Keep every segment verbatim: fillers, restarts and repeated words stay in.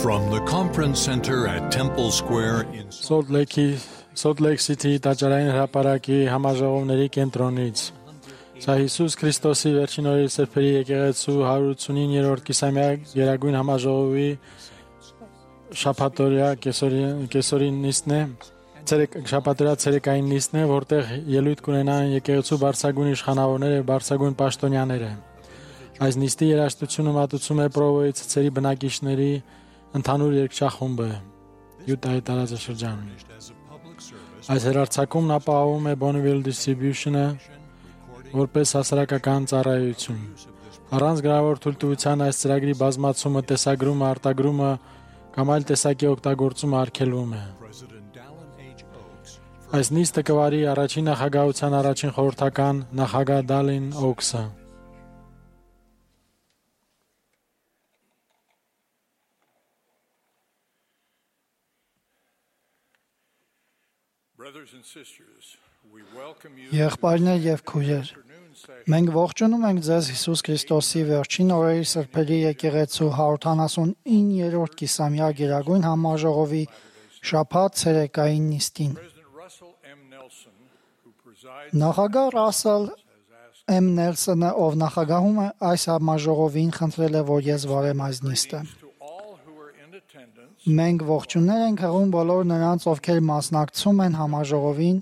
From the conference center at Temple Square in Salt Lake Salt Lake City տաճարային հրապարակի համաժողովների կենտրոնից Սա Հիսուս Քրիստոսի վերջին օրերի սրբերի եկեղեցու հարյուր ութսունիններորդ կիսամյա գերագույն համաժողովի շաբաթօրյա կեսօրին նիստն է ցերեկ շաբաթօրյա ցերեկային նիստն է որտեղ ելույթ կունենան եկեղեցու բարձրագույն իշխանավորները եւ բարձրագույն պաշտոնյաները Այս նիստի երաժշտությունը մատուցում է Պրովոյի ցցերի բնակիչների ընդհանուր երգչախումբը Յուտայի տարածաշրջանում Այս հեռարձակումն ապահովում է Bonneville Distribution-ը որպես հասարակական ծառայություն Առանց գրավոր թույլտվության այս ծրագրի բազմացումը, տեսագրումը, արտագրումը կամ այլ տեսակի օգտագործումը արգելվում է Այս նիստը կվարի առաջին նախագահության առաջին խորհրդական նախագահ Դալին Օքսը Եղբայրներ եւ քույրեր, մենք ողջունում ենք ձեզ Հիսուս Քրիստոսի վերջին օրերի սրբերի եկեղեցու հարյուր ութանասունիններորդ կիսամյա գերագույն համաժողովի շաբաթ ցերեկային նիստին։ Նախագահ Ռասել Էմ Նելսոնը, ով նախագահում է այս համաժողովին, խնդրել է, որ ես վարեմ այս նիստը։ Մենք ողջուններ ենք հղում բոլոր նրանց, ովքեր մասնակցում են համաժողովին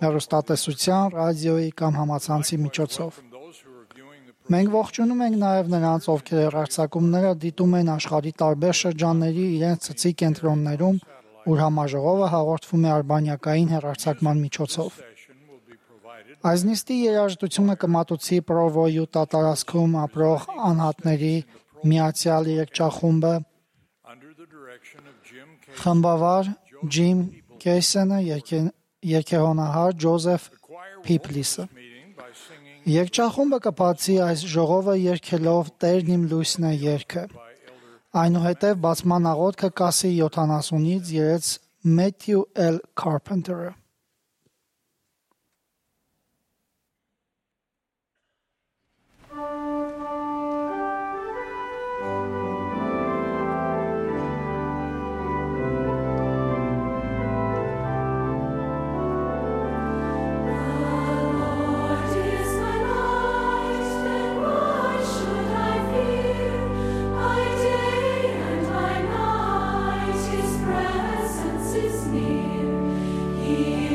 հեռուստատեսության, ռադիոյի կամ համացանցի միջոցով։ Մենք ողջունում ենք նաև նրանց, ովքեր հեռարձակումները դիտում են աշխարհի տարբեր շրջանների իրենց ցցի կենտրոններում, ուր համաժողովը հաղորդվում է արբանյակային հեռարձակման միջոցով։ Այս նիստի երաժշտությունը կմատուցի Պրովոյի տարածքում ապրող անհատների միացյալ երգչախումբը Խմբավար Ջիմ Քեյսենը երկեհոնահար Ջոզեֆ Փիփլիսը Երգչախումբը կբացի այս ժողովը երգելով Տերն իմ լույսն է երգը Այնուհետև բացման աղոթքը կասի յոթանասունից երեց Մեթյու Էլ Կարփենտերը He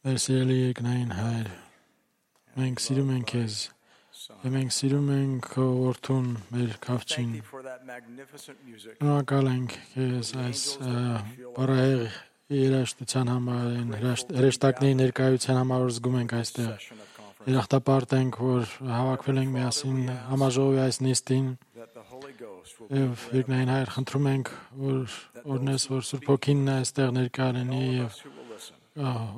Մեր սիրելի երկնային Հայր, մենք սիրում ենք Քեզ, եւ մենք սիրում ենք Քո որդուն, մեր Քավչին։ Շնորհակալ ենք Քեզ այս բարահեղ երաժշտության համար, հրեշտակների ներկայության համար, որ զգում ենք այստեղ։ Երախտապարտ ենք, որ հավաքվել ենք միասին համաժողովի այս նիստին։ Եվ երկնային Հայր, խնդրում ենք, որ օրհնես, որ Սուրբ Հոգին այստեղ ներկա լինի եւ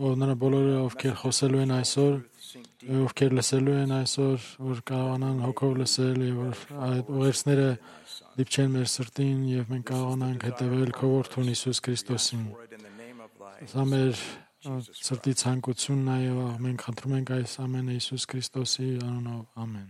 օրհնը բոլորը, ովքեր խոսելու են այսօր, ովքեր լսելու են այսօր, որ կարողանան հոգով լսել եւ որ այդ ուղերձները դիպչեն մեր սրտին եւ մենք կարողանանք հետեւել Քո որդուն Հիսուս Քրիստոսին։ Սա մեր սրտի ցանկությունն է եւ մենք խնդրում ենք այս ամենը Հիսուս Քրիստոսի անունով։ Ամեն։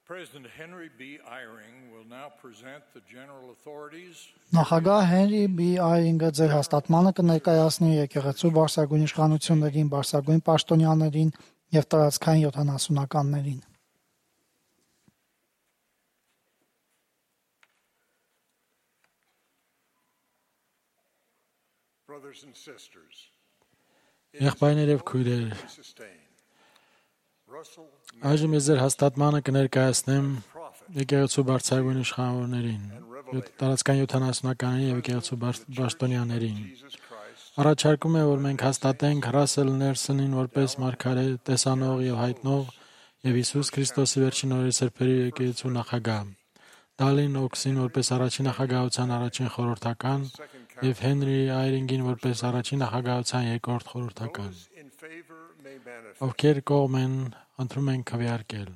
President Henry B. Eyring will now present the general authorities. Նախագահ Հենրի B. Այրինգը ձեր հաստատմանը կներկայացնի եկեղեցու բարձրագույն իշխանություններին, բարձրագույն պաշտոնյաներին եւ տարածքային յոթանասունականներին։ Brothers and sisters. Եղբայրներ եւ քույրեր, այժմ ես ձեր հաստատմանը կներկայացնեմ եկեղեցու բարձրագույն իշխանավորներին, տարածքային յոթանասունականներին եւ եկեղեցու պաշտոնյաներին։ Առաջարկում է, որ մենք հաստատենք Ռասել Ներսոնին որպես մարգարե, տեսանող եւ հայտնող եւ Հիսուս Քրիստոսի վերջին օրերի սրբերի եկեղեցու նախագահ, Դալին Օքսին որպես առաջին նախագահության առաջին խորհրդական եւ Հենրի Այրինգին որպես առաջին նախագահության երկրորդ խորհրդական։ Ովքեր կողմ են, ընտրում են քվեարկել։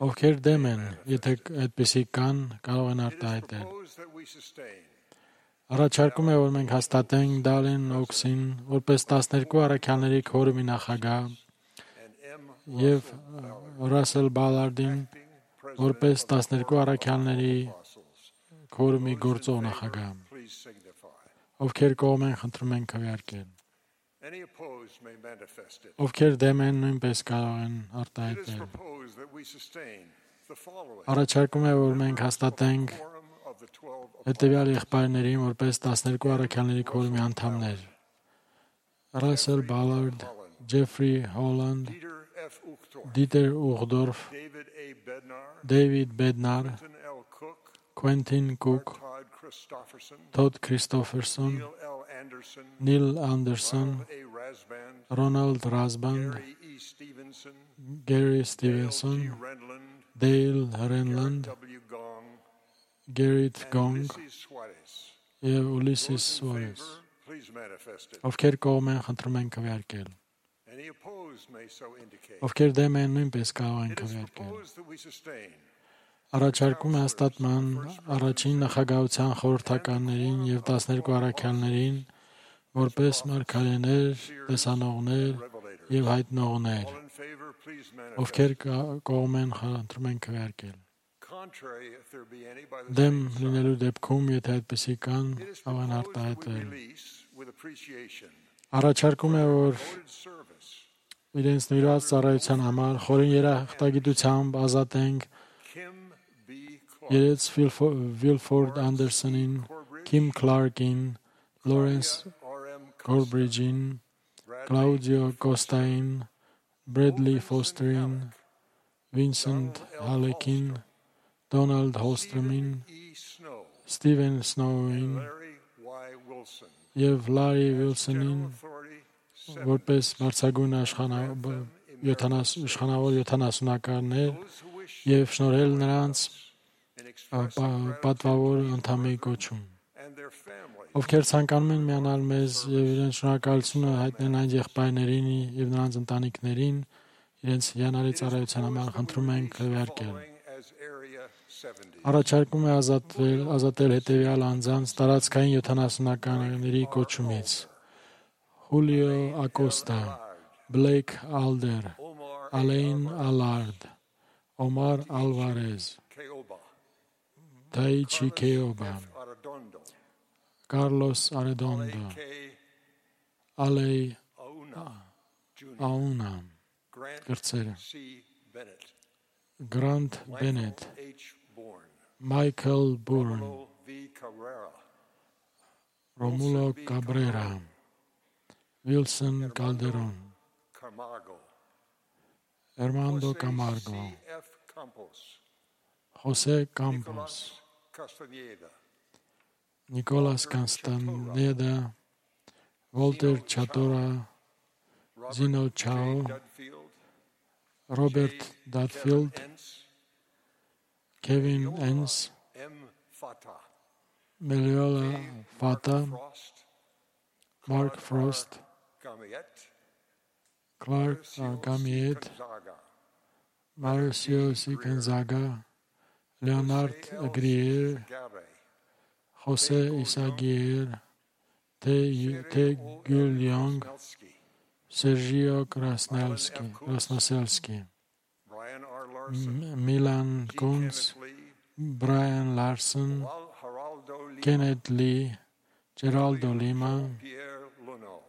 Ովքեր դեմ են, եթե այդպիսի կան, կարող են արտահայտել։ Առաջարկում է, որ մենք հաստատենք Դալին Օքսին որպես տասներկու առաքյալների քորումի նախագահ եւ Ռասել Բալարդին որպես տասներկու առաքյալների քորումի գործող նախագահ։ Ովքեր կողմ են, խնդրում են քվեարկել։ Ովքեր դեմ են, նույնպես կարող են արտահայտել։ Առաջարկում է, որ մենք հաստատենք հետևյալ եղբայրներին որպես տասներկու առաքյալների քորումի անդամներ. Ռասել Բալարդ, Ջեֆրի Հոլանդ, Դիտեր Ուղդորֆ, Դեյվիդ Բեդնար, Քվենտին Կուկ, Թոդ Քրիստոֆերսոն, Նիլ Անդերսոն, Ռոնալդ Ռազբանդ, Գերի Ստիվենսոն, Դեյլ Ռենլանդ, Գերիթ Գոնգ եւ Ուլիսիս Սուարես։ Ովքեր կողմ են, խնդրում են քվեարկել։ Ովքեր դեմ են, նույնպես կարող են քվեարկել։ Առաջարկում է հաստատման առաջին նախագահության խորհրդականներին եւ տասներկու առաքյալներին որպես մարգարեներ, տեսանողներ եւ հայտնողներ։ Ովքեր կողմ են, խնդրում են քվեարկել։ Դեմ լինելու դեպքում, եթե այդպիսի կան, կարող են արտահայտել։ Առաջարկում է, որ իրենց նվիրված ծառայության համար խորին երախտագիտությամբ ազատենք Երեց Վիլֆորդ Անդերսոնին, Քիմ Քլարկին, Լորենս Գորբրիջին, Կլաուդիո Կոստային, Բրեդլի Ֆոստերին, Վինսենտ Հալեկին, Դոնալդ Հոլստրոմին, Ստիվեն Սնոուին եւ Լարի Վիլսոնին որպես բարձրագույն իշխանավոր յոթանասունականներ եւ շնորհել նրանց պատվավոր անդամի կոչում։ Ովքեր ցանկանում են միանալ մեզ եւ իրենց շնորհակալությունը հայտնեն այն եղբայրներին եւ նրանց ընտանիքներին, իրենց հիանալի ծառայության համար խնդրում ենք քվեարկել։ Առաջարկում է ազատվել, ազատել հետևյալ անձանց տարածքային յոթանասունականների կոչումից. Խուլիո Ակոստա, Բլեյք Ալդեր, Ալեյն Ալարդ, Օմար Ալվարեզ, Թայչի Քեոբա, Կարլոս Արեդոնդո, Ալեյ Աունա, կրծերը, Գրանտ Բենետ, Michael Bourne, Romulo V. Cabrera, Romulo Cabrera, Wilson Calderon, Camargo, Armando Jose Camargo, C. F. Campos, Jose Campos, Nicolas Castaneda, Nicolas Castaneda, Walter Chatora, Robert Zeno J. Chao, Dudfield, Robert J. Dudfield, Kevin Entz, Kevin Yola Enns, M. Fata, Meliola Mark Fata, Frost, Mark Claude Frost, R. Gamiet, Clark Marcio Gamiet, C. Gonzaga, Marcio C. Gonzaga, Leonard Jose L. Grier, Gabe, Jose Isaguirre, T. T. Gulyong, Krasnelsky, Sergio Krasnelsky, Krasnoselsky, Brian R. Larson, M- Milan G. Kunz, Kenneth Lee, Brian Larson, Wal- Geraldo Lima, Kenneth Lee, Geraldo Lima, Pierre Luno,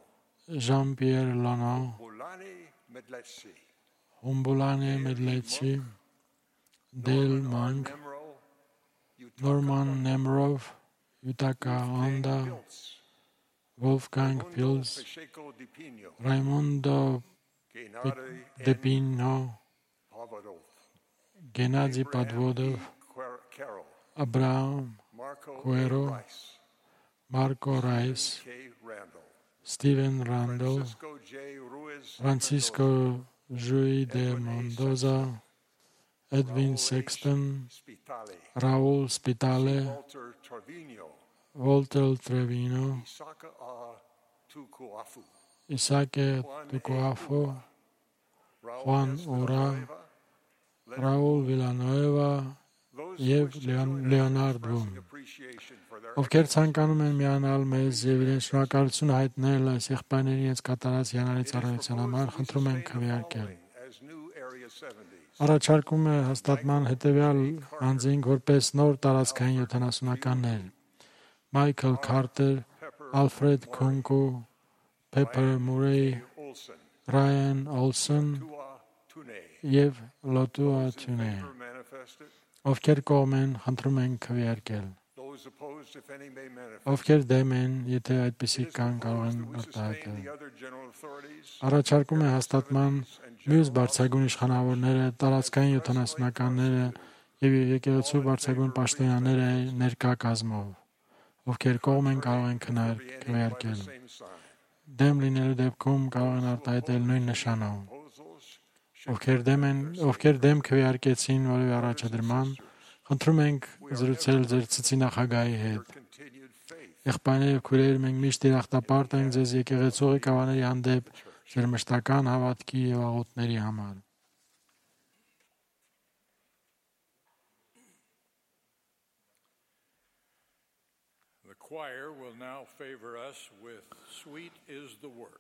Jean-Pierre Lono, Ulani Medletsi, Umbulane Medletsi, Dale Monk, Nemro, Yutaka Norman Nemrov, Yutaka Honda, Pilz, Wolfgang Mundo Pils, Pacheco Di Pino, Raimundo Gennady De N. Pino, Pavlov, Gennady Abraham Podvodov, E. Quer- Carroll, Abraham Marco A. Cuero, Rice, Marco Rice, K. Randall, Stephen Randall, Francisco J. Ruiz, Francisco Rui de Mendoza, Edwin Sexton, Spitali, Raul Spitale, Walter Trevino, Walter Trevino, Isaka A. Tukuafu, Isake Juan A. Tucoafo, Raul Juan S. Ora, Villanueva, Leonard Raul Villanueva Those եւ who wish to join us Leonard in Boone, expressing appreciation for their ովքեր ցանկանում են միանալ մեզ եւ իրենց շնորհակալություն հայտնել այս եղբայրների իրենց կատարած հիանալի ծառայության համար, խնդրում ենք քվեարկել։ as new Area seventies. Առաջարկում է հաստատման հետևյալ անձինք որպես նոր տարածքային յոթանասունականներ. Michael Carter, Alfred Kunku, Pepper Murray, Olson, Ryan Olson Tua Tune, եւ Lotua Tune, favor manifested. ովքեր կողմ են, խնդրում ենք քվեարկել։ Those opposed, if any, may manifest. Ովքեր դեմ են, եթե այդպիսի It is կան, կարող են proposed that we արտահայտել։ sustain the other general authorities, Առաջարկում է հաստատման մյուս բարձրագույն իշխանավորները, տարածքային յոթանասունականները եւ եկեղեցու բարձրագույն պաշտոնյաները ներկա կազմով, ովքեր կողմ են, կարող են քննարկել by քվեարկել։ the same sign. Դեմ լինելու դեպքում կարող են արտահայտել նույն նշանով։ Proposals Ովքեր դեմ են, ովքեր դեմ քվեարկեցին որևէ առաջադրման, խնդրում ենք զրուցել ձեր ցցի նախագահի հետ։ continued faith. Եղբայրներ եւ քույրեր, մենք միշտ երախտապարտ ենք ձեզ եկեղեցու ղեկավարների հանդեպ ձեր մշտական հավատքի եւ աղոթների համար։ The choir will now favor us with Sweet is the Work.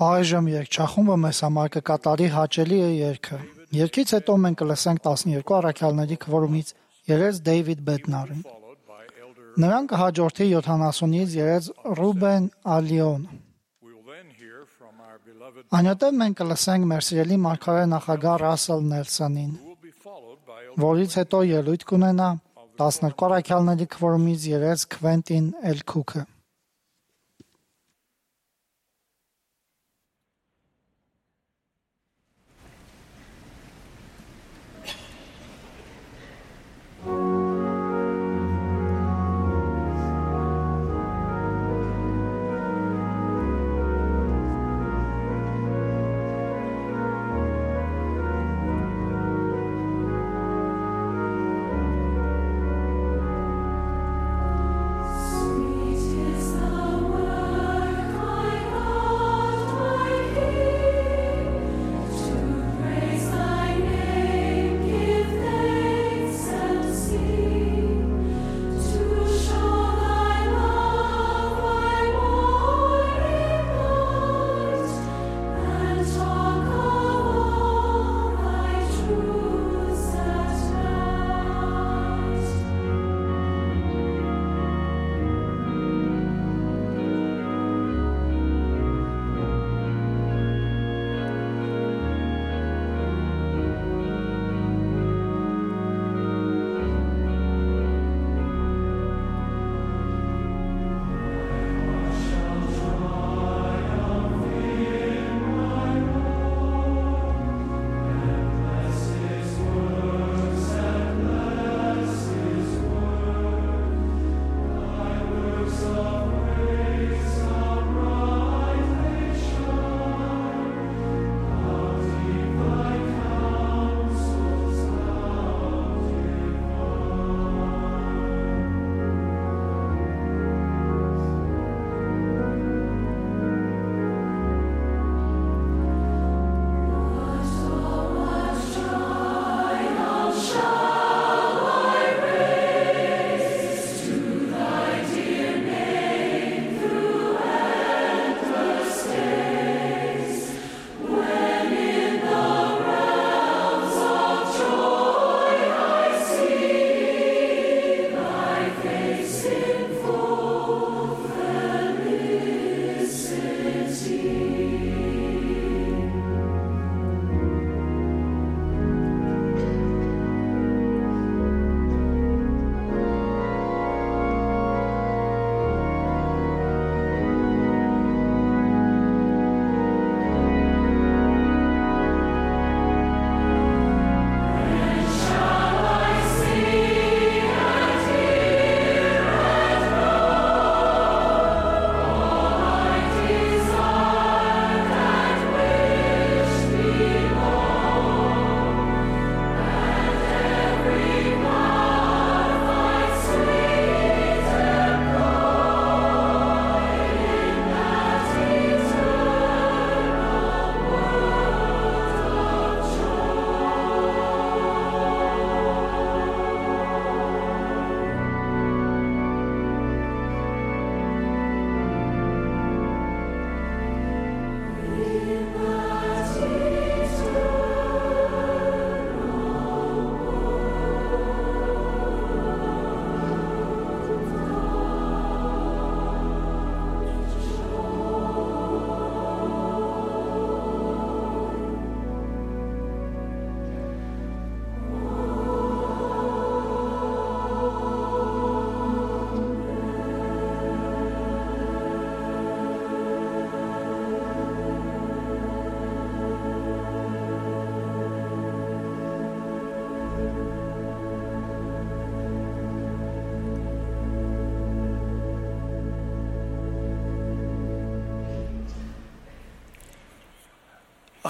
Այժմ երգչախումբը մեզ համար կկատարի հաճելի է երգը։ Երգից հետո մենք կլսենք տասներկու առաքյալների քվորումից երես Դեյվիդ Բեդնարին։ Followed by Elder. Նրան կհաջորդի յոթանասունից երես Ռուբեն Ալիոն։ We will then hear from our beloved. Այնուհետև մենք կլսենք մեր սիրելի մարգարե նախագահ Ռասել Նելսոնին, Who will be followed by Elder. որից հետո ելույթ կունենա տասներկու առաքյալների քվորումից երես Քվենտին Էլքուքը։ Sweet is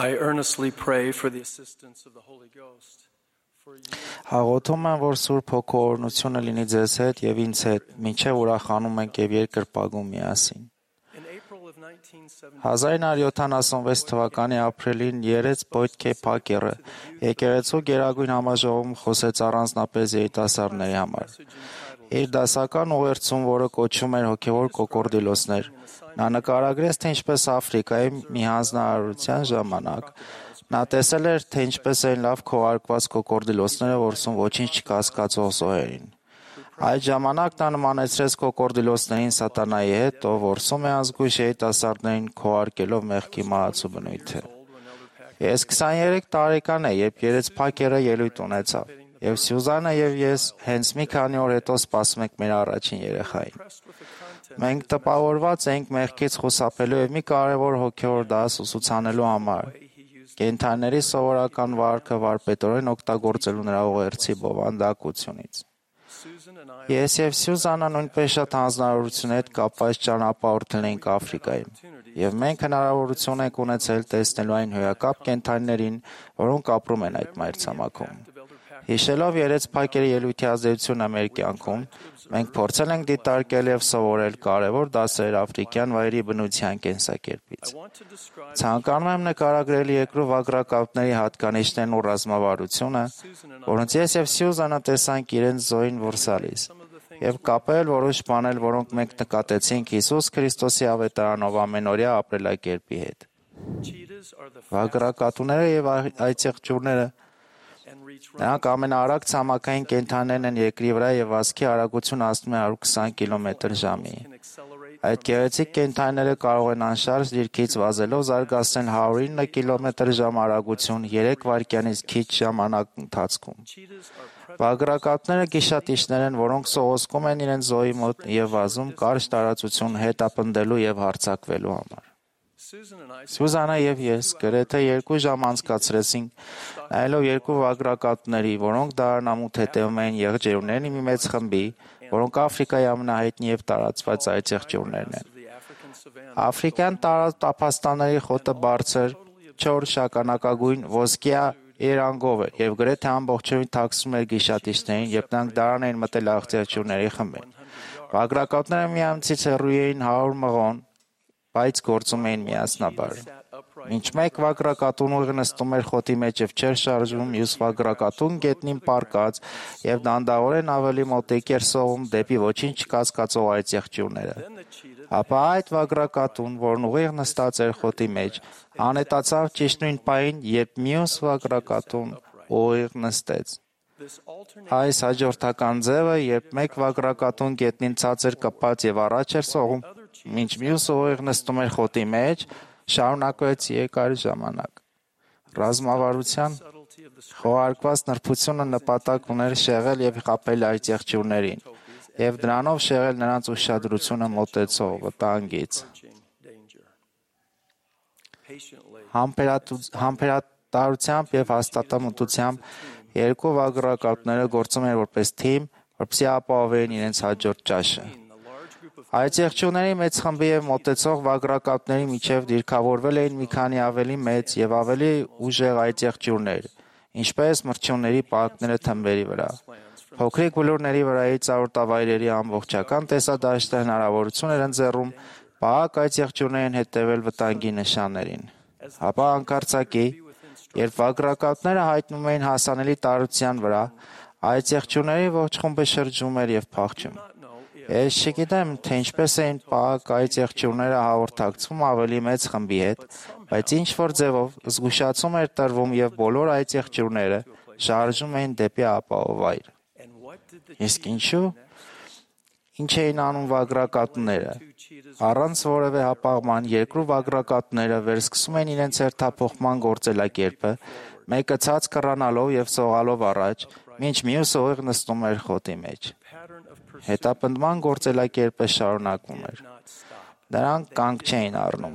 I earnestly pray for the assistance of the Holy Ghost. For you, Հաղորդում եմ, որ Սուրբ Հոգու օրհնությունը լինի ձեզ հետ եւ ինձ հետ, մինչեւ ուրախանում ենք եւ երկրպագում միասին։ in April of nineteen seventy, հազար նույնսուն յոթանասունվեց թվականի ապրիլին երեց Պոյտքե Փակերը եկեղեցու Գերագույն համաժողովում խոսեց առանձնապես երիտասարդների համար։ Իր դասական ուղերձում, որը կոչվում էր հոգևոր կոկորդիլոսներ, նա նկարագրեց, թե ինչպես Աֆրիկայի մի հանձնարարության ժամանակ նա տեսել էր, թե ինչպես են լավ քողարկված կոկորդիլոսները որսում ոչինչ չկասկածող զոհերին։ Այդ ժամանակ նա նմանեցրեց կոկորդիլոսներին սատանայի հետ, ով որսում է ազգույշ երիտասարդներին քողարկելով մեղքի մահացու բնույթը։ Ես քսաներեք տարեկան եմ, երբ երեց Փակերը ելույթ ունեցավ, եւ Սյուզանը եւ ես հենց մի քանի օր հետո սպասում ենք մեր առաջին երեխային։ Մենք տպավորված ենք մեղքից խուսափելու եւ մի կարևոր հոգեոր դաս ուսուցանելու համար։ Կենդանիների սովորական վարքը վարպետորեն օգտագործելու նրա ուղերձի բովանդակությունից։ Ես եւ Սյուզանը նույնպես շատ հանձնարարություն հետ կապված ճանապարհորդել ենք Աֆրիկայում, եւ մենք հնարավորություն ենք ունեցել տեսնելու այն հոյակապ կենդանիներին, որոնք ապրում են այդ մայրցամաքում։ Հիշելով երեց Փակերի ելույթի ազդեցությունը մեր կյանքում, մենք փորձել ենք դիտարկել եւ սովորել կարևոր դասեր աֆրիկյան վայրի բնության կենսակերպից։ Ցանկանում եմ նկարագրել երկրով ագրակապների հատկանիշներն ու ռազմավարությունը, որոնց ես եւ Սյուզանը տեսանք իրենց զոհին որսալիս, եւ կապել որոշ բաներ, որոնք մենք նկատեցինք Հիսուս Քրիստոսի ավետարանով ամենօրյա ապրելակերպի հետ։ Վագրակատուները եւ այծեղջուրները նրանք ամենաարագ ցամաքային կենդանիներն են երկրի վրա եւ վազքի արագությունը հասնում է հարյուր քսան կիլոմետր ժամի։ Այդ գեղեցիկ կենդանիները կարող են անշարժ դիրքից վազելով զարգացնել հարյուր ինը կիլոմետր ժամ արագություն երեք վայրկյանից քիչ ժամանակ ընթացքում։ Վագրակատները գիշատիչներ են, որոնք սողոսկում են իրենց զոհի մոտ եւ վազում կարճ տարածություն հետապնդելու եւ հարձակվելու համար։ Սյուզանը եւ ես գրեթե երկու ժամ անցկացրեցինք նայելով երկու վագրակատների, որոնք դարանամուտ հետևում էին եղջերուների մի մեծ խմբի, որոնք Աֆրիկայի ամենահայտնի եւ տարածված այծեղջերուներն են։ Աֆրիկյան տափաստանների խոտը բարձր, չոր շագանակագույն ոսկյա երանգով էր եւ գրեթե ամբողջովին թաքցում էր գիշատիչներին, երբ նրանք դարան էին մտել այծեղջերուների խմբին։ Վագրակատները միամիջից հեռու էին հարյուր մղոն, բայց գործում էին միասնաբար։ Մինչ մեկ վագրակատուն ուղիղ նստում էր խոտի մեջ եւ չէր շարժվում, մյուս վագրակատուն գետնին պառկած եւ դանդաղորեն ավելի մոտիկ էր սողում դեպի ոչինչ չկասկածող այծեղջյուրները։ Ապա այդ վագրակատուն, որն ուղիղ նստած էր խոտի մեջ, անետացավ ճիշտ նույն պահին, երբ մյուս վագրակատուն ուղիղ նստեց։ Այս հաջորդական ձևը, երբ մեկ վագրակատուն գետնին ցածր կպած եւ առաջ էր սողում, մինչ մյուսը ուղիղ նստում էր խոտի մեջ, շարունակվեց երկար ժամանակ։ Ռազմավարության խոհարկված նրբությունը նպատակ ուներ շեղել եւ խաբել այծեղջյուրներին եւ դրանով շեղել նրանց ուշադրությունը մոտեցող վտանգից։ Համբերատարությամբ եւ հաստատամտությամբ երկու վագրակատները գործում են որպես թիմ, որպեսզի ապահովեն իրենց հաջորդ ճաշը։ Այծեղջյուրների մեծ խմբի եւ մոտեցող վագրակատների միջև դիրքավորվել էին մի քանի ավելի մեծ եւ ավելի ուժեղ այծեղջյուրներ, ինչպես մրջյունների պարկները թմբերի վրա։ Փոքրիկ բլուրների վրայից արոտավայրերի ամբողջական տեսադաշտը հնարավորություն էր ընձեռում պահակ այծեղջյուրներին հետևել վտանգի նշաններին։ Ապա անկարծակի, երբ վագրակատները հայտնվում էին հասանելի տարածության վրա, այծեղջյուրների ողջ խումբը շրջում էր եւ փախչում։ Ես չգիտեմ, թե ինչպես էին պահակ այծեղջյուրները հաղորդակցվում ավելի մեծ խմբի հետ, բայց ինչ-որ ձևով զգուշացում էր տրվում եւ բոլոր այծեղջյուրները շարժում էին դեպի ապահով վայր։ Իսկ ինչու՞։ Ինչ էին անում վագրակատները։ Առանց որևէ հապաղման երկու վագրակատները վերսկսում են իրենց հերթափոխման գործելակերպը, մեկը ցած կռանալով եւ սողալով առաջ, մինչ մյուսը ուղիղ նստում էր խոտի մեջ։ Հետապնդման գործելակերպը շարունակվում էր։ Նրանք կանգ չէին առնում։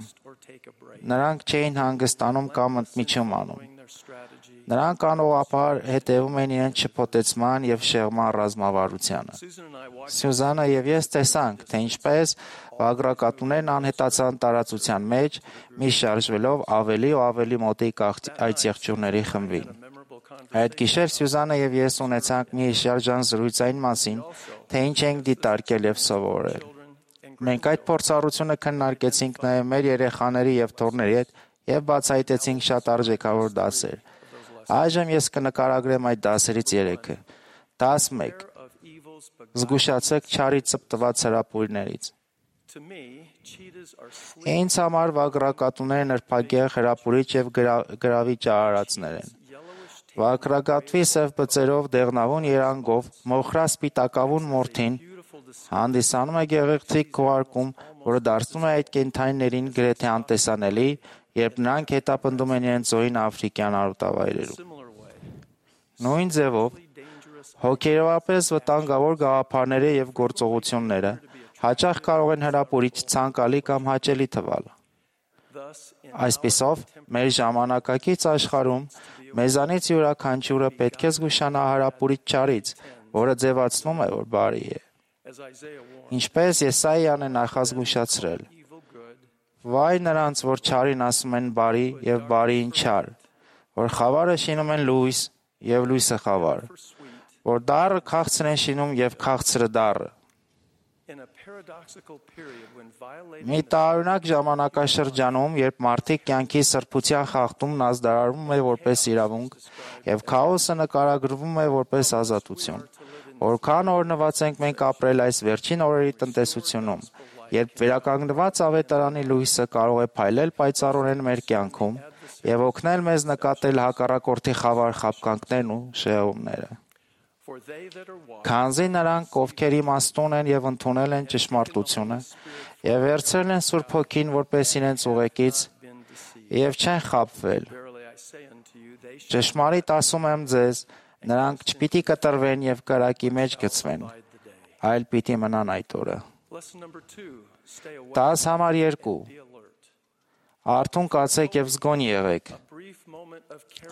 Նրանք չէին հանգստանում կամ ընդմիջում անում։ Նրանք անողապար հետևում են իրենց շփոթեցման և շեղման ռազմավարությանը։ Սյուզանը և ես տեսանք, թե ինչպես վագրակատուներն անհետացան տարածության մեջ, միշտ շարժվելով ավելի ու ավելի մոտիկ այդ եղջյուրների խմբին։ Այդ գիշեր Սյուզանը և ես ունեցանք մի հիշարժան զրույց այն մասին, թե ինչ ենք դիտարկել և սովորել։ Մենք այդ փորձառությունը քննարկեցինք նաև մեր երեխաների և թոռների հետ և բացահայտեցինք շատ արժեքավոր դասեր։ Այժմ ես կնկարագրեմ այդ դասերից երեքը։ Դաս մեկ. Զգուշացեք չարի ծպտված հրապուրներից։ Ինձ համար վագրակատուները նրբագեղ, հրապուրիչ և գրավիչ արարածներ են։ Վագրակատվի սև բծերով, դեղնավուն երանգով, մոխրասպիտակավուն մորթին հանդիսանում է գեղեցիկ քուղարկում, որը դարձնում է այդ կենդանիներին գրեթե անտեսանելի, երբ նրանք հետապնդում են իրենց զոհին աֆրիկյան արոտավայրերում։ Նույն ձևով, հոգեորապես վտանգավոր գաղափարները և գործողությունները հաճախ կարող են հրապուրիչ, ցանկալի կամ հաճելի թվալ։ Այսպիսով, մեր ժամանակակից աշխարհում մեզանից յուրաքանչյուրը պետք է զգուշանա հրապուրիչ չարից, որը ձևացնում է, որ բարի է։ Ինչպես Եսայիան է նախազգուշացրել. «Վայ նրանց, որ չարին ասում են բարի և բարիին չար, որ խավարը շինում են լույս և լույսը խավար, որ դառը քաղցր են շինում և քաղցրը դառը»։ Մի տարօրինակ ժամանակաշրջանում, երբ մարդիկ կյանքի սրբության խախտումն ազդարարվում է որպես իրավունք և քաոսը նկարագրվում է որպես ազատություն, որքան օրհնված ենք մենք ապրել այս վերջին օրերի տնտեսությունում, երբ վերականգնված ավետարանի լույսը կարող է փայլել պայծառորեն մեր կյանքում և օգնել մեզ նկատել հակառակորդի խավար խաբկանքներն ու շեղումները։ Քանզի նրանք, ովքեր իմաստուն են և ընդունել են ճշմարտությունը և վերցրել են Սուրբ Հոգին որպես իրենց ուղեկից և չեն խաբվել, ճշմարիտ ասում եմ ձեզ, նրանք չպիտի կտրվեն և կրակի մեջ գցվեն, այլ պիտի մնան այդ օրը։ Դաս համար երկու. Արթուն կացեք և զգոնի եղեք։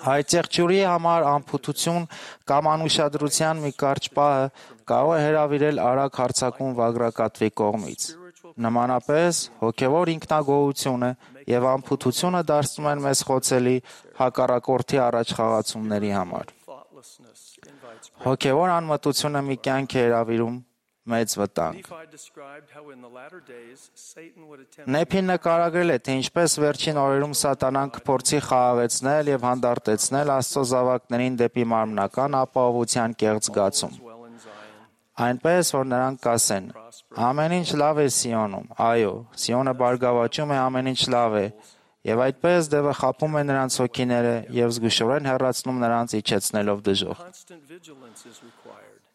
Այդ եղջյուրի համար անփութություն կամ անուշադրության մի կարճ պահը կարող է հրավիրել արագ հարձակում վագրակատվի կողմից։ Նմանապես, հոգևոր ինքնագոհությունը և անփութությունը դարձնում են մեզ խոցելի հակառակորդի առաջխաղացումների համար։ Հոգևոր անմտությունը մի կյանք է հրավիրում մեծ վտանգ։ Նեփին նկարագրել է, թե ինչպես վերջին օրերում սատանան կփորձի խաղաղեցնել և հանդարտեցնել Աստծո զավակներին դեպի մարմնական ապահովության կեղծ զգացում, այնպես, որ նրանք կասեն. «Ամեն ինչ լավ է Սիոնում, այո, Սիոնը բարգավաճում է, ամեն ինչ լավ է», և այդպես դևը խաբում է նրանց հոգիները և զգուշորեն հեռացնում նրանց, իջեցնելով դժոխք։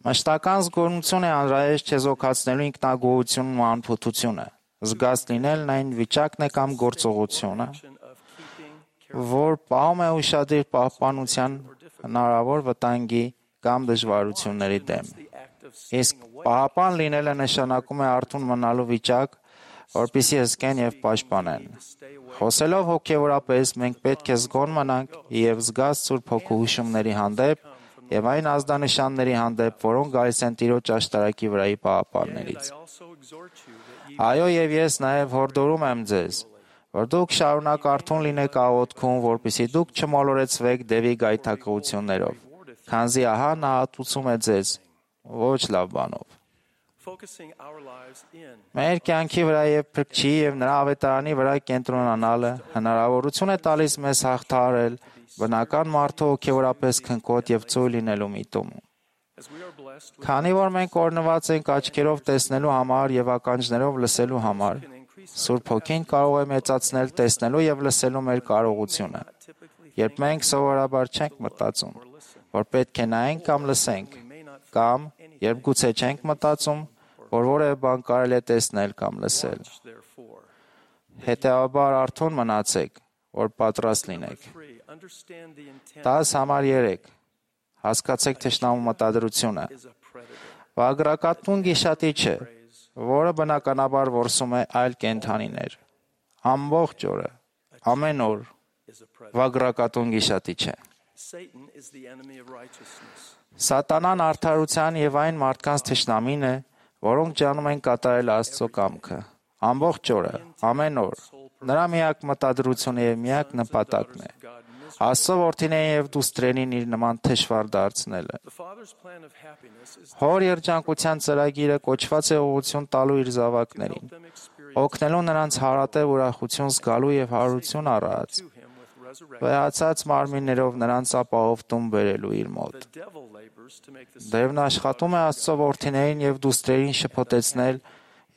Մշտական զգոնություն է անհրաժեշտ չեզոքացնելու ինքնագոհությունն ու անփութությունը։ Զգաց լինելն այն վիճակն է կամ գործողությունը, որ պահում է ուշադիր պահպանության հնարավոր վտանգի կամ դժվարությունների դեմ։ Իսկ պահապան լինելը նշանակում է արթուն մնալու վիճակ, որպեսզի հսկեն և պաշտպանեն։ Խոսելով հոգևորապես, մենք պետք է զգոն մնանք և զգաց Սուրբ Հոգու հուշումների հանդեպ և այն ազդանշանների հանդեպ, որոնք գալիս են Տիրոջ աշտարակի վրայի պահապաններից։ Այո, և ես նաև հորդորում եմ ձեզ, որ դուք շարունակ արթուն լինեք աղոթքում, որպեսզի դուք չմոլորեցվեք դևի գայթակղություններով, քանզի ահա նա ատուցում է ձեզ ոչ լավ բանով։ Մեր կյանքի վրա և Փրկչի և նրա ավետարանի վրա կենտրոնանալը հնարավորություն է տալիս մեզ հաղթահարել բնական մարդու հոգևորապես քնքոտ և ծույլ լինելու միտումը։ Քանի որ մենք օրհնված ենք աչքերով տեսնելու համար և ականջներով լսելու համար, Սուրբ Հոգին կարող է մեծացնել տեսնելու և լսելու մեր կարողությունը, երբ մենք սովորաբար չենք մտածում, որ պետք է նայենք կամ լսենք, կամ երբ գուցե չենք մտածում, որ որևէ բան կարելի է տեսնել կամ լսել։ Հետևաբար արթուն մնացեք, որ պատրաստ լինեք։ Դաս համար երեք. Հասկացեք թշնամու մտադրությունը։ Վագրակատուն գիշատիչ է, որը բնականաբար որսում է այլ կենդանիներ։ Ամբողջ օրը, ամեն օր is a predator. վագրակատուն գիշատիչ է։ Satan is the enemy of righteousness. Սատանան արդարության եւ այն մարդկանց թշնամին է, որոնք ջանում են կատարել Աստծո կամքը։ Ամբողջ օրը, ամեն օր, նրա միակ մտադրությունը եւ միակ նպատակն է Աստծո որդիներին եւ դուստրերին իր նման թշվառ դարձնելը։ The Father's plan of happiness is to Հոր երջանկության ծրագիրը կոչված է ուղղություն տալու իր զավակներին, help them experience օգնելու նրանց հարատև ուրախություն զգալու եւ հարություն առած, to him with resurrection. վեհացած մարմիններով նրանց ապահով տուն բերելու իր մոտ։ The devil labors to make the Դևն աշխատում է Աստծո որդիներին եւ դուստրերին շփոթեցնել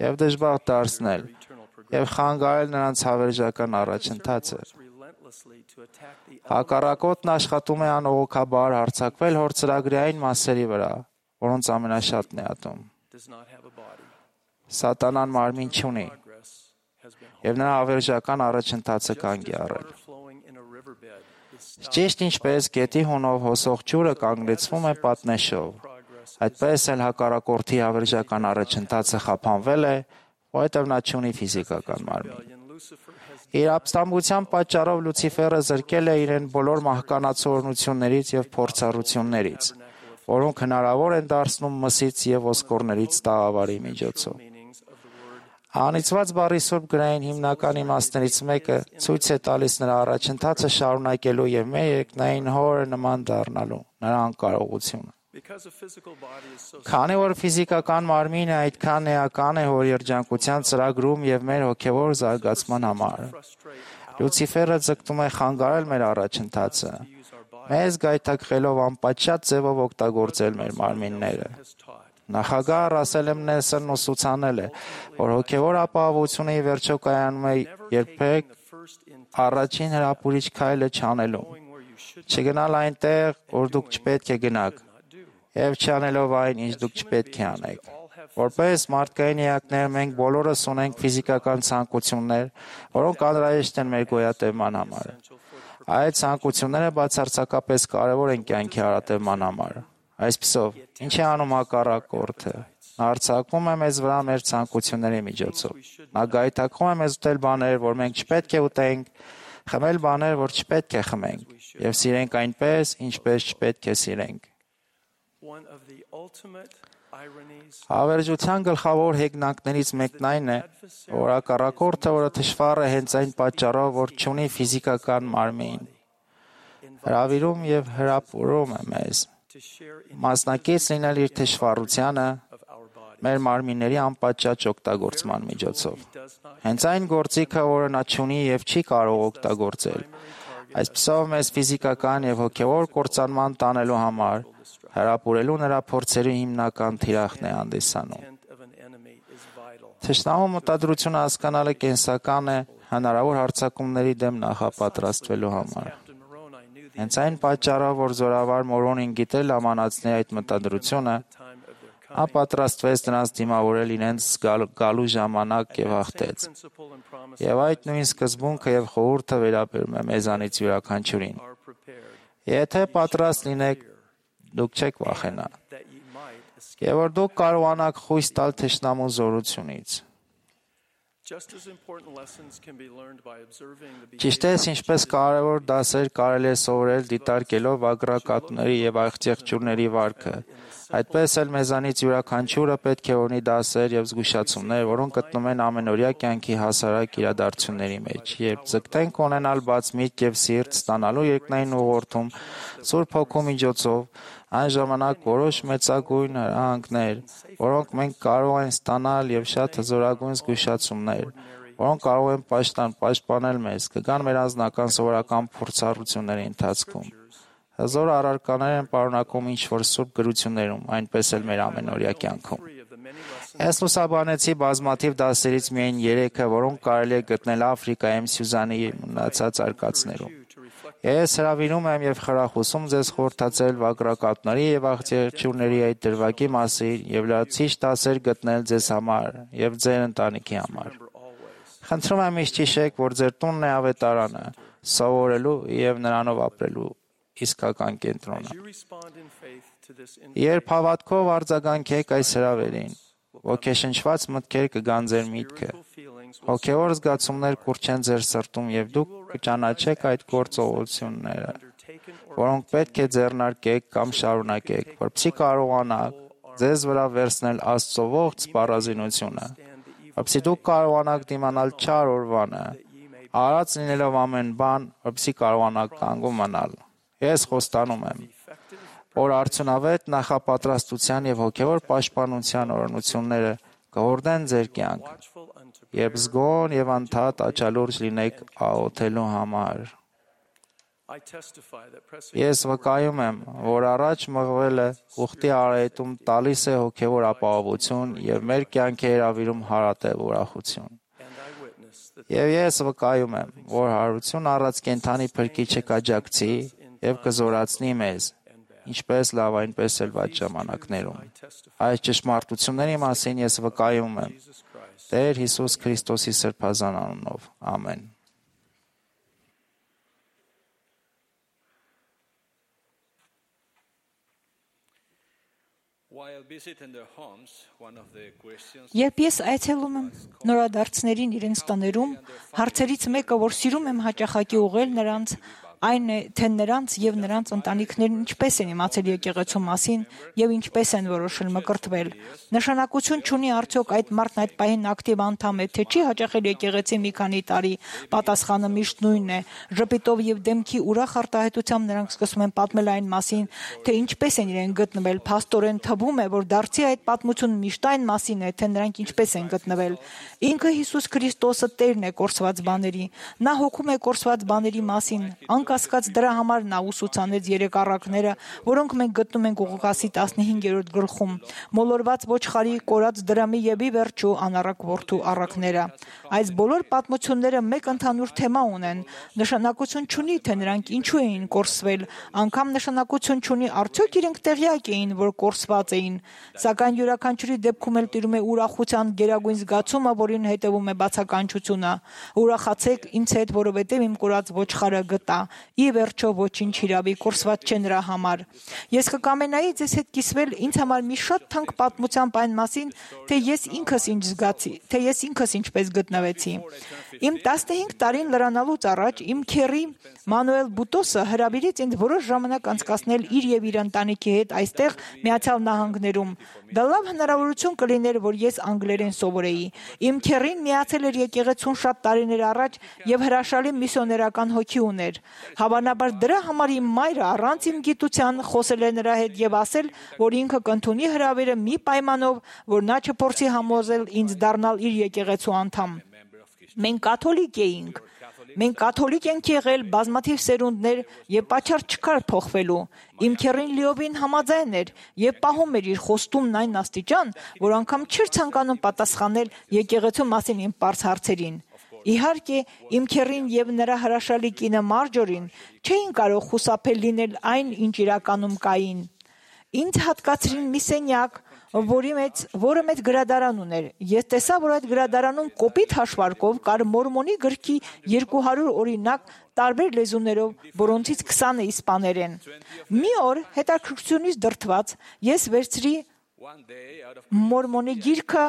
եւ դժբախտ դարձնել eternal progression եւ խանգարել նրանց հավերժական առաջընթացը։ relentlessly to attack the Հակառակորդն աշխատում է անողոքաբար հարձակվել հոր ծրագրի այն մասերի վրա, որոնց ամենաշատն է ատում։ does not have a body. Սատանան մարմին չունի Progress has been եւ նրա հավերժական առաջընթացը կանգ է առել։ water flowing in a riverbed is stopped Ճիշտ ինչպես գետի հունով հոսող ջուրը կանգնեցվում է պատնեշով, progress. այդպես էլ հակառակորդի հավերժական առաջընթացը խափանվել է, որովհետև նա չունի ֆիզիկական մարմին։ Rebellion, Lucifer has Իր ապստամբության պատճառով Լուցիֆերը զրկել է իրեն բոլոր մահկանացություններից եւ փորձառություններից, որոնք հնարավոր են դարձնում մսից եւ ոսկորներից տաղավարի միջոցով։ meanings of the word Անիծված բառի սուրբ գրային հիմնական իմաստներից մեկը ցույց է տալիս նրա առաջընթացը շարունակելու եւ մեր երկնային հորը նման դառնալու նրա անկարողությունը։ because a physical body is so Քանի որ ֆիզիկական մարմինը այդքան էական է հոր երջանկության ծրագրում եւ մեր հոգեվոր զարգացման համար, frustrated Լուցիֆերը ձգտում է խանգարել մեր առաջընթացը, use our body մեզ գայթակղելով անպատշաճ ձևով օգտագործել մեր մարմինները։ has taught. Նախագահ Ռասել Նելսոնն ուսուցանել է, որ հոգեվոր ապահովությունը ի վերջո կայանում է երբեք The first in առաջին հրապուրիչ քայլը չանելուն, knowing where you should չգնալ այնտեղ, որ դուք չպետք է գնաք, not do. եւ չանելով այն, ինչ դուք չպետք է անեք։ Որպես մարդկային էակներ մենք բոլորս ունենք ֆիզիկական ցանկություններ, որոնք անհրաժեշտ են մեր գոյատևման համար։ Այդ ցանկությունները բացարձակապես կարևոր են կյանքի հարատևման համար։ Այսպիսով, ինչ է անում հակառակորդը։ Նա արձակվում է մեզ վրա մեր ցանկությունների միջոցով։ Նա գայթակղում է մեզ ուտել բաներ, որ մենք չպետք է ուտենք, խմել բաներ, որ չպետք է խմենք, եւ սիրենք այնպես, ինչպես չպետք է սիրենք։ One of the ultimate ironies Հավերժության գլխավոր հեգնանքներից մեկն այն է, որ հակառակորդը, որը թշվառ է հենց այն պատճառով, որ չունի ֆիզիկական մարմին, հրավիրում եւ հրապուրում է մեզ, to share in մասնակից լինել իր թշվառությանը of our body մեր մարմինների անպատճաճ օգտագործման միջոցով։ does not Հենց այն գործիքը, որը նա չունի եւ չի կարող օգտագործել, այսպիսով մեզ ֆիզիկական եւ հոգեվոր կործանման տանելու համար հրապուրելու նրա փորձերի հիմնական թիրախն է հանդիսանում։ intent of an enemy is vital. Թշնամու մտադրությունը հասկանալը կենսական է հնարավոր հարձակումների դեմ նախապատրաստվելու համար։ Captain Moroni knew the Հենց այն պատճառով, որ զորավար Մորոնին գիտել ամանացնի այդ մտադրությունը, time of their նա պատրաստվեց նրանց դիմավորել իրենց գալ- գալու ժամանակ եւ հաղթեց։ principle and promise Եվ այդ նույն սկզբունքը եւ խորհուրդը վերաբերում է մեզանից յուրաքանչյուրին։ are prepared Եթե պատրաստ լինեք, դուք չեք վախենա։ that ye might escape. Եվ որ դուք կարողանաք խույս տալ թշնամու զորությունից։ Just as important lessons can be learned by observing the Ճիշտ է, ինչպես կարևոր դասեր կարելի է սովորել դիտարկելով ագրակատների եւ աղջեղջուրների վարքը։ Այդպես էլ մեզանից յուրաքանչյուրը պետք է ունի դասեր եւ զգուշացումներ, որոնք գտնում են ամենօրյա կյանքի հասարակ իրադարձությունների մեջ, երբ ձգտենք ունենալ բաց միտք եւ սիրտ ստանալու երկնային ուղղորդում Սուրբ Հոգու միջոցով, այն ժամանակ որոշ մեծագույն հրահանգներ, որոնք մենք կարող ենք ստանալ եւ շատ հզորագույն զգուշացումներ, որոնք կարող են պաշտպան պաշտպանել մեզ, կգան մեր անձնական սովորական փորձառությունների ընթացքում։ Հզոր առարկաներ են պարունակում ինչ-որ սուրբ գրություններում, այնպես էլ մեր ամենօրյա կյանքում։ of the many lessons Ես լուսաբանեցի բազմաթիվ դասերից միայն երեքը, որոնք կարելի է գտնել Աֆրիկայում Սյուզանի մնացած արկածներում։ to reflect Ես հրավիրում եմ եւ խրախուսում ձեզ խորհրդացել վագրակապների եւ աղջերչուրների այդ դրվագի մասին եւ լրացիչ դասեր գտնել ձեզ համար եւ ձեր ընտանիքի համար։ always. Խնդրում եմ իշ հիշեք, որ ձեր տունն է ավետարանը, սովորելու եւ նրանով ապրելու իսկական կենտրոնը։ As you respond in faith to this Երբ հավատքով արձագանքեք այս հրավերին, ոգեշնչված մտքեր կգան ձեր միտքը, feelings will հոգեվոր զգացումներ կուրչեն ձեր սրտում եւ դուք կճանաչեք այդ գործողությունները, որոնք պետք է ձեռնարկեք կամ շարունակեք, որպեսզի կարողանաք ձեզ վրա վերցնել Աստծո ողջ սպառազինությունը, որպեսզի դուք կարողանաք դիմանալ չար օրվանը, արած լինելով ամեն բան, որպեսզի կարողանաք կանգուն մնալ։ Ես խոստանում եմ, որ արդյունավետ նախապատրաստության եւ հոգեվոր պաշտպանության օրհնությունները կհորդեն ձեր կյանք, երբ զգոն եւ անդադար աչալուրջ լինեք աղոթելու համար։ Ես վկայում եմ, որ առաջ մղվելը ուխտի արահետում տալիս է հոգեվոր ապահովություն եւ մեր կյանքի հրավիրում հարատև ուրախություն։ Եվ ես վկայում եմ, որ հարություն առած կենդանի փրկիչը կաջակցի եւ կզորացնի մեզ, ինչպես լավ, այնպես էլ վատ ժամանակներում։ Այս ճշմարտությունների մասին ես վկայում եմ Տեր Հիսուս Քրիստոսի սրբազան անունով։ Ամեն։ Երբ ես այցելում եմ նորադարձներին իրենց տներում, հարցերից մեկը, որ սիրում եմ հաճախակի ուղղել նրանց, այն է, թե նրանց եւ նրանց ընտանիքներն ինչպես են իմացել եկեղեցու մասին եւ ինչպես են որոշել մկրտվել։ Նշանակություն չունի արդյոք այդ մարդն այդ պահին ակտիվ անդամ է, թե չի հաճախել եկեղեցի մի քանի տարի, պատասխանը միշտ նույնն է։ Ժպիտով եւ դեմքի ուրախ արտահայտությամբ նրանք սկսում են պատմել այն մասին, թե ինչպես են իրեն գտնվել։ Փաստորեն թվում է, որ դարձի այդ պատմությունը միշտ այն մասին է, թե նրանք ինչպես են գտնվել։ Ինքը Հիսուս Քրիստոսը Տերն է կորսված բաների։ Նա հոգում է կորսված բաների մասին։ Անկասկած դրա համար նա ուսուցանեց երեք առակները, որոնք մենք գտնում ենք Ղուկասի տասնհինգերորդ գլխում։ Մոլորված ոչխարի, կորած դրամի եւ ի վերջո անառակ որդու առակները։ Այս բոլոր պատմությունները մեկ ընդհանուր թեմա ունեն։ Նշանակություն չունի, թե նրանք ինչու էին կորսվել, անգամ նշանակություն չունի արդյոք իրենք տեղյակ էին, որ կորսված էին։ Սակայն յուրաքանչյուրի դեպքում էլ տիրում է ուրախության գերագույն զգացումը, որին հետևում է բացականչությունը։ Ուրախացեք ինձ հետ, որովհետև իմ կորած ոչխարը գտա։ Ի վերջո ոչինչ հիրավի կորսված չէ նրա համար։ Ես կկամենայի ձեզ հետ կիսվել ինձ համար մի շատ թանկ պատմությամբ այն մասին, թե ես ինքս ինչ զգացի, թե ես ինքս ինչպես գտնվեցի։ Իմ տասնհինգ տարին լրանալուց առաջ իմ քեռի Մանուել Բուտոսը հրավիրեց ինձ որոշ ժամանակ անցկացնել իր եւ իր ընտանիքի հետ այստեղ Միացյալ Նահանգներում։ Դա լավ հնարավորություն կլիներ, որ ես անգլերեն սովորեի։ Իմ քեռին միացել էր եկեղեցուն շատ տարիներ առաջ եւ հրաշալի միսիոներական հոգի ուներ։ Հավանաբար դրա համար իմ մայրը առանց իմ գիտության խոսել է նրա հետ եւ ասել, որ ինքը կընդունի հրավերը մի պայմանով, որ նա չփորձի համոզել ինձ դառնալ իր եկեղեցու անդամ։ Մենք կաթոլիկ էինք։ Մենք կաթոլիկ ենք եղել բազմաթիվ սերունդներ եւ պատճառ չկար փոխվելու։ Իմ քեռին լիովին համաձայն էր եւ պահում էր իր խոստումն այն աստիճան, որ անգամ չէր ցանկանում պատասխանել եկեղեցու մասին իմ պարզ հարցերին։ Իհարկե, իմ քեռին եւ նրա հրաշալի կինը Մարջորին չէին կարող խուսափել լինել այն, ինչ իրականում կային։ Ինձ հատկացրին մի սենյակ, որի մեջ, որը մեծ գրադարան ուներ։ Ես տեսա, որ այդ գրադարանում կոպիտ հաշվարկով կար մորմոնի գրքի երկու հարյուր օրինակ տարբեր լեզուներով, որոնցից քսանը իսպաներեն։ Մի օր հետաքրքրությունից դրդված ես վերցրի մորմոնի գիրքը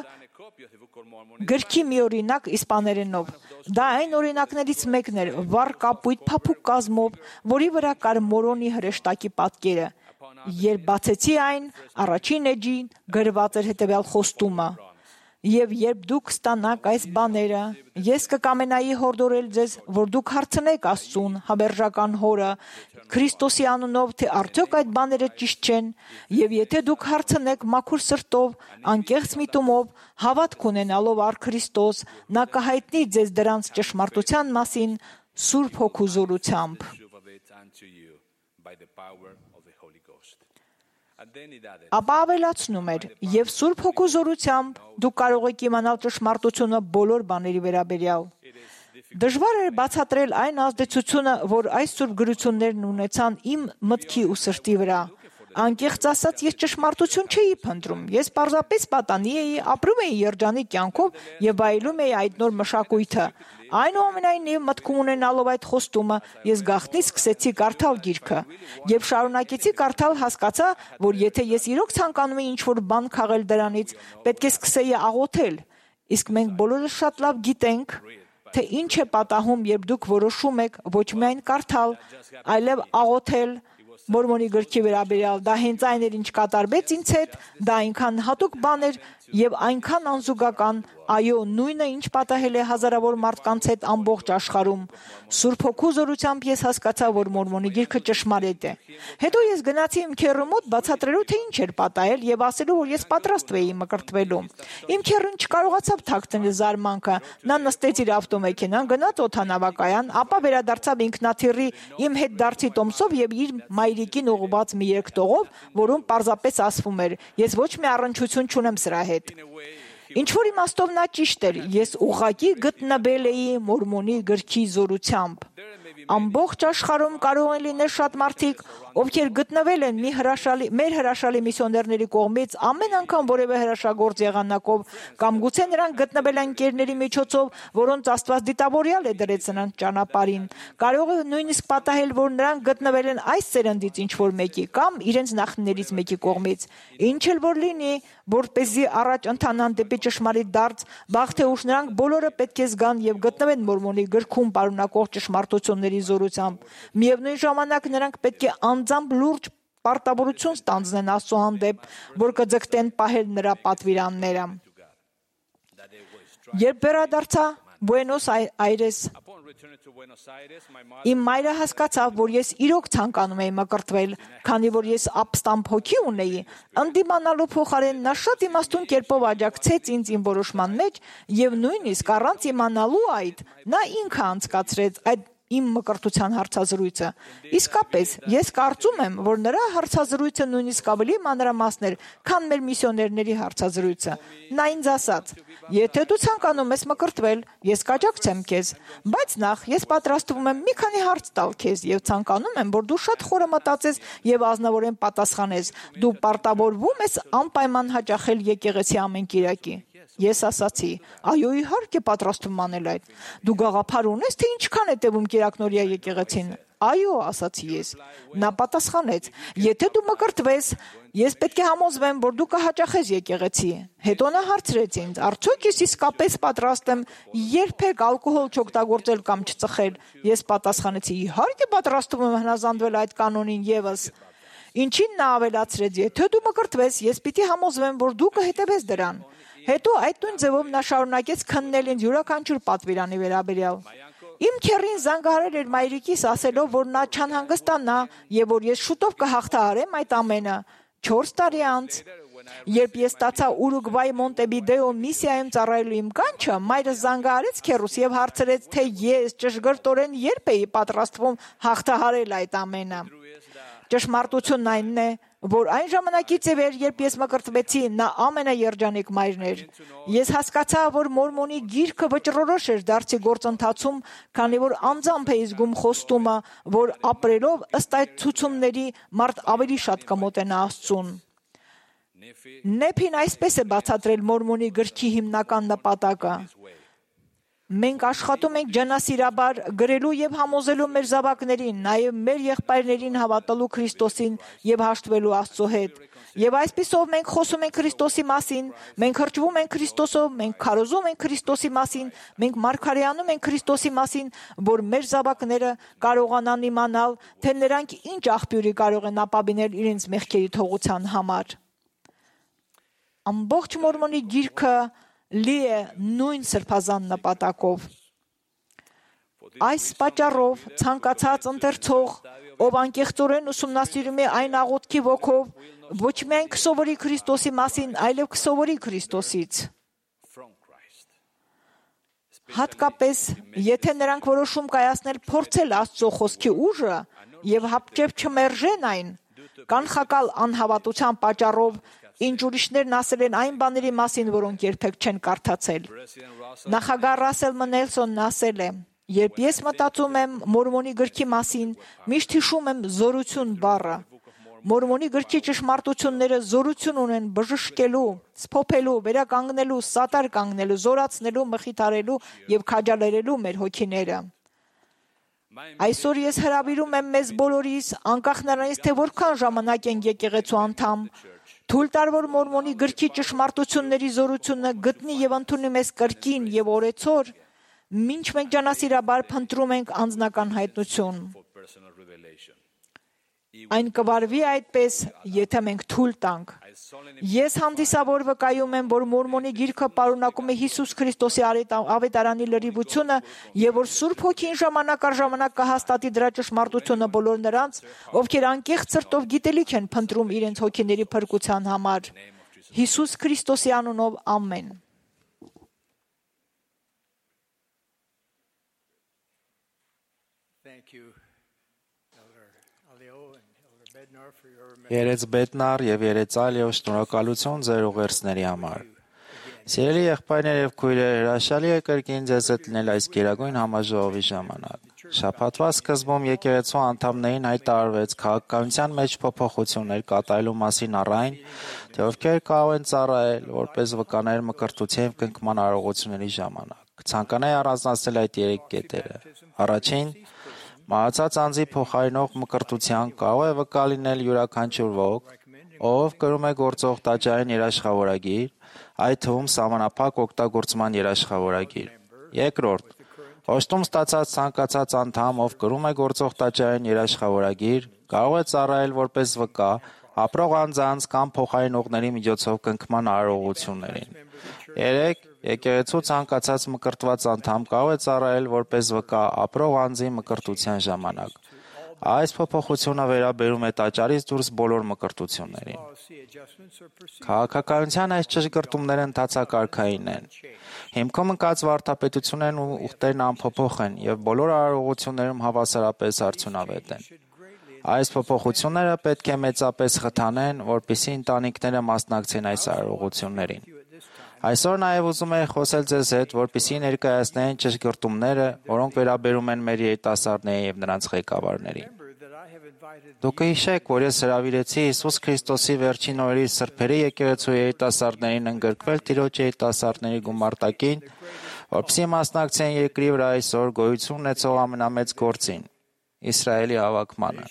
գրքի մի օրինակ իսպաներենով։ Դա այն օրինակներից մեկն էր, վառ կապույտ փափուկ կազմով, որի վրա կար մորոնի հրեշտակի պատկերը։ Երբ բացեցի այն, առաջին էջին գրված էր հետևյալ խոստումը. Եվ երբ դուք ստանաք այս բաները, ես կկամենայի հորդորել ձեզ, որ դուք հարցնեք Աստծուն, հավերժական Հորը, Քրիստոսի անունով, թե արդյոք այդ բաները ճիշտ չեն, եւ եթե դուք հարցնեք մաքուր սրտով, անկեղծ միտումով, հավատք ունենալով առ Քրիստոս, նա կհայտնի ձեզ դրանց ճշմարտության մասին Սուրբ Հոգու զորությամբ։ Ապա ավելացնում էր, եւ Սուրբ Հոգու զորությամբ դուք կարող եք իմանալ ճշմարտությունը բոլոր բաների վերաբերյալ։ Դժվար էր բացատրել այն ազդեցությունը, որ այս սուրբ գրություններն ունեցան իմ մտքի ու սրտի վրա։ Անկեղծ ասած, ես ճշմարտություն չէի փնտրում։ Ես պարզապես պատանի էի, ապրում էի երջանիկ կյանքով եւ վայելում էի այդ նոր մշակույթը։ Այնուամենայնիվ, մտքում ունենալով այդ խոստումը, ես գաղտնի սկսեցի կարդալ գիրքը։ Երբ շարունակեցի կարդալ, հասկացա, որ եթե ես իրոք ցանկանում էի ինչ-որ բան քաղել դրանից, պետք է սկսեի աղոթել։ Իսկ մենք բոլորս շատ լավ գիտենք, թե ինչ է պատահում, երբ դուք որոշում եք ոչ միայն կարդալ, այլև աղոթել Մորմոնի գրքի վերաբերյալ։ Դա հենց այն էր, ինչ կատարվեց ինձ հետ, դա այնքան հատուկ բան էր եւ այնքան անզուգական, այո, նույնը ինչ պատահել է հազարավոր մարդկանց հետ ամբողջ աշխարհում։ Սուրբ Հոգու զորությամբ ես հասկացա, որ Մորմոնի գիրքը ճշմարիտ է։ Հետո ես գնացի իմ քեռու մոտ բացատրելու, թե ինչ էր պատահել եւ ասելու, որ ես պատրաստ էի մկրտվելու։ Իմ քեռուն չկարողացավ թաքցնել զարմանքը։ Նա նստեց իր ավտոմեքենան, գնաց օդանավակայան, ապա վերադարձավ ինքնաթիռի իմ հետ դարձի տոմսով եւ իր մայրիկին ուղղված մի երկտողով, որում պարզապես ասվում էր. ես ոչ մի առնչություն չունեմ սրա հետ։ Ինչ որ իմաստով նա ճիշտ էր, ես ուղղակի գտնվել էի Մորմոնի գրքի զորությամբ։ Ամբողջ աշխարհում կարող են լինել շատ մարդիկ, ովքեր գտնվել են մի հրաշալի, մեր հրաշալի միսիոներների կողմից ամեն անգամ որևէ հրաշագործ եղանակով, կամ գուցե նրանք գտնվել են ընկերների միջոցով, որոնց Աստված դիտավորյալ է դրեց նրանց ճանապարհին։ Կարող է նույնիսկ պատահել, որ նրանք գտնվել են այս սերնդից ինչ որ մեկի կամ իրենց նախնիներից մեկի կողմից։ Ինչ էլ որ լինի, որպեսզի առաջ ընթանան դեպի ճշմարիտ դարձ, վաղ թե ուշ նրանք բոլորը պետք է զգան եւ գտնվեն Մորմոնի գրքում պարունակող ճշմարտությունների զորությամբ։ Միևնույն ժամանակ նրանք պետք է անձամբ լուրջ պարտավորություն ստանձնեն Աստծո հանդեպ, որ կձգտեն պահել նրա պատվիրանները։ Երբ վերադարձա Բուենոս Այրես, իմ մայրը հասկացավ, որ ես իրոք ցանկանում էի մկրտվել, քանի որ ես ապստամբ հոգի ունեի, ընդդիմանալու փոխարեն նա շատ իմաստուն կերպով աջակցեց ինձ իմ որոշման մեջ եւ նույնիսկ առանց իմանալու այդ, նա ինքը անցկացրեց այդ իմ մկրտության հարցազրույցը։ Իսկապես, ես կարծում եմ, որ նրա հարցազրույցը նույնիսկ ավելի մանրամասն էր, քան մեր միսիոներների հարցազրույցը։ Նա ինձ ասաց. եթե դու ցանկանում ես մկրտվել, ես կաջակցեմ քեզ, բայց նախ ես պատրաստվում եմ մի քանի հարց տալ քեզ եւ ցանկանում եմ, որ դու շատ խորը մտածես եւ ազնվորեն պատասխանես։ Դու պարտավորվում ես անպայման հաճախել եկեղեցի ամեն կիրակի։ Ես ասացի. այո, իհարկե պատրաստվում անել այդ։ Դու գաղափար ունես, թե ինչքան է տևում կիրակնօրյա եկեղեցին։ Այո, ասացի ես։ Նա պատասխանեց. եթե դու մկրտվես, ես պետք է համոզվեմ, որ դու կհաճախես եկեղեցի։ Հետո նա հարցրեց ինձ. արդյոք ես իսկապես պատրաստ եմ երբեք ալկոհոլ չօգտագործել կամ չծխել։ Ես պատասխանեցի. իհարկե պատրաստվում եմ հնազանդվել այդ կանոնին եւս։ Ինչին նա ավելացրեց. եթե դու մկրտվես, ես պիտի համոզվեմ, որ դու կհետևես դրան։ Հետո այդ նույն ձևով նա շարունակեց քննել ինձ յուրաքանչյուր պատվիրանի վերաբերյալ։ Իմ քեռին զանգահարել էր մայրիկիս, ասելով, որ նա չանհանգստանա եւ որ ես շուտով կհաղթահարեմ այդ ամենը։ չորս տարի անց, երբ ես ստացա Ուրուգվայի Մոնտեվիդեո միսիայում ծառայելու իմ կանչը, մայրս զանգահարեց քեռուս եւ հարցրեց, թե ես ճշգրտորեն երբ էի պատրաստվում հաղթահարել այդ ամենը։ Ճշմարտությունն այն է, որ այն ժամանակից է վեր, երբ ես մկրտվեցի, նա ամենաերջանիկ մայրն էր։ Ես հասկացա, որ Մորմոնի գիրքը վճռորոշ էր դարձի գործընթացում, քանի որ անձամբ էի զգում խոստումը, որ ապրելով ըստ այդ ցուցումների մարդ ավելի շատ կմոտենա Աստծուն։ Նեփին այսպես է բացատրել Մորմոնի գրքի հիմնական նպատակը. մենք աշխատում ենք ջանասիրաբար գրելու եւ համոզելու մեր զավակներին, նաեւ մեր եղբայրներին հավատալու Քրիստոսին եւ հաշտվելու Աստծո հետ։ Եվ այսպիսով մենք խոսում ենք Քրիստոսի մասին, մենք հրճվում ենք Քրիստոսով, մենք քարոզում ենք Քրիստոսի մասին, մենք մարգարեանում ենք Քրիստոսի մասին, որ մեր զավակները կարողանան իմանալ, թե նրանք ինչ աղբյուրի կարող են ապավինել իրենց մեղքերի թողության համար։ Ամբողջ Մորմոնի գիրքը լի է նույն սրբազան նպատակով։ Այս պատճառով ցանկացած ընթերցող, ով անկեղծորեն ուսումնասիրում է այն աղոթքի ոգով, ոչ միայն կսովորի Քրիստոսի մասին, այլև կսովորի Քրիստոսից։ Հատկապես, եթե նրանք որոշում կայացնել փորձել Աստծո խոսքի ուժը եւ հապճեպ չմերժեն այն, կանխակալ անհավատության պատճառով, ինչ ուրիշներն ասել են այն բաների մասին, որոնք երբեք չեն կարդացել։ Նախագահ Ռասել Մնելսոնն ասել է. երբ ես մտածում եմ Մորմոնի գրքի մասին, միշտ հիշում եմ զորություն բառը։ Մորմոնի գրքի ճշմարտությունները զորություն ունեն բժշկելու, սփոփելու, վերականգնելու, սատար կանգնելու, զորացնելու, մխիթարելու եւ քաջալերելու մեր հոգիները։ Այսօր ես հրավիրում եմ մեզ բոլորիս, անկախ նրանից, թե որքան ժամանակ են եկեղեցու անդամ, թույլ տար, որ Մորմոնի գրքի ճշմարտությունների զորությունը գտնի եւ ընդունի մեզ կրկին եւ օրեցօր, Մինչ մենք ջանասիրաբար փնտրում ենք անձնական հայտնություն, այն կվարվի այդպես, եթե մենք թույլ տանք։ Ես հանդիսավոր վկայում եմ, որ Մորմոնի գիրքը պարունակում է Հիսուս Քրիստոսի ավետարանի լրիվությունը եւ որ Սուրբ Հոգին ժամանակ առ ժամանակ կհաստատի դրա ճշմարտությունը բոլոր նրանց, ովքեր անկեղծ սրտով գիտելիք են փնտրում իրենց հոգիների փրկության համար։ Հիսուս Քրիստոսի անունով ամեն։ Երեց Բետնար եւ Երեց Ալիո, շնորհակալություն ձեր ուղերձների համար։ Սիրելի եղբայրներ եւ քույրեր, հրաշալի է կրկին ձեզ հետ լինել այս գերագույն համաժողովի ժամանակ։ Շաբաթվա սկզբում եկեղեցու անդամներին հայտարարվեց քաղաքականության մեջ փոփոխություններ կատարելու մասին առայն, թե ովքեր կարող են ծառայել որպես վկաներ մկրտության եւ կնքման արարողությունների ժամանակ։ Կցանկանայի առանձնացնել այդ երեք կետերը։ Առաջին, մահացած անձի փոխարինող մկրտության կարող է վկա լինել յուրաքանչյուր ոք, ով կրում է գործող տաճարային երաշխավորագիր, այդ թվում սահմանափակ օգտագործման երաշխավորագիր։ Երկրորդ, օժտում ստացած ցանկացած անդամ, ով կրում է գործող տաճարային երաշխավորագիր, կարող է ծառայել որպես վկա ապրող անձանց կամ փոխարինողների միջոցով կնքման արարողություններին։ Երեք, եկեղեցու ցանկացած մկրտված անդամ կարող է ծառայել որպես վկա ապրող անձի մկրտության ժամանակ։ Այս փոփոխությունը վերաբերում է տաճարից դուրս բոլոր մկրտություններին։ Քաղաքականության այս ճշգրտումները ընթացակարգային են։ Հիմքում ընկած վարդապետություններն ու ուխտերն անփոփոխ են եւ բոլոր արարողություններում հավասարապես արդյունավետ են։ Այս փոփոխությունները պետք է մեծապես խթանեն, որպեսզի ընտանիքները մասնակցեն այս արարողություններին։ Այսօր նաև ուզում եմ խոսել ձեզ հետ, որպեսզի ներկայացնեն ճշգրտումները, որոնք վերաբերում են մեր երիտասարդներին եւ նրանց ղեկավարներին։ Դուք հիշեք, որ ես հրավիրեցի Հիսուս Քրիստոսի վերջին օրերի սրբերի եկեղեցու երիտասարդներին ընդգրկվել Տիրոջ երիտասարդների գումարտակին, որպեսզի մասնակցեն երկրի վրա այսօր գոյություն ունեցող ամենամեծ գործին՝ Իսրայելի հավաքմանը։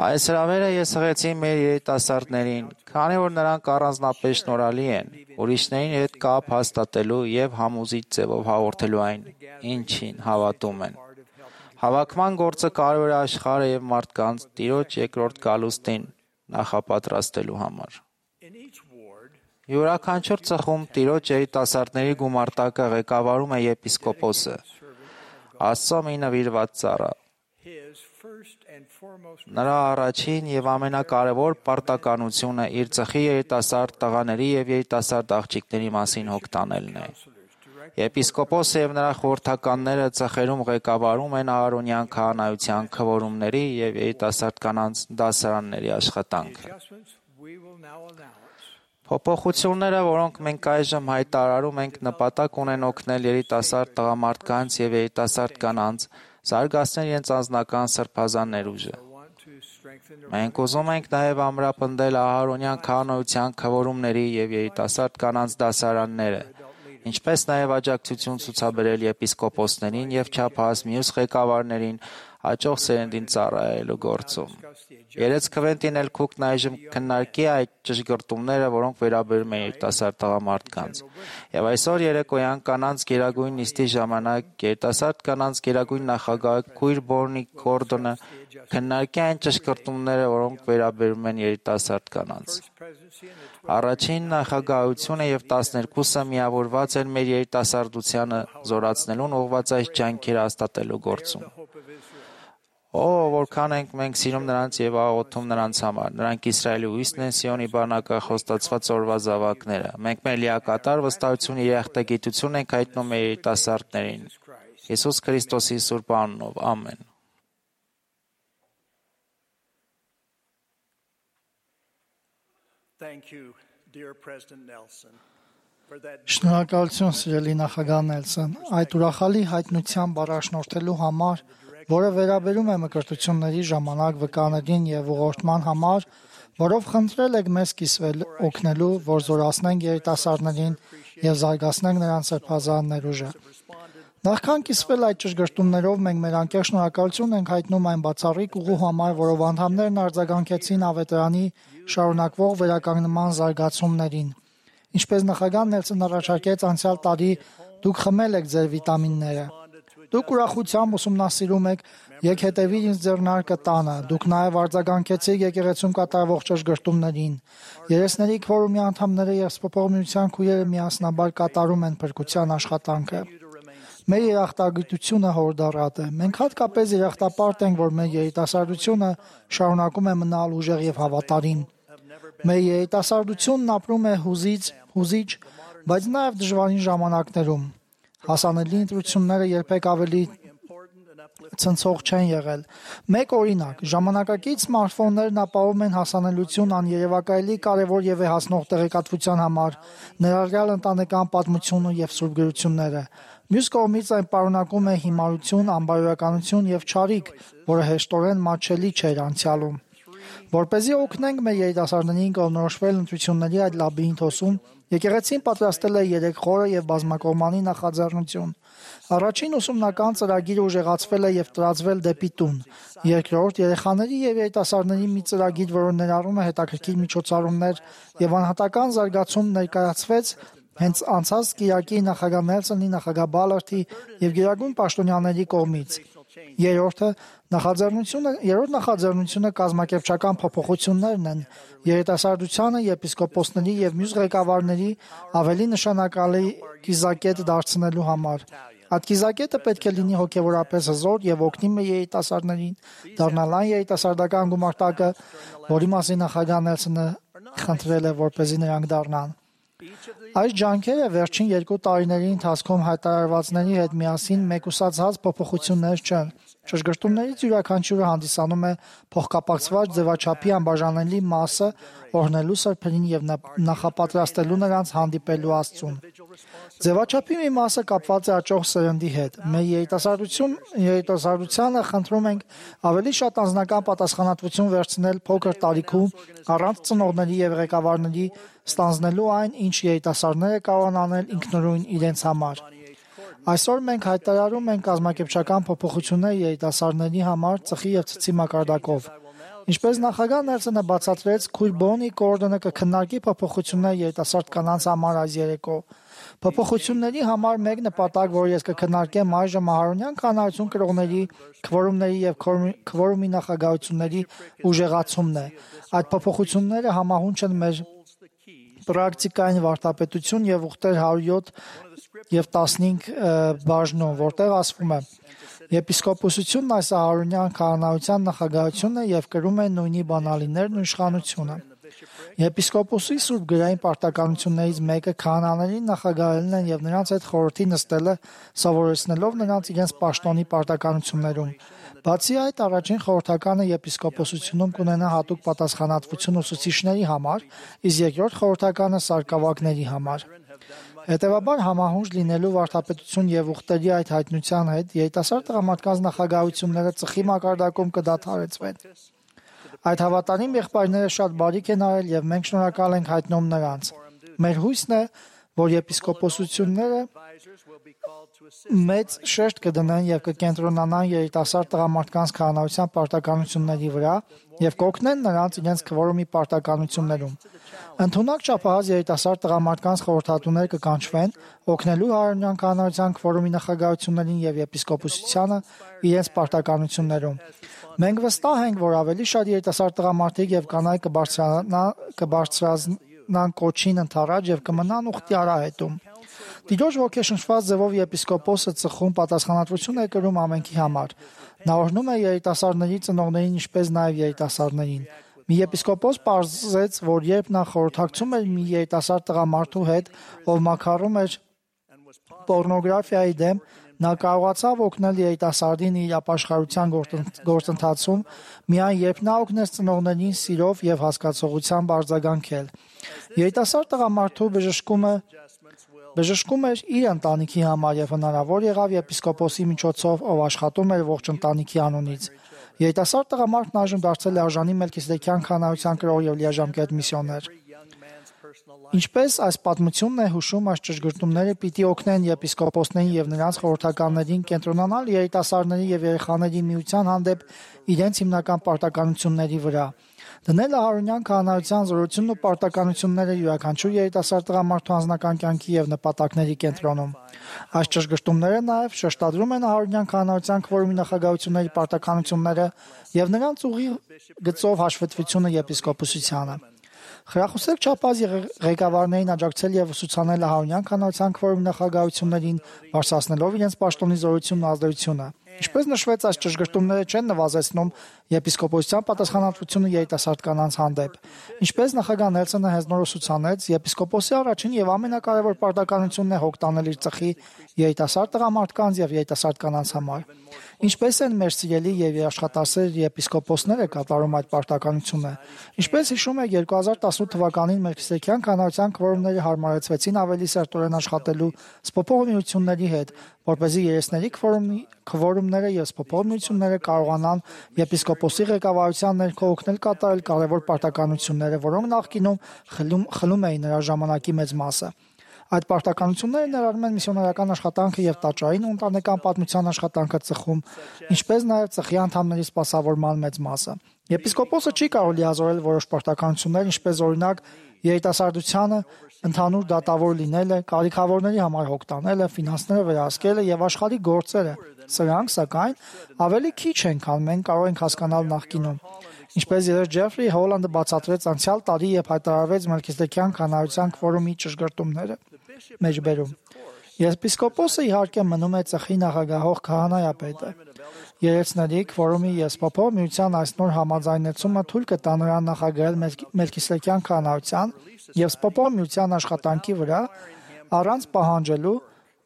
Այս հրավերը ես հղեցի մեր երիտասարդներին, քանի որ նրանք առանձնապես շնորհալի են, ուրիշներին հետ կապ հաստատելու եւ համոզիչ ձևով հաղորդելու այն, ինչին հավատում են։ Հավաքման գործը կարևոր է աշխարհը եւ մարդկանց Տիրոջ երկրորդ գալուստին նախապատրաստելու համար։ Յուրաքանչյուր ծխում Տիրոջ երիտասարդների գումարտակը ղեկավարում է եպիսկոպոսը, Աստծո մի նվիրված ծառա։ Նրա առաջին եւ ամենակարևոր պարտականությունը իր ծխի երիտասարդ տղաների եւ երիտասարդ աղջիկների մասին հոգ տանելն է։ Եպիսկոպոսը եւ նրա խորհրդականները ծխերում ղեկավարում են Ահարոնյան քահանայության քվորումների եւ երիտասարդ կանանց դասարանների աշխատանքը։ Փոփոխությունները, որոնք մենք այժմ հայտարարում ենք, նպատակ ունեն օգնել երիտասարդ տղամարդկանց եւ երիտասարդ կանանց զարգացնել իրենց անձնական սրբազան ներուժը։ Մենք ուզում ենք նաև ամրապնդել Ահարոնյան քահանայության քվորումների եւ երիտասարդ կանանց դասարանները, ինչպես նաև աջակցություն ցուցաբերել եպիսկոպոսներին եւ չափահաս մյուս ղեկավարներին հաջող սերնդին ծառայելու գործում։ Երեց Քվենտին էլ Քուքն այժմ քննարկի այդ ճշգրտումները, որոնք վերաբերում են երիտասարդ տղամարդկանց։ Եվ այսօր երեկոյան կանանց գերագույն նիստի ժամանակ երիտասարդ կանանց գերագույն նախագահ Քույր Բորնի Գորդոնը քննարկի այն ճշգրտումները, որոնք վերաբերում են երիտասարդ կանանց։ Առաջին նախագահությունը եւ տասներկուսը միավորված են մեր երիտասարդությանը զորացնելուն ուղղված այս ջանքերը հաստատելու գործում։ Օ, որքան ենք մենք սիրում նրանց եւ աղոթում նրանց համար։ Նրանք Իսրայելի հույսն են, Սիոնի բանակը խոստացված օրվա զավակները։ Մենք մեր լիակատար վստահություն եւ երախտագիտություն ենք հայտնում մեր երիտասարդներին։ Հիսուս Քրիստոսի սուրբ անունով, ամեն։ Thank you, dear President Nelson, for that. Շնորհակալություն, սիրելի նախագահ Նելսոն, այդ ուրախալի հայտնությամբ առաջնորդելու համար, որը վերաբերում է մկրտությունների ժամանակ վկաներին եւ ուղղորդման համար, որով խնդրել եք մեզ կիսվել օգնելու, որ զորացնենք երիտասարդներին եւ զարգացնենք նրանց սրբազան ներուժը։ Նախքան կիսվել այդ ճշգրտումներով, մենք մեր անկեղծ շնորհակալություն ենք հայտնում այն բացառիկ ուղու համար, որով անդամներն արձագանքեցին ավետարանի շարունակվող վերականգնման զարգացումներին։ Ինչպես նախագահ Նելսոնն առաջարկեց անցյալ տարի Դուք խմել եք ձեր վիտամինները։ Դուք ուրախությամբ ուսումնասիրում եք, եք հետևի ինձ ձեռնարկը տանը։ Դուք նաև արձագանքեցիք եկեղեցում կատարվող ճշգրտումներին։ Երեսների քվորումի անդամները եւ սփոփողության քույրերը միասնաբար կատարում են փրկության աշխատանքը։ Մեր երախտագիտությունը հորդառատ է։ Մենք հատկապես երախտապարտ ենք, որ մեր երիտասարդությունը շարունակում է մնալ ուժեղ եւ հավատարիմ։ Մեր երիտասարդությունն ապրում է հուզիչ, հուզիչ, բայց նաև դժվարին ժամանակներում։ Հասանելի ընտրությունները երբեք ավելի ցնցող չեն եղել։ Մեկ օրինակ, ժամանակակից սմարթֆոններն ապահովում են հասանելիություն աներևակայելի կարևոր եւ հասնող տեղեկատվության համար, ներառյալ ընտանեկան պատմությունը եւ սուրբ գրությունները։ Մյուս կողմից այն պարունակում է հիմարություն, անբարոյականություն եւ չարիք, որը հեշտորեն մատչելի չէր անցյալում։ Որպեսզի օգնենք մեր երիտասարդներին կողմնորոշվել ընտրությունների այդ լաբիրինթոսում, եկեղեցին պատրաստել է երեք խորը եւ բազմակողմանի նախաձեռնություն։ Առաջին ուսումնական ծրագիրը ուժեղացվել է եւ տարածվել դեպի տուն։ Երկրորդ, երեխաների եւ երիտասարդների մի ծրագիր, որը ներառում է հետաքրքիր միջոցառումներ եւ անհատական զարգացում, ներկայացվեց հենց անցած կիրակի նախագահ Նելսոնի, նախագահ Բալարդի եւ գերագույն պաշտոնյաների կողմից։ Երրորդը նախաձեռնությունը, երրորդ նախաձեռնությունը կազմակերպչական փոփոխություններն են երիտասարդությանը, եպիսկոպոսների եւ մյուս ղեկավարների ավելի նշանակալի կիզակետ դարձնելու համար։ Այդ կիզակետը պետք է լինի հոգեվորապես հզոր եւ օգնի մեր երիտասարդներին դառնալ այն երիտասարդական գումարտակը, որի մասին նախագահ Նելսոնը խնդրել է, որպեսզի նրանք դառնան։ Այս ջանքերը վերջին երկու տարիների ընթացքում հայտարարվածների հետ միասին մեկուսացած փոփոխություններ չեն։ Ճշգրտումներից յուրաքանչյուրը հանդիսանում է փոխկապակցված ձևաչափի անբաժանելի մասը, օրհնելու սրբերին եւ նախապատրաստելու նրանց հանդիպելու Աստծուն։ Ձևաչափի մի մասը կապված է աճող սերնդի հետ։ Մեր երիտասարդություն, երիտասարդությանը խնդրում ենք ավելի շատ անձնական պատասխանատվություն վերցնել փոքր տարիքում, առանց ծնողների եւ ղեկավարների ստանձնելու այն, ինչ երիտասարդները կարող են անել ինքնուրույն իրենց համար։ Այսօր մենք հայտարարում ենք կազմակերպչական փոփոխություններ երիտասարդների համար ծխի եւ ցցի մակարդակով։ Ինչպես նախագահ Նելսոնը բացատրեց, քույր Բոնի Գորդոնը կքննարկի փոփոխություններ երիտասարդ կանանց համար այս երեկո։ Փոփոխությունների համար մեկ նպատակ, որ ես կքննարկեմ այժմ Ահարոնյան կանայություն կրողների քվորումների եւ քվորումի նախագահությունների ուժեղացումն է։ Այդ փոփոխությունները համահունչ են մեր պրակտիկային վարդապետություն եւ ուխտեր հարյուր յոթ եւ տասնհինգ բաժնում, որտեղ ասվում է. Եպիսկոպոսությունն այս ահարոնյան քահանայության նախագահությունն է եւ կրում է նույնի բանալիներն ու իշխանությունը։ Եպիսկոպոսի սուրբ գրային պարտականություններից մեկը քահանաներին նախագահելն են եւ նրանց հետ խորհրդի նստելը, սովորեցնելով նրանց իրենց պաշտոնի պարտականություններում։ Բացի այդ, առաջին խորհրդականը եպիսկոպոսությունում կունենա հատուկ պատասխանատվություն ուսուցիչների համար, իսկ երկրորդ խորհրդականը սարկավագների համար։ Հետևաբար համահունչ լինելու վարդապետություն եւ ուխտերի այդ հայտնության հետ երիտասարդ տղամարդկանց նախագահությունները ծխի մակարդակում կդադարեցվեն։ Այդ հավատարիմ եղբայրները շատ բարիք են արել եւ մենք շնորհակալ ենք հայտնում նրանց։ Մեր հույսն է, որ եպիսկոպոսությունները մեծ շեշտ կդնեն եւ կկենտրոնանան երիտասարդ տղամարդկանց քահանայության պարտականությունների վրա եւ կօգնեն նրանց իրենց քվորումի պարտականություններում։ Ընդունակ չափահաս երիտասարդ տղամարդկանց խորհրդատուներ կկանչվեն, օգնելու Ահարոնյան քահանայության քվորումի նախագահություններին եւ եպիսկոպոսությանը իրենց պարտականություններում։ Մենք վստահ ենք, որ ավելի շատ երիտասարդ տղամարդիկ եւ կանայք կբարձրանան կոչին ընդառաջ եւ կմնան ուխտի արահետում։ Տիրոջ ոգեշնչված ձևով եպիսկոպոսը ծխում պատասխանատվություն է կրում ամենքի համար։ Նա օրհնում է երիտասարդների ծնողներին, ինչպես նաև երիտասարդներին։ Մի եպիսկոպոս պարզեց, որ երբ նա խորհրդակցում էր մի երիտասարդ տղամարդու հետ, ով մաքարում էր պոռնոգրաֆիայի դեմ, նա կարողացավ օգնել երիտասարդին իր ապաշխարության գործընթացում, միայն երբ նա օգնեց ծնողներին սիրով եւ հասկացողությամբ արձագանքել։ Երիտասարդ տղամարդու բժշկումը Բժշկում էր իր ընտանիքի համար եւ հնարավոր եղավ եպիսկոպոսի միջոցով, ով աշխատում էր ողջ ընտանիքի անունից։ Երիտասարդ տղամարդն այժմ դարձել է արժանի Մելքիսեդեկյան քահանայության կրող եւ լիաժամկետ միսիոներ։ Ինչպես այս պատմությունն է հուշում, այս ճշգրտումները պիտի օգնեն եպիսկոպոսներին եւ նրանց խորհրդականներին կենտրոնանալ երիտասարդների եւ երեխաների միության հանդեպ իրենց հիմնական պարտականությունների վրա։ Դնել Ահարոնյան քահանայության զորությունն ու պարտականությունները յուրաքանչյուր երիտասարդ տղամարդու անձնական կյանքի եւ նպատակների կենտրոնում։ Այս ճշգրտումները նաեւ շեշտադրում են Ահարոնյան քահանայության քվորումի նախագահությունների պարտականությունները եւ նրանց ուղի գծով հաշվետվությունը եպիսկոպոսությանը։ Խրախուսեք չափած ղեկավարներին աջակցել եւ ուսուցանել Ահարոնյան քահանայության քվորումի նախագահություններին, բարձրացնելով իրենց պաշտոնի զորությունն ու ազդեցությունը։ Ինչպես նշվեց, այս ճշգրտումները չեն նվազեցնում եպիսկոպոսության պատասխանատվությունը երիտասարդ կանանց հանդեպ։ Ինչպես նախագահ Նելսոնը հենց նոր ուսուցանեց, եպիսկոպոսի առաջին եւ ամենակարևոր պարտականությունն է հոգ տանել իր ծխի երիտասարդ տղամարդկանց եւ երիտասարդ կանանց համար։ Ինչպես են մեր սիրելի եւ աշխատասեր եպիսկոպոսները կատարում այդ պարտականությունը։ Ինչպես հիշում եք, երկու հազար տասնութ թվականին Մելքիսեդեկյան քահանայության քվորումները հարմարեցվեցին ավելի սերտորեն աշխատելու սփոփող միությունների հետ, որպեսզի երեսների քվորումի քվորումները եւ սփոփող միությունները կարողանան եպիսկոպոսի ղեկավարության ներքո օգնել կատարել կարևոր պարտականությունները, որոնք նախկինում խլում, խլում էին նրա ժամանակի մեծ մասը։ Այդ պարտականությունները ներառում են միսիոնարական աշխատանքը եւ տաճարին ու ընտանեկան պատմության աշխատանքը ծխում, ինչպես նաեւ ծխի անդամների սպասավորման մեծ մասը։ Եպիսկոպոսը չի կարող լիազորել որոշ պարտականություններ, ինչպես օրինակ երիտասարդությանը ընդհանուր դատավոր լինելը, կարիքավորների համար հոգ տանելը, ֆինանսները վերահսկելը եւ աշխարհի գործերը։ Սրանք, սակայն, ավելի քիչ են, քան մենք կարող ենք հասկանալ նախկինում։ Ինչպես երբ Ջեֆրի Հոլանդը բացատրեց անցյալ տարի եւ հայտարարվեց Մելքիսեդեկյան քահանայության քվորումի ճշգրտումները մեջբերում։ Եպիսկոպոսը իհարկե մնում է ծխի նախագահող քահանայապետը։ Երեցների քվորումի եւ սփոփող միության այս նոր համաձայնեցումը թույլ կտա նրան նախագահել Մելքիսեդեկյան քահանայության եւ սփոփող միության աշխատանքի վրա առանց պահանջելու,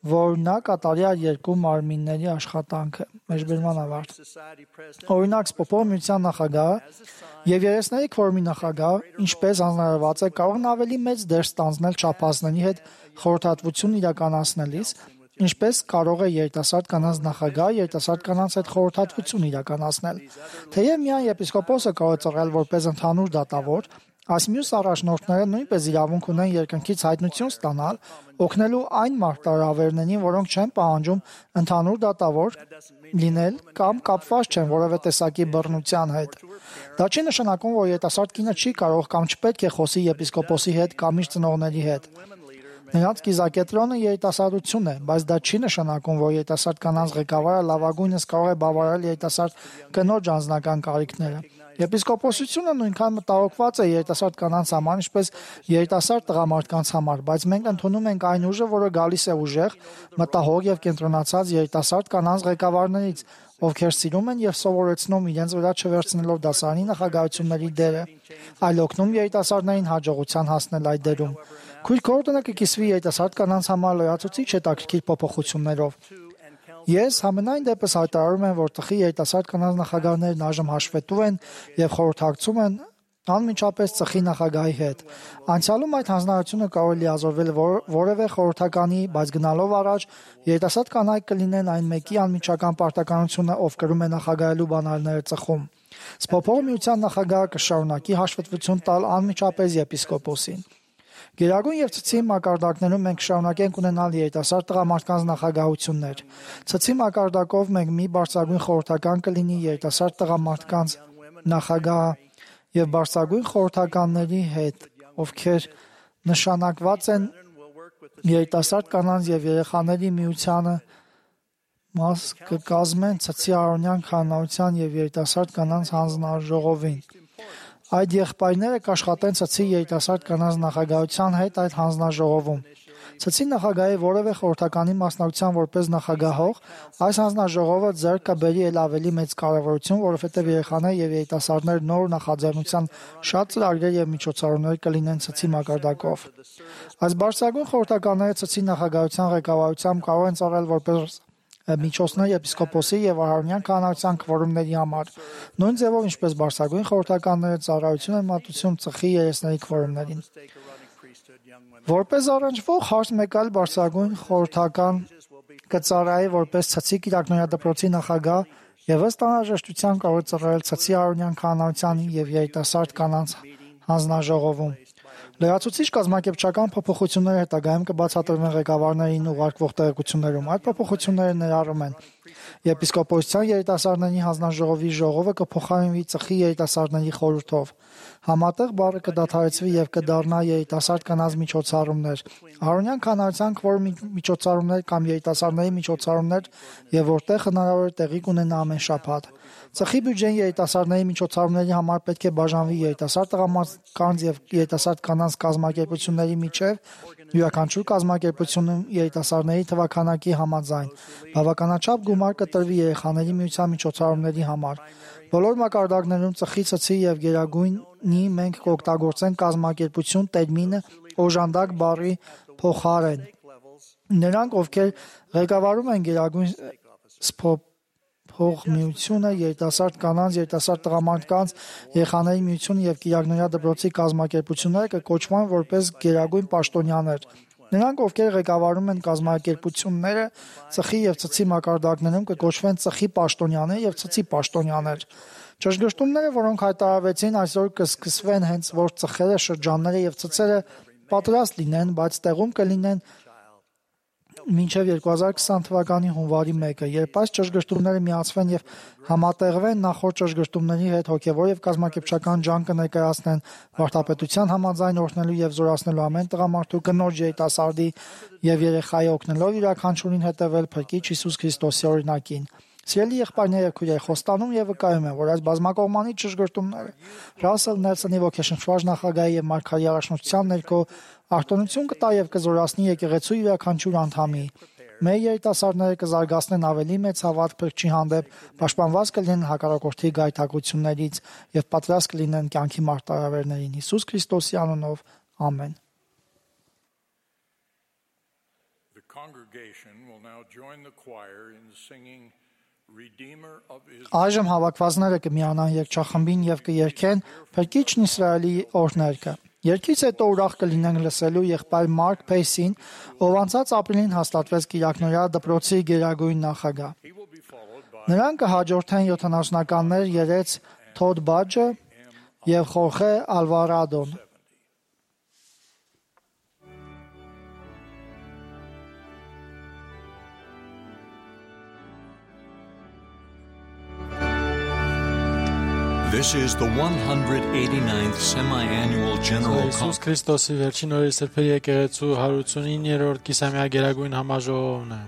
որ նա կատարի այդ երկու մարմինների աշխատանքը։ Մեջբերման ավարտ։ Օրինակ, սփոփող միության նախագահը եւ երեսների քվորումի նախագահը, ինչպես հանրարարված է, կարող են ավելի մեծ դեր ստանձնել չափազների հետ խորհրդատվություն իրականացնելիս, ինչպես կարող է երիտասարդ կանանց նախագահը երիտասարդ կանանց հետ խորհրդատվություն իրականացնել։ Թեև միայն եպիսկոպոսը կարող է ծառայել որպես ընդհանուր դատավոր, այս մյուս առաջնորդները նույնպես իրավունք ունեն երկնքից հայտնություն ստանալ, օգնելու այն մարտահրավերներին, որոնք չեն պահանջում ընդհանուր դատավոր լինել կամ կապված չեն որևէ տեսակի բռնության հետ։ Դա չի նշանակում, որ երիտասարդ կինը չի կարող կամ չպետք է խոսի եպիսկոպոսի հետ կամ իր ծնողների հետ։ Նրանց կիզակետրոնը երիտասարդություն է, բայց դա չի նշանակում, որ երիտասարդ կանանց ղեկավարը լավագույնս կարող է բավարարել երիտասարդ կնոջ անձնական կարիքները։ Եպիսկոպոսությունը նույնքան մտահոգված է երիտասարդ կանանց համար, ինչպես երիտասարդ տղամարդկանց համար, բայց մենք ընդունում ենք այն ուժը, որը գալիս է ուժեղ, մտահոգ եւ կենտրոնացած երիտասարդ կանանց ղեկավարներից, ովքեր սիրում են եւ սովորեցնում իրենց վրա չվերցնելով դասարանի նախագահությունների դերը, այլ օգնում երիտասարդներին հաջողության հասնել այդ դերում։ Քույր Քորդոնը կկիսվի երիտասարդ կանանց համար լրացուցիչ հետաքրքիր փոփոխություններով։ Ես համենայն դեպս հայտարարում եմ, որ տխի երիտասարդ կանանց նախագահներն այժմ հաշվետու են եւ խորհրդակցում են անմիջապես ծխի նախագահի հետ։ Անցյալում այդ հանձնարարությունը կարող է լիազորվել որ, որևէ խորհրդականի, բայց գնալով առաջ երիտասարդ կանայք կլինեն այն մեկի անմիջական պարտականությունը, ով կրում է նախագահելու բանալները ծխում։ Սփոփող միության նախագահը կշարունակի հաշվետվություն տալ անմիջապես եպիսկոպոսին։ Գերագույն եւ ցցի մակարդակներում մենք շարունակենք ունենալ երիտասարդ տղամարդկանց նախագահություններ։ Ցցի մակարդակով մենք մի բարձրագույն խորհրդական կլինի երիտասարդ տղամարդկանց նախագահ եւ բարձրագույն խորհրդականների հետ, ովքեր նշանակված են երիտասարդ կանանց եւ երեխաների միությանը, մաս կկազմեն ցցի Ահարոնյան քահանայության եւ երիտասարդ կանանց հանձնաժողովին։ Այդ եղբայրները կաշխատեն ցցի երիտասարդ կանանց նախագահության հետ այդ հանձնաժողովում։ Ցցի նախագահի որևէ խորհրդականի մասնակցության որպես նախագահող, այս հանձնաժողովը ձեռք կբերի էլ ավելի մեծ կարևորություն, որովհետև երեխաներ եւ երիտասարդներ նոր նախաձեռնության շատ ծրագրեր եւ միջոցառումներ կլինեն ցցի մակարդակով։ Այս բարձրագույն խորհրդականները ցցի նախագահության ղեկավարությամբ կարող են ծառայել որպես միջոցներ եպիսկոպոսի եւ Ահարոնյան քահանայության քվորումների համար, նույն ձևով ինչպես բարձրագույն խորհրդականները ծառայություն են մատուցում ծխի երեսների քվորումներին։ Որպես առնչվող հարց մեկ այլ բարձրագույն խորհրդական կծառայի որպես ցցի կիրակնորյա նախագահ եւ ըստ անհրաժեշտության կարող է ծառայել ցցի Ահարոնյան քահանայության եւ երիտասարդ կանանց հանձնաժողովում։ Լրացուցիչ կազմակերպչական փոփոխությունները հետագայում կբացատրվեն ղեկավարներին ուղարկվող տեղեկություններում։ Այդ փոփոխությունները ներառում են եպիսկոպոսության երիտասարդների հանձնաժողովի ժողովը կփոխարինվի ծխի երիտասարդների խորհրդով։ Համատեղ բառը կդադարեցվի եւ կդառնա երիտասարդ կանանց միջոցառումներ։ Արոնյան քանարության քվոր միջոցառումներ կամ երիտասարդների միջոցառումներ եւ որտեղ հնարավոր է տեղի կունենա ամեն շաբաթ։ Ծխի բյուջեն երիտասարդների միջոցառումների համար պետք է բաժանվի երիտասարդ տղամարդկանց եւ երիտասարդ կանանց կազմակերպությունների միջև յուրաքանչյուր կազմակերպությունում երիտասարդների թվաքանակի համաձայն։ Բավականաչափ գումար կտրվի երեխաների միության միջոցառումների համար։ Բոլոր մակարդակներում ծխի, ցցի եւ գերագույնի մենք կօգտագործենք կազմակերպություն տերմինը օժանդակ բառի փոխարեն։ Նրանք, ովքեր ղեկավարում են գերագույն փոխմիությունը, երիտասարդ կանանց, երիտասարդ տղամարդկանց, երեխաների միությունը եւ Կիրակնորյա դպրոցի կազմակերպությունները կկոչվան որպես գերագույն պաշտոնյաներ։ Նրանք, ովքեր ղեկավարում են կազմակերպությունները ծխի եւ ցցի մակարդակներում կկոչվեն ծխի պաշտոնյաներ եւ ցցի պաշտոնյաներ։ Ճշգրտումները, որոնք հայտարարվեցին այսօր կսկսվեն հենց որ ծխերը, շրջանները եւ ցցերը պատրաստ լինեն, բայց տեղում կլինեն մինչև երկու հազար քսան թվականի հունվարի մեկը, երբ այս ճշգրտումները միացվեն եւ համատեղվեն նախորդ ճշգրտումների հետ, հոգեվոր եւ կազմակերպչական ջանք կներկայացնեն վարդապետության համաձայն օրհնելու եւ զորացնելու ամեն տղամարդու, կնոջ, երիտասարդի եւ երեխայի օգնելով յուրաքանչյուրին հետևել Փրկիչ Հիսուս Քրիստոսի օրինակին։ Սիրելի եղբայրներ եւ քույրեր, խոստանում եւ վկայում եմ, որ այս բազմակողմանի ճշգրտումները Ռասել Նելսոնի ոգեշնչված նախագահի եւ Մարգարի առաջնորդության ներքո արտոնություն կտա եւ կզորացնի եկեղեցու յուրաքանչյուր անդամի։ Մեր երիտասարդները կզարգացնեն ավելի մեծ հավատ Փրկչի հանդեպ, պաշտպանված կլինեն հակառակորդի գայթակղություններից եւ պատրաստ կլինեն կյանքի մարտահրավերներին։ Հիսուս Քրիստոսի անունով, ամեն։ The congregation will now join the choir in singing Redeemer of Israel. Այժմ հավաքվածները կմիանան երգչախմբին եւ կերգեն Փրկիչն Իսրայելի օրհներգը։ Երգից հետո ուրախ կլինենք լսելու եղբայր Մարկ Փեյսին, ով անցած ապրիլին հաստատվեց Կիրակնորյա դպրոցի գերագույն նախագահ։ Նրան կհաջորդեն յոթանասունականներ երեց Թոդ Բաջը եւ Խորխե Ալվարադոն։ This is the one hundred eighty-ninth semi-annual General Հիսուս Conference. Քրիստոսի վերջին օրերի սրբերի եկեղեցու հարյուրությունիններորդ կիսամյա գերագույն համաժողովն է։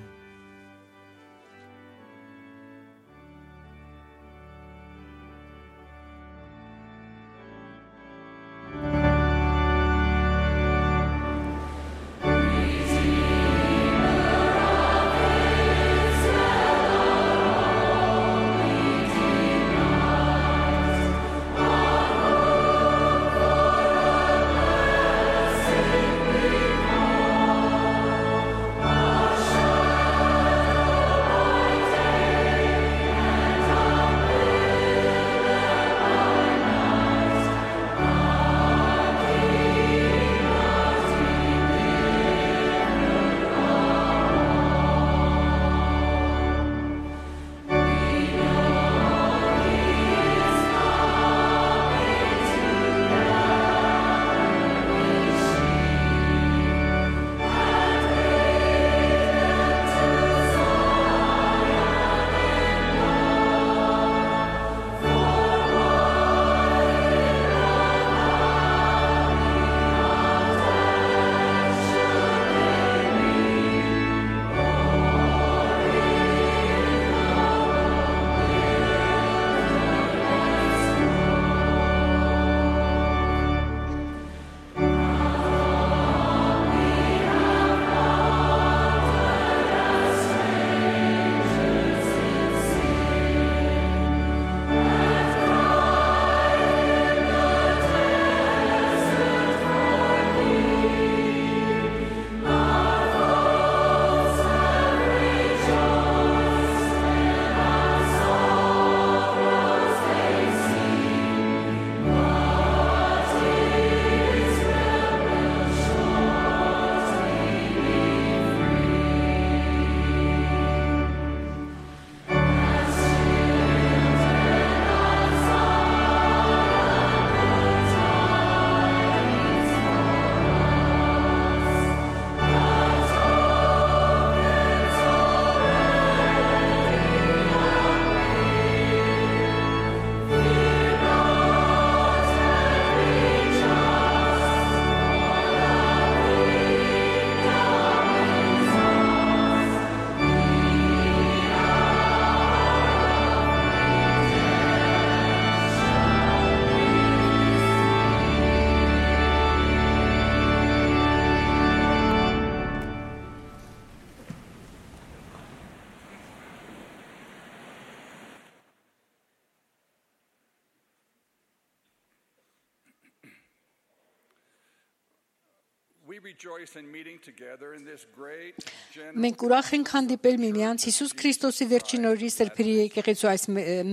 Մենք ուրախ ենք հանդիպել միմյանց Հիսուս Քրիստոսի վերջին օրերի սրբերի եկեղեցու այս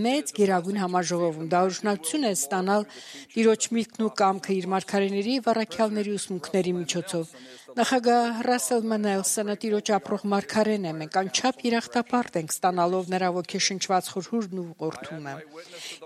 մեծ գերագույն համաժողովում։ Դա օրհնություն է ստանալ Տիրոջ միտքն ու կամքը իր մարգարեների եւ առաքյալների ուսմունքների միջոցով։ Նախագահ Ռասել Մենելսոնը Տիրոջ ապրող մարգարեն է։ Մենք անչափ երախտապարտ ենք ստանալով նրա ոգեշնչված խորհուրդն ու ուղղորդումը։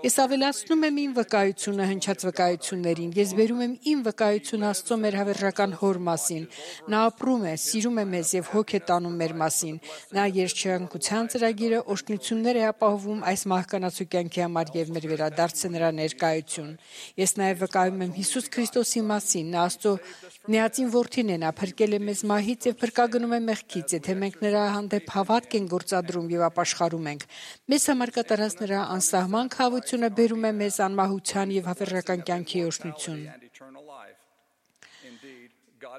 Ես ավելացնում եմ իմ վկայությունը հնչած վկայություններին։ Ես բերում եմ իմ վկայությունը Աստծո մեր հավերժական Հոր մասին։ Նա ապրում է, սիրում է մեզ եւ հոգ է տանում մեր մասին։ Նա երջանկության ծրագիրը օրհնություններ է ապահովում այս մահկանացու կյանքի համար եւ մեր վերադարձը նրա ներկայություն։ Ես նաեւ վկայում եմ Հիսուս Քրիստոսի մասին։ Նա Աստծո միածին որդին է, նա փրկել է մեզ մահից եւ փրկագնում է մեղքից, եթե մենք նրա հանդեպ հավատք ենք գործադրում եւ ապաշխարում ենք։ Մեզ համար կատարած նրա անսահման քավությունը բերում է մեզ անմահության եւ հավերժական կյանքի օրհնություն։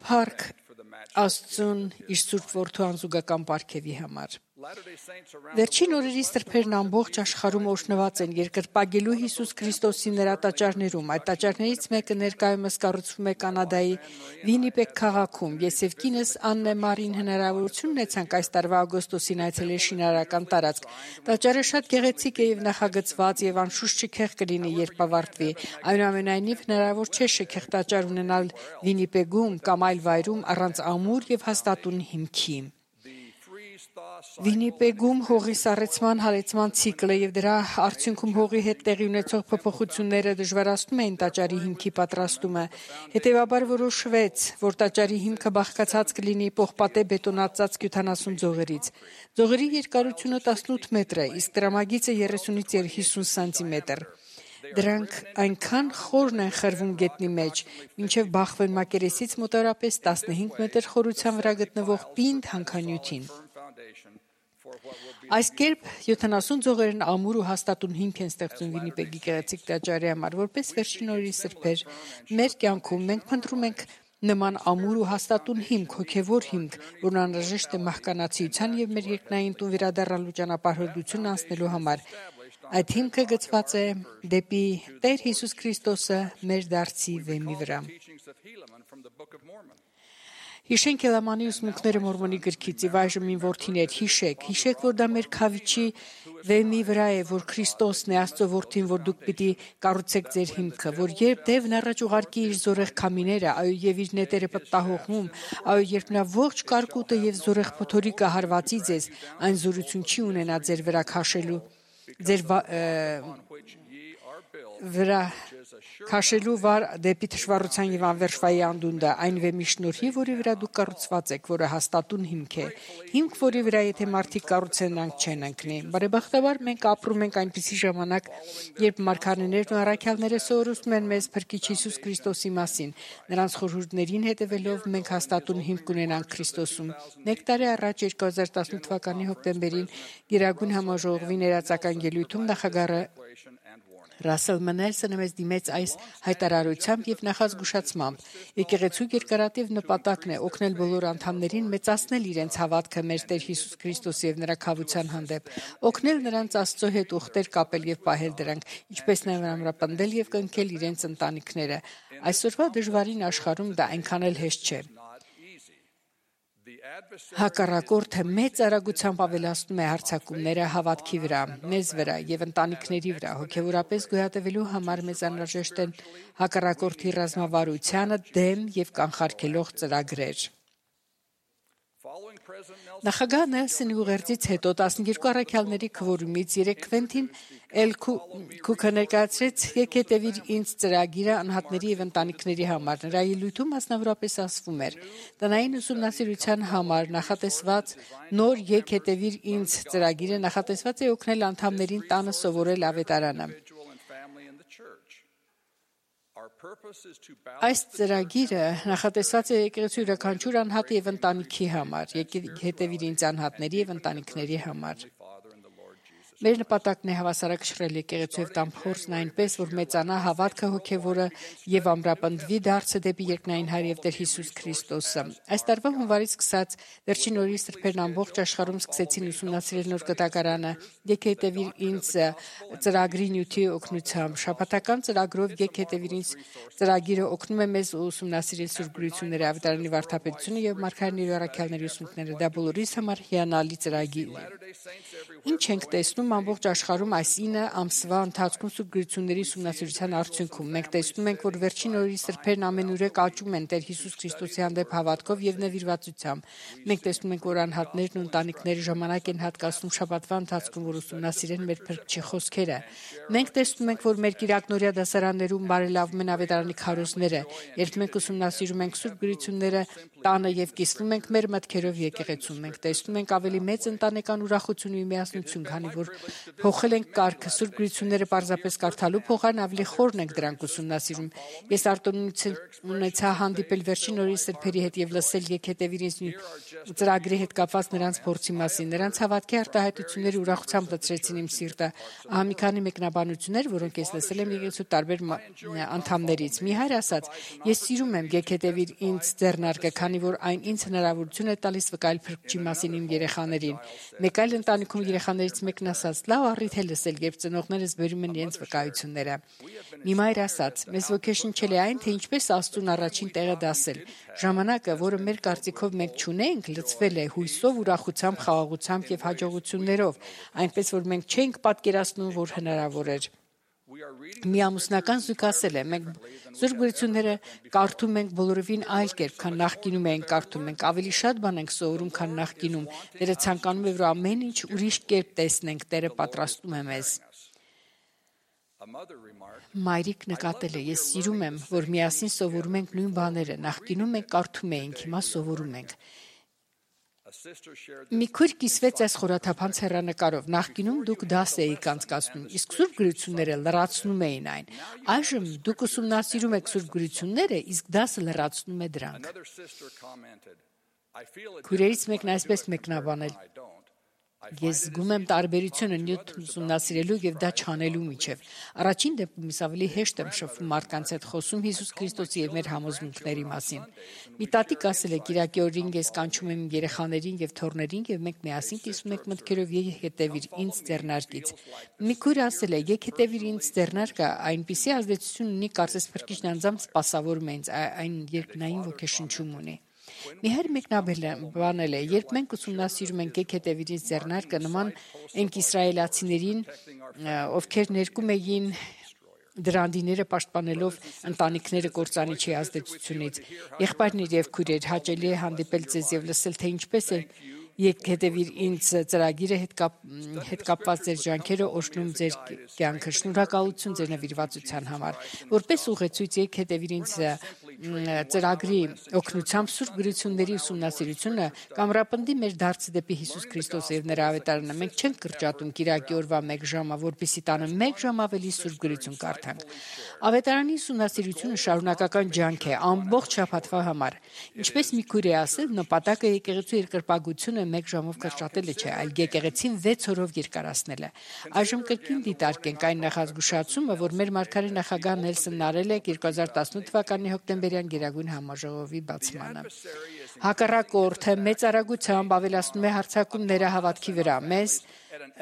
Փառք Աստծուն իր Սուրբ Որդու անզուգական պարգևի համար։ Վերջին օրերի սրբերն ամբողջ աշխարհում օրհնված են երկրպագելու Հիսուս Քրիստոսի նրա տաճարներում։ Այդ տաճարներից մեկը ներկայումս կառուցվում է Կանադայի Վինիպեգ քաղաքում։ Ես եւ կինս Աննե Մարին հնարավորություն ունեցանք այս տարվա օգոստոսին այցելել շինարարական տարածք։ Տաճարը շատ գեղեցիկ է եւ նախագծված եւ անշուշտ շքեղ կլինի, երբ ավարտվի։ Այնուամենայնիվ հնարավոր չէ շքեղ տաճար ունենալ Վինիպեգում կամ այլ վայրում առանց ամուր եւ հաստատուն հիմքի։ Վինիպեգում հողի սառեցման հալեցման ցիկլը եւ դրա արդյունքում հողի հետ տեղի ունեցող փոփոխությունները դժվարացնում էին տաճարի հիմքի պատրաստումը։ Հետևաբար որոշվեց, որ տաճարի հիմքը բաղկացած կլինի պողպատե բետոնացած քյութանասուն ձողերից։ Ձողերի երկարությունը տասնութ մետր է, իսկ տրամագիծը երեսունից հիսուն սանտիմետր։ Դրանք այնքան խորն են խրվում գետնի մեջ, մինչև բախվեն մակերեսից մոտավորապես տասնհինգ մետր խորության վրա գտնվող պինդ հանքանյութին։ Այս կերպ յոթանասուն ձողերն ամուր ու հաստատուն հիմք են ստեղծում Վինիպեգի գեղեցիկ տաճարի համար, որպես վերջին օրերի սրբեր։ Մեր կյանքում մենք փնտրում ենք նման ամուր ու հաստատուն հիմք, հոգևոր հիմք, որն անհրաժեշտ է մահկանացիության եւ մեր երկնային տուն վերադառնալու ճանապարհորդություն անցնելու համար։ Այդ հիմքը գծված է դեպի Տեր Հիսուս Քրիստոսը մեր դարձի վեմի վրա։ Հիշենք Էլամանի ուսմունքները Մորմոնի գրքից եւ այժմ իմ որդիներ, հիշեք, հիշեք, որ դա մեր քավիչի վեմի վրա է, որ Քրիստոսն է Աստծո որդին, որ դուք պիտի կառուցեք ձեր հիմքը, որ երբ Դևն առաջ ուղարկի իր զորեղ քամիները, այո եւ իր նետերը պտտահողմում, այո երբ նա ողջ կարկուտը եւ զորեղ փոթորիկը հարվածի ձեզ, այն զորություն չի ունենա ձեր վրա քաշելու, ձեր վրա քաշելու վար դեպի թշվառության եւ անվերժվայի անդունդը, այն վեմի շնորհիվ, որի վրա դուք կառուցված եք, որը հաստատուն հիմք է։ Հիմք, որի վրա եթե մարդիկ կառուցեն, նրանք չեն ընկնի։ Բարեբախտաբար մենք ապրում ենք այնպիսի ժամանակ, երբ մարգարեներն ու առաքյալները սովորեցնում են մեզ Փրկիչ Հիսուս Քրիստոսի մասին։ Նրանց խորհուրդներին հետևելով մենք հաստատուն հիմք ունենանք Քրիստոսում։ Մեկ տարի առաջ երկու հազար տասնութ թվականի հոկտեմբերին Գերագույն համաժողովի ներածական ելույթում նախագահը Ռասել Մենելսոնը մեզ դիմեց այս հայտարարությամբ եւ նախազգուշացմամբ։ Եկեղեցու երկարատև նպատակն է օգնել բոլոր անդամներին մեծացնել իրենց հավատքը մեր Տեր Հիսուս Քրիստոսի եւ նրա քավության հանդեպ, օգնել նրանց Աստծո հետ ուխտեր կապել եւ պահել դրանք, ինչպես նաեւ ամրապնդել եւ կնքել իրենց ընտանիքները։ Այսօրվա դժվարին աշխարհում դա այնքան էլ հեշտ չէ։ Հակառակորդը մեծ արագությամբ ավելացնում է հարձակումները հավատքի վրա, մեզ վրա եւ ընտանիքների վրա, հոգեորապես գոյատևելու համար մեզ անհրաժեշտ են հակառակորդի ռազմավարությանը դեմ եւ կանխարգելող ծրագրեր։ Նախագահ Նելսոնի ուղերձից հետո տասնյոթ առաքյալների քվորումից երեք Քվենտին Էլ Քուքը ներկայացրեց «Եկետևիր ինձ» ծրագիրը անհատների եւ ընտանիքների համար։ Նրա ելույթում մասնավորապես ասվում էր. «Տնային ուսումնասիրության համար նախատեսված նոր «Եկետևիր ինձ» ծրագիրը նախատեսված է օգնել անդամներին տանը սովորել ավետարանը»։ Այս ծրագիրը նախատեսված է եկեղեցու յուրաքանչյուր անհատի եւ ընտանիքի համար, հետևիր ինձ անհատների եւ ընտանիքների համար։ Մեր նպատակն է հավասարակշռել եկեղեցու եւ տան փորձն այնպես, որ մեծանա հավատքը հոգեվորը եւ ամրապնդվի դարձը դեպի երկնային Հայր եւ Տեր Հիսուս Քրիստոսը։ Այս տարվա հունվարից սկսած վերջին օրերի սրբերն ամբողջ աշխարհում սկսեցին ուսումնասիրել նոր կտակարանը։ Եկե հետևիր ինձ ծրագրի նյութի օգնությամբ։ Շաբաթական ծրագրով եկե հետևիր ինձ ծրագիրը օգնում է մեզ ուսումնասիրել Սուրբ Գրությունները, Ավետարանի վարդապետությունը եւ Մարգարեների առաքյալների ուսմունքները։ Դա բոլորիս համար հիանալի ծրագիր է։ Ինչ ենք տեսնում ամբողջ աշխարհում այս ինը ամսվա ընթացքում Սուրբ Գրությունների ուսումնասիրության արդյունքում։ Մենք տեսնում ենք, որ վերջին օրերի սրբերն ամենուրեք աճում են Տեր Հիսուս Քրիստոսի հանդեպ հավատքով եւ նվիրվածությամբ։ Մենք տեսնում ենք, որ անհատներն ու ընտանիքները ժամանակ են հատկացնում շաբաթվա ընթացքում, որ ուսումնասիրեն մեր Փրկչի խոսքերը։ Մենք տեսնում ենք, որ մեր կիրակնօրյա դասարաններում բարելավում են ավետարանի քարոզները, երբ մենք ուսումնասիրում ենք Սուրբ Գրությունները տանը եւ կիսվում ենք մեր մտքերով եկեղեցում։ Մենք տեսնում ենք ավելի մեծ ընտանեկան ուրախություն ու միասնություն, քանի որ փոխել ենք կարգը Սուրբ Գրությունները պարզապես կարդալու փոխարեն ավելի խորն ենք դրանք ուսումնասիրում։ Ես արտոնություն ունեցա հանդիպել վերջին օրերի սրբերի հետ եւ լսել եկետևիր ինձ ծրագրի հետ կապված նրանց փորձի մասին։ Նրանց հավատքի արտահայտությունները ուրախությամբ լցրեցին իմ սիրտը։ Ահա մի քանի մեկնաբանություններ, որոնք ես լսել եմ եկեղեցու տարբեր անդամներից։ Մի հայր ասաց. «Ես սիրում եմ եկետևիր ինձ ձեռնարկը, քանի որ այն ինձ հնարավորություն է տալիս վկայել Փրկչի մասին իմ երեխաներին»։ Մեկ այլ ընտանիքում երեխաներից մեկն ասաց. «Լավ առիթ է լսել, երբ ծնողներս բերում են իրենց վկայությունները»։ Մի մայր ասաց. «Մեզ ոգեշնչել է այն, թե ինչպես Աստծուն առաջին տեղը դասել։ Ժամանակը, որը մեր կարծիքով մենք չունենք, լցվել է հույսով, ուրախությամբ, խաղաղությամբ եւ հաջողություններով, այնպես որ մենք չենք պատկերացնում, որ հնարավոր էր»։ Մի ամուսնական զույգ ասել է. «Մենք Սուրբ Գրությունները կարդում ենք բոլորովին այլ կերպ, քան նախկինում ենք կարդում։ Մենք ավելի շատ բան ենք սովորում, քան նախկինում։ Տերը ցանկանում է, որ ամեն ինչ ուրիշ կերպ տեսնենք։ Տերը պատրաստում է մեզ»։ Մայրիկ նկատել է. «Ես սիրում եմ, որ միասին սովորում ենք նույն բաները։ Նախկինում մենք կարդում էինք, հիմա սովորում ենք»։ Մի քույր կիսվեց այս խորաթափանց հեռանկարով. «Նախկինում դուք դաս էիք անցկացնում, իսկ Սուրբ Գրությունները լրացնում էին այն։ Այժմ դուք ուսումնասիրում եք Սուրբ Գրությունները, իսկ դասը լրացնում է դրանք»։ Քույրերից մեկն այսպես մեկնաբանել. «Ես զգում եմ տարբերությունը նյութ ուսումնասիրելու եւ դա չանելու միջեւ։ Առաջին դեպքում ես ավելի հեշտ եմ շփվում մարդկանց հետ, խոսում Հիսուս Քրիստոսի եւ մեր համոզմունքների մասին։ Մի տատիկ ասել է. «Կիրակի օրին ես կանչում եմ երեխաներին եւ թոռներին եւ մենք միասին կիսում ենք մտքերով եւ հետևիր ինձ ձեռնարկից»։ Մի քույր ասել է. «Եկ հետևիր ինձ ձեռնարկը այնպիսի ազդեցություն ունի, կարծես Փրկիչն անձամբ սպասավորում է ինձ, այն երկնային ոգեշնչում ունի»։ Մի հեր մեկնաբանել է. «Երբ մենք ուսումնասիրում ենք եկեք հետևիր ինձ ձեռնարկը, նման ենք իսրայելացիներին, ովքեր ներկում էին դրանդիները պաշտպանելով ընտանիքները կործանիչի ազդեցությունից։ Եղբայրներ եւ քույրեր, հաճելի է հանդիպել ձեզ եւ լսել, թե ինչպես է եկեք հետևիր ինձ ծրագիրը հետ, կապ, հետ կապված ձեր ջանքերը օրհնում ձեր կյանքը։ Շնորհակալություն ձեր նվիրվածության համար։ Որպես ուղեցույց եկեք հետևիր ինձ ծրագրի օգնությամբ Սուրբ Գրությունների ուսումնասիրությունը կամրապնդի մեր դարձը դեպի Հիսուս Քրիստոսը եւ նրա ավետարանը։ Մենք չենք կրճատում կիրակի օրվա մեկ ժամը, որպեսզի տանը մեկ ժամ ավելի Սուրբ Գրություն կարդանք։ Ավետարանի ուսումնասիրությունը շարունակական ջանք է ամբողջ շաբաթվա համար։ Ինչպես մի քույր է ասել, նպատակը եկեղեցու երկրպագությունը մեկ ժամով կրճատելը չէ, այլ եկեղեցին վեց օրով երկարացնելը։ Այժմ կրկին դիտարկենք այն նախազգուշացումը, որ մեր մարգարե նախագահ Նելսոնն արել է երկու հազար տասնութ թվականի հոկտեմբերյան Գերագույն համաժողովի բացմանը։ Հակառակորդը մեծ արագությամբ ավելացնում է հարձակումները հավատքի վրա, մեզ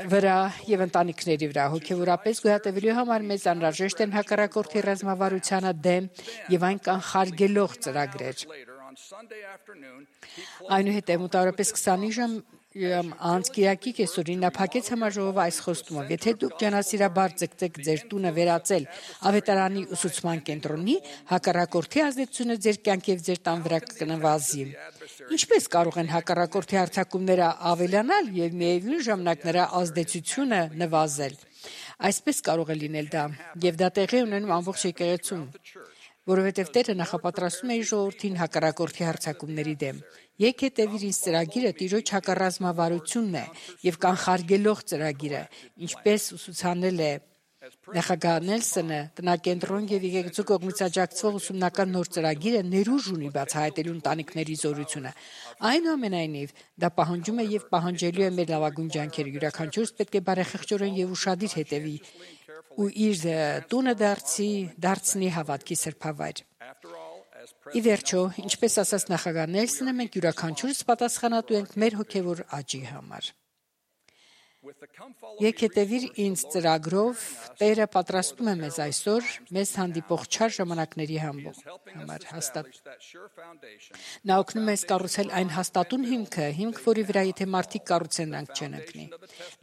վրա եւ ընտանիքների վրա։ Հոգեվորապես գոյատևելու համար մեզ անհրաժեշտ են հակառակորդի ռազմավարությանը դեմ եւ այն կանխարգելող ծրագրեր։ Այնուհետև մոտավորապես քսանինը ժամ անց կիրակի կեսօրին նա փակեց համաժողովը այս խոստումով. «Եթե դուք ջանասիրաբար ձգտեք ձեր տունը վերածել ավետարանի ուսուցման կենտրոնի, հակառակորդի ազդեցությունը ձեր կյանքի եւ ձեր տան վրա կնվազի»։ Ինչպես կարող են հակառակորդի հարձակումները ավելանալ եւ միևնույն ժամանակ նրա ազդեցությունը նվազել։ Այսպես կարող է լինել դա, եւ դա տեղի ունենում ամբողջ եկեղեցում, որովհետև Տերը նախապատրաստում է իր ժողովրդին հակառակորդի հարձակումների դեմ։ Եկեք հետևիր ինձ ծրագիրը Տիրոջ հակառազմավարությունն է եւ կանխարգելող ծրագիրը, ինչպես ուսուցանել է Նախագահ Նելսոնը տնակենտրոն եւ եկեղեցու կողմից աջակցվող ուսումնական նոր ծրագիրը ներուժ ունի բացահայտելու ընտանիքների զորությունը։ Այնուամենայնիվ, դա պահանջում է եւ պահանջելու է մեր լավագույն ջանքերը։ Յուրաքանչյուրս պետք է բարեխղճորեն եւ ուշադիր հետևի ու իր տունը դարձի դարձնի հավատքի սրբավայր։ Ի վերջո, ինչպես ասաց նախագահ Նելսոնը, մենք յուրաքանչյուրս պատասխանատու ենք մեր հոգեվոր աճի համար։ Եկ հետևիր ինձ ծրագրով Տերը պատրաստում է մեզ այսօր մեզ հանդիպող չար ժամանակների համար հաստատ։ Նա օգնում է կառուցել այն հաստատուն հիմքը, հիմք, որի վրա եթե մարդիկ կառուցեն, նրանք չեն ընկնի։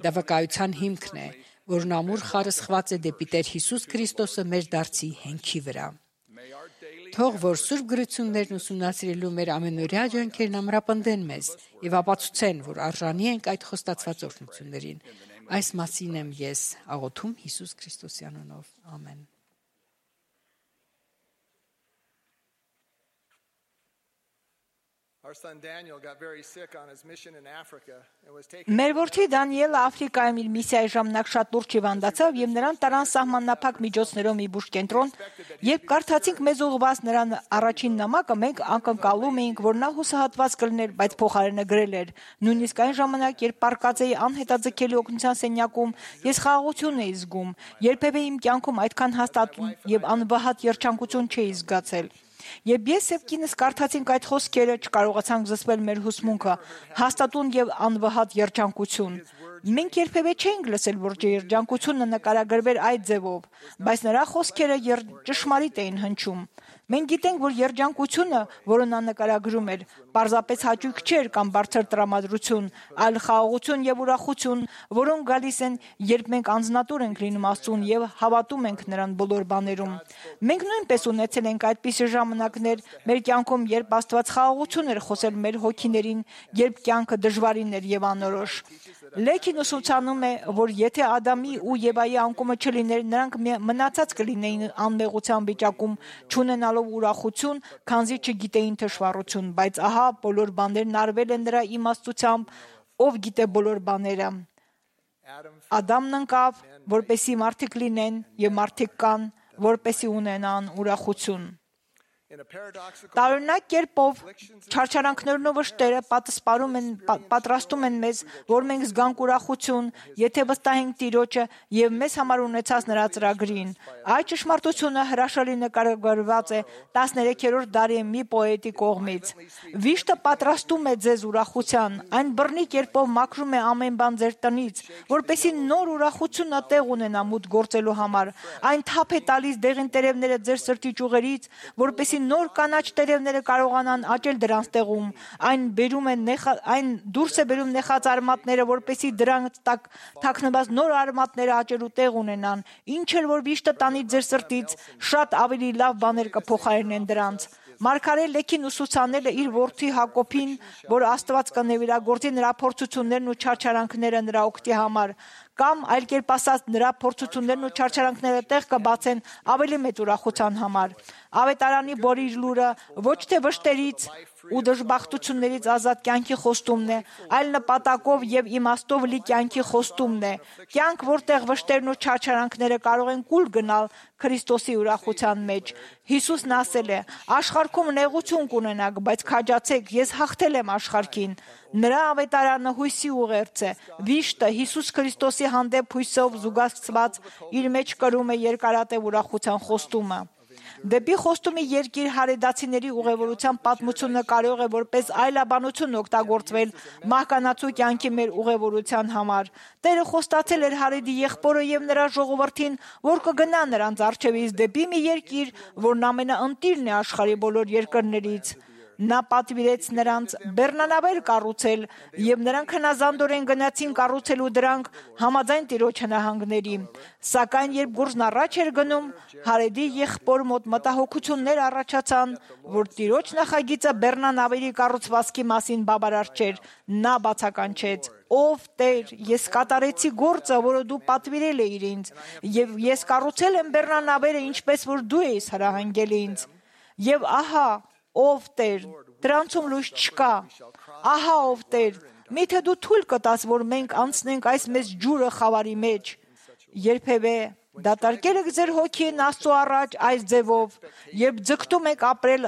Դա վկայության հիմքն է, որն ամուր խարը սխված է դեպի Տեր Հիսուս Քրիստոսը մեր դարձի հենքի վրա։ Թող որ Սուրբ գրություններն ուսումնասիրելու մեր ամենօրյա ջանքերն ամրապնդեն մեզ եւ ապացուցեն, որ արժանի ենք այդ խոստացված օրհնություններին։ Այս մասին եմ ես աղոթում Հիսուս Քրիստոսի անունով։ Ամեն։ Մեր որդի Դանիելը Աֆրիկայում իր միսիայի ժամանակ շատ լուրջ հիվանդացավ եւ նրան տարան սահմանափակ միջոցներով մի բուժ կենտրոն։ Երբ կարդացինք մեզ ուղղված նրան առաջին նամակը, մենք ակնկալում էինք, որ նա հուսահատված կլներ, բայց փոխարենը գրել էր. նույնիսկ այն ժամանակ, երբ պարկած էի անհետաձգելի օգնության սենյակում, ես խաղաղություն էի զգում, երբևէ իմ կյանքում այդքան հաստատուն եւ անվհատ երջանկություն չէի զգացել։ Եվ ես եւ կինս կարդացինք այդ խոսքերը, չկարողացանք զսպել մեր հուսմունքը, հաստատուն եւ անվհատ երջանկություն։ Մենք երբևէ չէինք լսել, որ երջանկությունը նկարագրվեր այդ ձևով, բայց նրա խոսքերը ճշմարիտ էին հնչում։ Մենք գիտենք, որ երջանկությունը, որը նա նկարագրում էր, պարզապես հաճույք չէր կամ բարձր տրամադրություն, այլ խաղաղություն եւ ուրախություն, որոնք գալիս են, երբ մենք անձնատուր ենք լինում Աստծուն եւ հավատում ենք նրան բոլոր բաներում։ Մենք նույնպես ունեցել ենք այդպիսի ժամանակներ մեր կյանքում, երբ Աստված խաղաղություն էր խոսել մեր հոգիներին, երբ կյանքը դժվարին էր եւ անորոշ։ Լեքին ուսուցանում է, որ եթե Ադամի ու Եվայի անկումը չլիներ, նրանք մնացած կլինեին անմեղության վիճակում, չունենալով ուրախություն, քանզի չգիտեին թշվառություն, բայց ահա բոլոր բաներն արվել են նրա իմաստությամբ, ով գիտե բոլոր բաները։ Ադամն ընկավ, որպեսի մարդիկ լինեն, եւ մարդիկ կան, որպեսի ունենան ուրախություն։ Տարօրինակ կերպով չարչարանքներն ու վշտերը պատասպարում են պատրաստում են մեզ, որ մենք զգանք ուրախություն, եթե վստահենք Տիրոջը եւ մեզ համար ունեցած նրա ծրագրին։ Այդ ճշմարտությունը հրաշալի նկարագրված է տասներեքերորդ դարի մի պոետի կողմից։ Վիշտը պատրաստում է ձեզ ուրախության, այն բռնի կերպով մաքրում է ամեն բան ձեր տնից, որպեսզի նոր ուրախությունը տեղ ունենա մուտք գործելու համար։ Այն թափ է տալիս դեղին տերևները ձեր սրտի ճյուղերից, որպեսզի նոր կանաչ տերևները կարողանան աճել դրանց տեղում, այն բերում է նեխա, այն դուրս է բերում նեխած արմատները, որպեսզի դրանց տակ թաքնված նոր արմատները աճելու տեղ ունենան, ինչ էլ որ վիշտը տանի ձեր սրտից, շատ ավելի լավ բաներ կփոխարինեն դրանց։ Մարգարե Լեքին ուսուցանել է իր որդի Հակոբին, որ Աստված կնվիրագործի նրա փորձություններն ու չարչարանքները նրա օգտի համար, կամ այլ կերպ ասած նրա փորձություններն ու չարչարանքները տեղ կբացեն ավելի մեծ ուրախության համար։ Ավետարանի բոլոր լուրը ոչ թե վշտերից ու դժբախտություններից ազատ կյանքի խոստումն է, այլ նպատակով եւ իմաստով լի կյանքի խոստումն է։ Կյանք, որտեղ վշտերն ու չարչարանքները կարող են կուլ գնալ Քրիստոսի ուրախության մեջ։ Հիսուսն ասել է. «Աշխարհքում նեղություն կունենաք, բայց քաջացեք, ես հաղթել եմ աշխարհին»։ Նրա ավետարանը հույսի ուղերձ է։ Վիշտը Հիսուս Քրիստոսի հանդեպ հույսով զուգակցված իր մեջ կրում է երկարատև ուրախության խոստումը։ Դեպի խոստումի երկիր հարեդացիների ուղևորության պատմությունը կարող է որպես այլաբանություն օգտագործվել մահկանացու կյանքի մեր ուղևորության համար։ Տերը խոստացել էր Հարեդի եղբորը եւ նրա ժողովրդին, որ կգնա նրանց առջևից դեպի մի երկիր, որն ամենաընտիրն է աշխարհի բոլոր երկրներից։ Նա պատվիրեց նրանց բեռնանավեր կառուցել, եւ նրանք հնազանդորեն գնացին կառուցելու դրանք համաձայն Տիրոջ հնահանգների։ Սակայն երբ գործն առաջ էր գնում, Հարեդի եղբոր մոտ մտահոգություններ առաջացան, որ Տիրոջ նախագիծը բեռնանավերի կառուցվածքի մասին բավարար չէր։ Նա բացականչեց. «Ով Տեր, ես կատարեցի գործը, որը դու պատվիրել էիր ինձ, եւ ես կառուցել եմ բեռնանավերը, ինչպես որ դու ես հրահանգել ինձ։ Եվ ահա, ով Տեր, դրանցում լույս չկա։ Ահա ով Տեր, միթե դու թույլ կտաս, որ մենք անցնենք այս մեծ ջուրը խավարի մեջ։ Երբևէ Դատարկել եք ձեր հոգին Աստծո առաջ այս ձևով, երբ ձգտում եք ապրել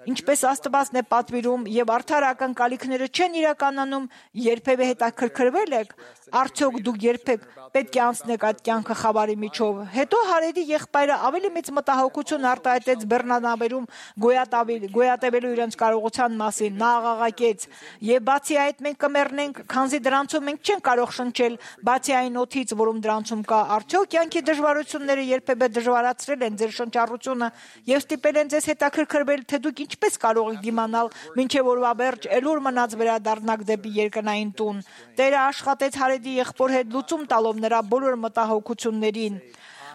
ինչպես Աստվածն է պատվիրում եւ արդար ակնկալիքները չեն իրականանում, երբևէ հետաքրքրվել եք, արդյոք դուք երբեք պետք է անցնեք այդ կյանքը խավարի միջով։ Հետո Հարեդի եղբայրը ավելի մեծ մտահոգություն արտահայտեց Բեռնաբերում գոյատևելու իրենց կարողության մասին։ Նա աղաղակեց. «Եվ բացի այդ մենք կմեռնենք, քանզի դրանցում մենք չենք կարող շնչել, բացի այն օդից, որում դրանցում կա։ Արդյոք կյանքի դժվարությունները երբևէ դժվարացրել են ձեր շնչառությունը եւ ստիպել են ձեզ հետաքրքրվել, թե դուք ինչպես կարող եք դիմանալ, մինչև օրվա վերջ էլուր մնաց վերադառնաք դեպի երկնային տուն»։ Տերը աշխատեց Հարեդի եղբոր հետ լուծում տալով նրա բոլոր մտահոգություններին։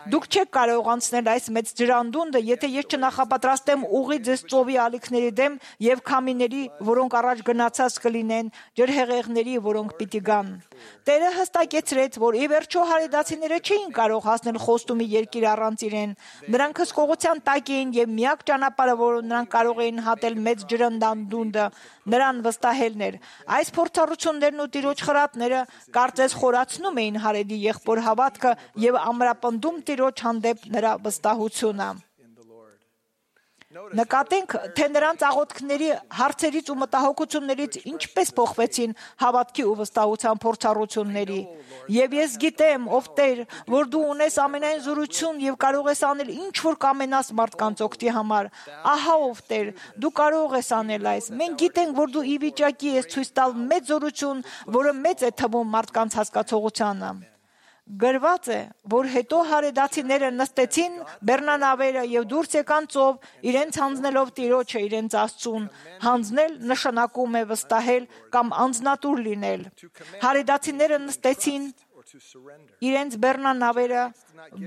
Դուք չեք կարող անցնել այս մեծ ջրանդունդը, եթե ես չնախապատրաստեմ ուղի ձեզ ծովի ալիքների դեմ եւ քամիների, որոնք առաջ գնացած կլինեն, ջրհեղեղների, որոնք պիտի գան։ Տերը հստակեցրեց, որ ի վերջո հարեդացիները չէին կարող հասնել Խոստումի երկիր առանց իրեն։ Նրանք հսկողության տակ էին եւ միակ ճանապարհը, որը նրանք կարող էին հատել մեծ ջրանդունդը, նրան վստահելն էր։ Այս փորձառություններն ու տիրոջ խրատները կարծես խորացնում էին Հարեդի եղբոր հավատքը եւ ամրապնդում Տիրոջ հանդեպ նրա վստահությունը։ Նկատենք, թե նրանց աղոթքների, հարցերից ու մտահոգություններից ինչպես փոխվեցին հավատքի ու վստահության փորձառությունների։ Եվ ես գիտեմ, ով Տեր, որ դու ունես ամենայն զորություն եւ կարող ես անել ինչ որ կամենաս մարդկանց օգտի համար։ Ահա ով Տեր, դու կարող ես անել այս։ Մենք գիտենք, որ դու ի վիճակի ես ցույց տալ մեծ զորություն, որը մեծ է թվում մարդկանց հասկացողությանը։ Գրված է, որ հետո հարեդացիները նստեցին Բեռնանավերը եւ դուրս եկան ծով, իրենց հանձնելով Տիրոջը իրենց Աստծուն։ Հանձնել նշանակում է վստահել կամ անձնատուր լինել։ Հարեդացիները նստեցին իրենց Բեռնանավերը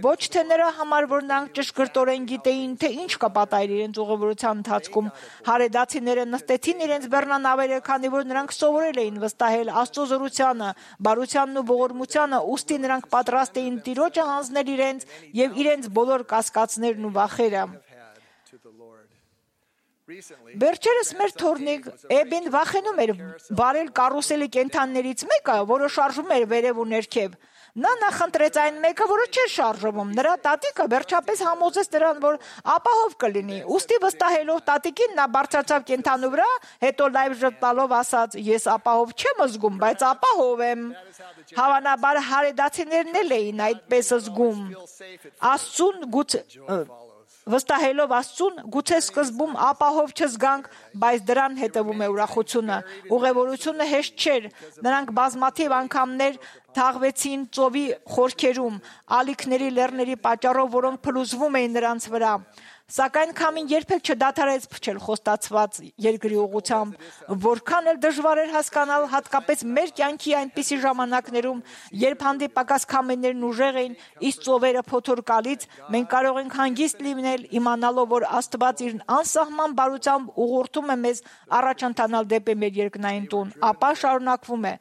ոչ թե նրա համար, որ նրանք ճշգրտորեն գիտեին, թե ինչ կպատահի իրենց ուղևորության ընթացքում։ Հարեդացիները նստեցին իրենց Բեռնանավերը, քանի որ նրանք սովորել էին վստահել Աստծո զորությանը, բարությանն ու ողորմությանը, ուստի նրանք պատրաստ էին Տիրոջը հանձնել իրենց եւ իրենց բոլոր կասկածներն ու վախերը։ Վերջերս մեր թորնիկ Էբին վախենում էր բարել կարուսելի կենդաններից մեկը, որը շարժվում էր վերև ու ներքև։ Նա նախընտրեց այն մեկը, որը չէր շարժվում։ Նրա տատիկը վերջապես համոզեց նրան, որ ապահով կլինի։ Ուստի վստահելով տատիկին, նա բարձրացավ կենդանու վրա, հետո լայվ ժպտալով ասաց. «Ես ապահով չեմ զգում, բայց ապահով եմ»։ Հավանաբար հարեդացիներն էլ էին այդպես զգում։ Աստծուն գուցե Վստահելով Աստծուն, գուցե սկզբում ապահով չզգանք, բայց դրան հետևում է ուրախությունը։ Ուղևորությունը հեշտ չէր։ Նրանք բազմաթիվ անգամներ թաղվեցին ծովի խորքերում, ալիքների լեռների պատճառով, որոնք փլուզվում էին նրանց վրա։ Սակայն քամին երբեք չդադարեց փչել խոստացված երկրի ուղղությամբ, որքան էլ դժվար էր հասկանալ, հատկապես մեր կյանքի այնպիսի ժամանակներում, երբ հանդիպակաց քամիներն ուժեղ էին, իսկ ծովերը փոթորկալից, մենք կարող ենք հանգիստ լինել, իմանալով, որ Աստված իր անսահման բարությամբ ուղղորդում է մեզ առաջ ընթանալ դեպի մեր երկնային տուն, ապա շարունակվում է։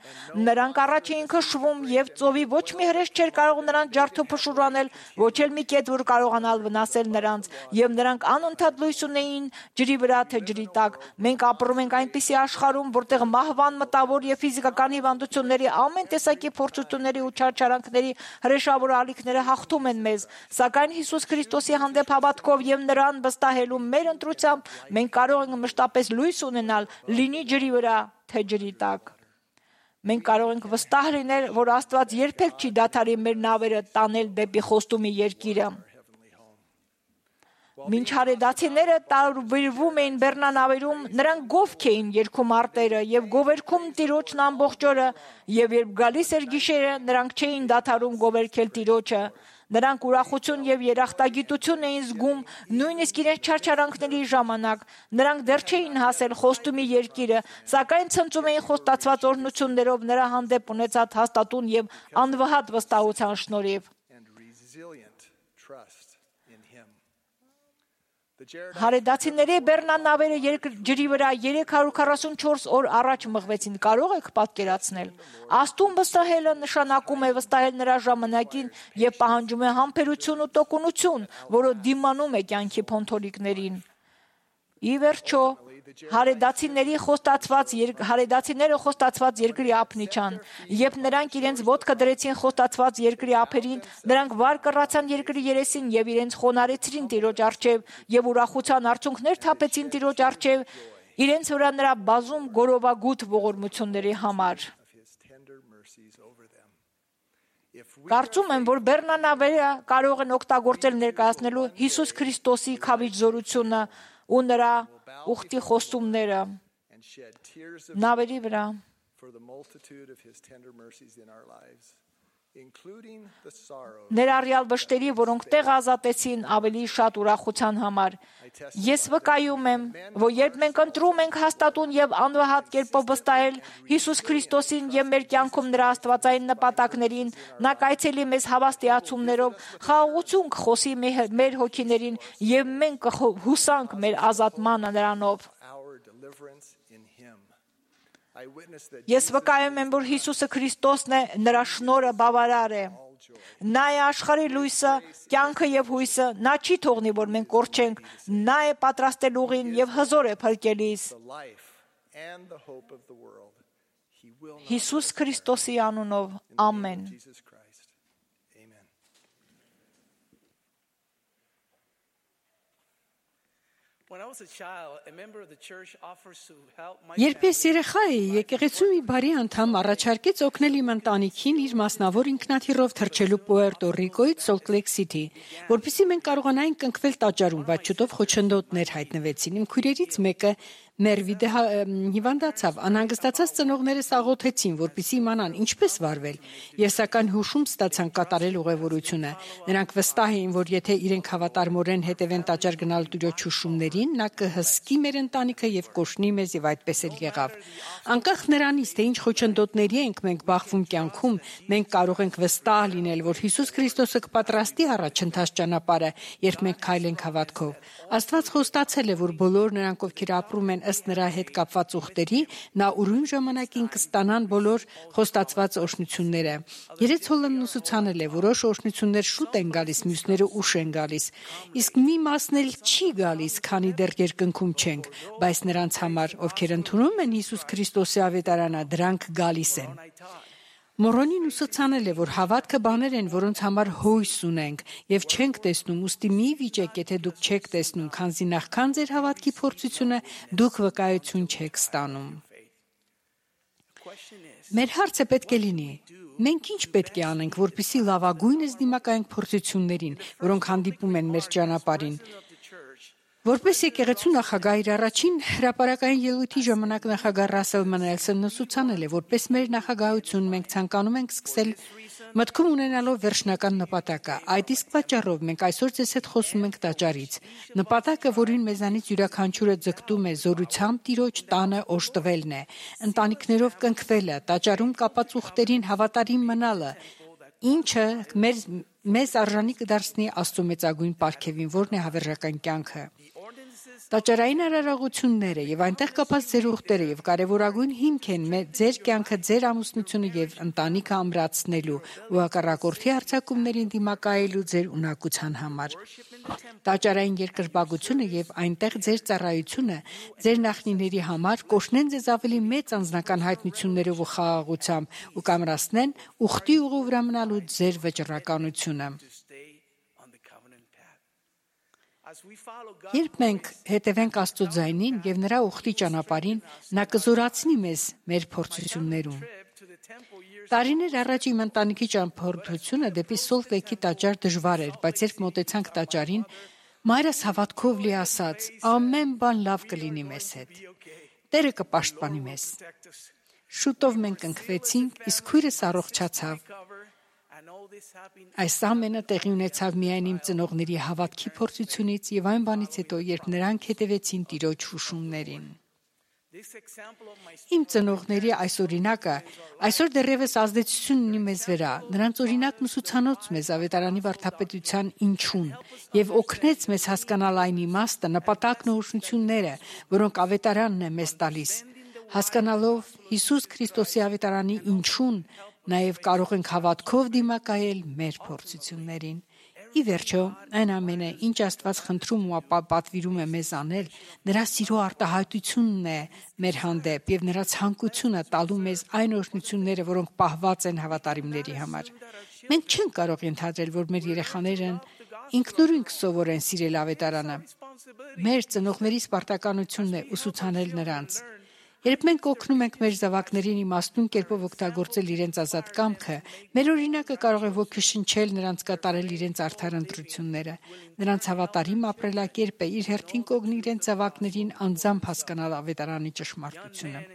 Նրանք առաջ էին քշվում, եւ ծովի ոչ մի հրեշ չէր կարող նրանց ջարդոփշուր անել, ոչ էլ մի կետ, որ կարողանալ վնասել նրանց, եւ նրանք անընդհատ լույս ունեին ջրի վրա թե ջրի տակ։ Մենք ապրում ենք այնպիսի աշխարհում, որտեղ մահվան, մտավոր եւ ֆիզիկական հիվանդությունների, ամեն տեսակի փորձությունների ու չարչարանքների հրեշավոր ալիքները հաղթում են մեզ, սակայն Հիսուս Քրիստոսի հանդեպ հավատքով եւ նրան վստահելու մեր ընտրությամբ մենք կարող ենք մշտապես լույս ունենալ, լինի ջրի վրա թե ջրի տակ։ Մենք կարող ենք վստահ լինել, որ Աստված երբեք չի դադարի մեր նավերը տանել դեպի Խոստումի երկիրը։ Մինչ հարեդացիները տարբերվում էին Բեռնանավերում, նրանք գովք էին երգում արտերը եւ գովերքում Տիրոջն ամբողջ օրը, եւ երբ գալիս էր գիշերը, նրանք չէին դադարում գովերքել Տիրոջը։ Նրանք ուրախություն եւ երախտագիտություն էին զգում նույնիսկ իրենց չարչարանքների ժամանակ։ Նրանք դեռ չէին հասել Խոստումի երկիրը, սակայն ցնծում էին խոստացված օրհնություններով նրա հանդեպ ունեցած հաստատուն եւ անվհատ վստահության շնորհիվ։ Հարեդացիների Բեռնանավերը ջրի վրա երեք հարյուր քառասունչորս օր առաջ մղվեցին, կարող եք պատկերացնել։ Աստուն վստահելը նշանակում է վստահել նրա ժամանակին եւ պահանջում է համբերություն ու տոկունություն, որը դիմանում է կյանքի փոթորիկներին։ Ի վերջո, Հարեդացիների խոստացված հարեդացիները խոստացված երկրի ափն իջան, երբ նրանք իրենց ոտքը դրեցին խոստացված երկրի ափերին, նրանք վար կռացան երկրի երեսին եւ իրենց խոնարեցրին Տիրոջ առջև եւ ուրախության արցունքներ թափեցին Տիրոջ առջև, իրենց վրա նրա բազում գորովագութ ողորմությունների համար։ Կարծում եմ, որ բեռնանավերը կարող են օգտագործել ներկայացնելու Հիսուս Քրիստոսի քավիչ զորությունը ու նրա ուխտի խոստումները նավերի վրա։ Ներառյալ վշտերի, որոնք տեղ ազատեցին ավելի շատ ուրախության համար։ Ես վկայում եմ, որ երբ մենք ընտրում ենք հաստատուն եւ անվհատ կերպով վստահել Հիսուս Քրիստոսին եւ մեր կյանքում նրա աստվածային նպատակներին, նա կայցելի մեզ հավաստիացումներով, խաղաղություն կխոսի մեր հոգիներին եւ մենք կհուսանք մեր ազատմանը նրանով։ Ես վկայում եմ, որ Հիսուսը Քրիստոսն է, նրա շնորհը բավարար է։ Նա է աշխարհի լույսը, կյանքը եւ հույսը, նա չի թողնի, որ մենք կորչենք, նա է պատրաստել ուղին եւ հզոր է փրկելիս։ Հիսուս Քրիստոսի անունով, ամեն։ Երբ ես երեխա էի, եկեղեցու մի բարի անդամ առաջարկեց օգնել իմ ընտանիքին իր մասնավոր ինքնաթիռով թռչելու Պուերտո Ռիկոից Սոլտ Լեյք Սիթի, որպեսզի մենք կարողանայինք կնքվել տաճարում, բայց շուտով խոչընդոտներ հայտնվեցին։ Իմ քույրերից մեկը Մերվիդը հիվանդացավ, անհանգստացած ծնողներս աղոթեցին, որպեսզի իմանան ինչպես վարվել։ Ես սակայն հուշում ստացան կատարել ուղևորությունը։ Նրանք վստահ էին, որ եթե իրենք հավատարմորեն հետևեն տաճար գնալ Տիրոջ հուշումներին, նա կհսկի մեր ընտանիքը եւ կօշնի մեզ, եւ այդպես էլ եղավ։ Անկախ նրանից, թե ինչ խոչընդոտների ենք մենք բախվում կյանքում, մենք կարող ենք վստահ լինել, որ Հիսուս Քրիստոսը կպատրաստի առաջընթաց ճանապարհը, երբ մենք քայլենք հավատքով։ Աստված խոստացել է, որ բոլոր նրանք, ովքեր ապրում են ըստ նրա հետ կապված ուխտերի, նա ուրույն ժամանակին կստանան բոլոր խոստացված օրհնությունները։ Երեց Հոլլանդն ուսուցանել է, որոշ օրհնություններ շուտ են գալիս, մյուսները ուշ են գալիս։ Իսկ մի մասն էլ չի գալիս, քանի դեռ երկնքում չենք, բայց նրանց համար, ովքեր ընդունում են Հիսուս Քրիստոսի ավետարանը, դրանք գալիս են։ Մորոնին ուսուցանել է, որ հավատքը բաներ են, որոնց համար հույս ունենք եւ չենք տեսնում, ուստի մի վիճեք, եթե դուք չեք տեսնում, քանզի նախքան ձեր հավատքի փորձությունը դուք վկայություն չեք ստանում։ Մեր հարցը պետք է լինի. մենք ինչ պետք է անենք, որպեսզի լավագույնս դիմակայենք փորձություններին, որոնք հանդիպում են մեր ճանապարհին։ Որպես եկեղեցու նախագահ իր առաջին հրապարակային ելույթի ժամանակ նախագահ Ռասել Մանելսոնն ուսուցանել է, որպես մեր նախագահություն մենք ցանկանում ենք սկսել մտքում ունենալով վերջնական նպատակը։ Այդ իսկ պատճառով մենք այսօր ձեզ հետ խոսում ենք տաճարից։ Նպատակը, որին մեզանից յուրաքանչյուրը ձգտում է, զորությամբ Տիրոջ տանը օժտվելն է, ընտանիքներով կնքվելը, տաճարում կապած ուխտերին հավատարիմ մնալը, ինչը մեր մեզ արժանի կդարձնի Աստծո մեծագույն պարգևին, որն է հավերժական կյանքը։ Տաճարային արարողությունները եւ այնտեղ կապած ձեր ուխտերը եւ կարեւորագույն հիմք են ձեր կյանքը, ձեր ամուսնությունը եւ ընտանիքը ամրացնելու ու հակառակորդի հարձակումներին դիմակայելու ձեր ունակության համար։ Տաճարային երկրպագությունը եւ այնտեղ ձեր ծառայությունը ձեր նախնիների համար կօշնեն ձեզ ավելի մեծ անձնական հայտնություններով ու խաղաղությամբ ու կամրացնեն ուխտի ուղու վրա մնալու ձեր վճռականությունը։ Երբ մենք հետևենք Աստծո ձայնին եւ նրա ուխտի ճանապարհին, նա կզորացնի մեզ մեր փորձություններում։ Տարիներ առաջ իմ ընտանիքի ճամփորդությունը դեպի Սոլտ Լեյքի տաճար դժվար էր, բայց երբ մոտեցանք տաճարին, մայրս հավատքով լի ասաց. ամեն բան լավ կլինի մեզ հետ։ Տերը կպաշտպանի մեզ։ Շուտով մենք ընկվեցինք, իսկ քույրս առողջացավ։ Այս ամենը տեղի ունեցավ միայն իմ ծնողների հավատքի փորձությունից եւ այն բանից հետո, երբ նրանք հետևեցին Տիրոջ հուշումներին։ Իմ ծնողների այս օրինակը այսօր դեռևս ազդեցություն ունի մեզ վրա։ Նրանց օրինակն ուսուցանոց մեզ ավետարանի վարդապետության ինչուն եւ օգնեց մեզ հասկանալ այն իմաստը, նպատակն ու օրհնությունները, որոնք ավետարանն է մեզ տալիս։ Հասկանալով Հիսուս Քրիստոսի ավետարանի ինչուն, նաև կարող ենք հավատքով դիմակայել մեր փորձություններին։ Ի վերջո, այն ամենը, ինչ Աստված խնդրում ու պատվիրում է մեզ անել, նրա սիրո արտահայտությունն է մեր հանդեպ եւ նրա ցանկությունը տալու մեզ այն օրհնությունները, որոնք պահված են հավատարիմների համար։ Մենք չենք կարող ենթադրել, որ մեր երեխաներն ինքնուրույն կսովորեն սիրել ավետարանը։ Մեր ծնողների սպարտականությունն է ուսուցանել նրանց։ Երբ մենք օգնում ենք մեր զավակներին իմաստուն կերպով օգտագործել իրենց ազատ կամքը, մեր օրինակը կարող է ոգեշնչել նրանց կատարել իրենց արդար ընտրությունները։ Նրանց հավատարիմ ապրելակերպը իր հերթին կօգնի իրենց զավակներին անձամբ հասկանալ ավետարանի ճշմարտությունը։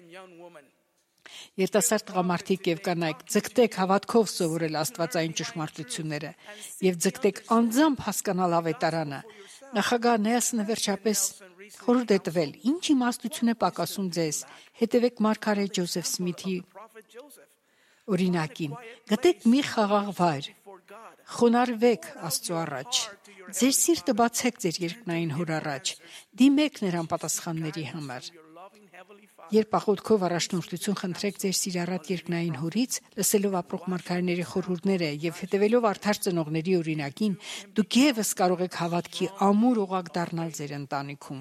Երիտասարդ տղամարդիկ եւ կանայք, ձգտեք հավատքով սովորել աստվածային ճշմարտությունները եւ ձգտեք անձամբ հասկանալ ավետարանը։ Նախագահ Նելսոնը վերջապես խորհուրդ է տվել. «Ինչ իմաստություն է պակասում ձեզ, հետևեք մարգարե Ջոզեֆ Սմիթի օրինակին, գտեք մի խաղաղ վայր, խոնարհվեք Աստծո առաջ, ձեր սիրտը բացեք ձեր երկնային Հոր առաջ, դիմեք նրան պատասխանների համար։ Երբ աղոթքով առաջնորդություն խնդրեք ձեր սիրառատ երկնային Հորից, լսելով ապրող մարգարեների խորհուրդները եւ հետևելով արդար ծնողների օրինակին, դուք եւս կարող եք հավատքի ամուր օղակ դառնալ ձեր ընտանիքում։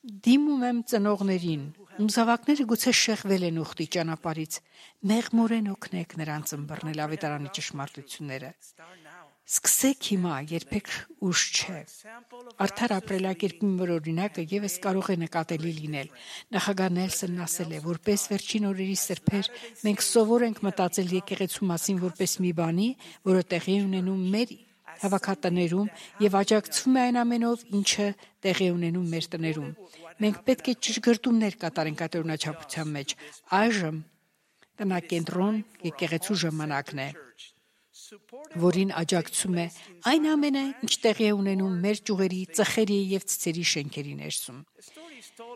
Դիմում եմ ծնողներին, ում զավակները գուցե շեղվել են ուխտի ճանապարհից, մեղմորեն օգնեք նրանց ըմբռնել ավետարանի ճշմարտությունները։ Սկսեք հիմա, երբեք ուշ չէ։ Արդար ապրելակերպի մեր օրինակը եւս կարող է նկատելի լինել։ Նախագահ Նելսոնն ասել է, որպես վերջին օրերի սրբեր, մենք սովոր ենք մտածել եկեղեցու մասին որպես մի բանի, որը տեղի ունենում մեր հավաքատներում եւ աջակցվում է այն ամենով, ինչը տեղի ունենում մեր տներում։ Մենք պետք է ճշգրտումներ կատարենք այդ օրինաչափության մեջ։ Այժմ տնակենտրոն եկեղեցու ժամանակն է, որին աջակցում է այն ամենը, ինչ տեղի է ունենում մեր ճյուղերի, ծխերի եւ ցցերի շենքերի ներսում։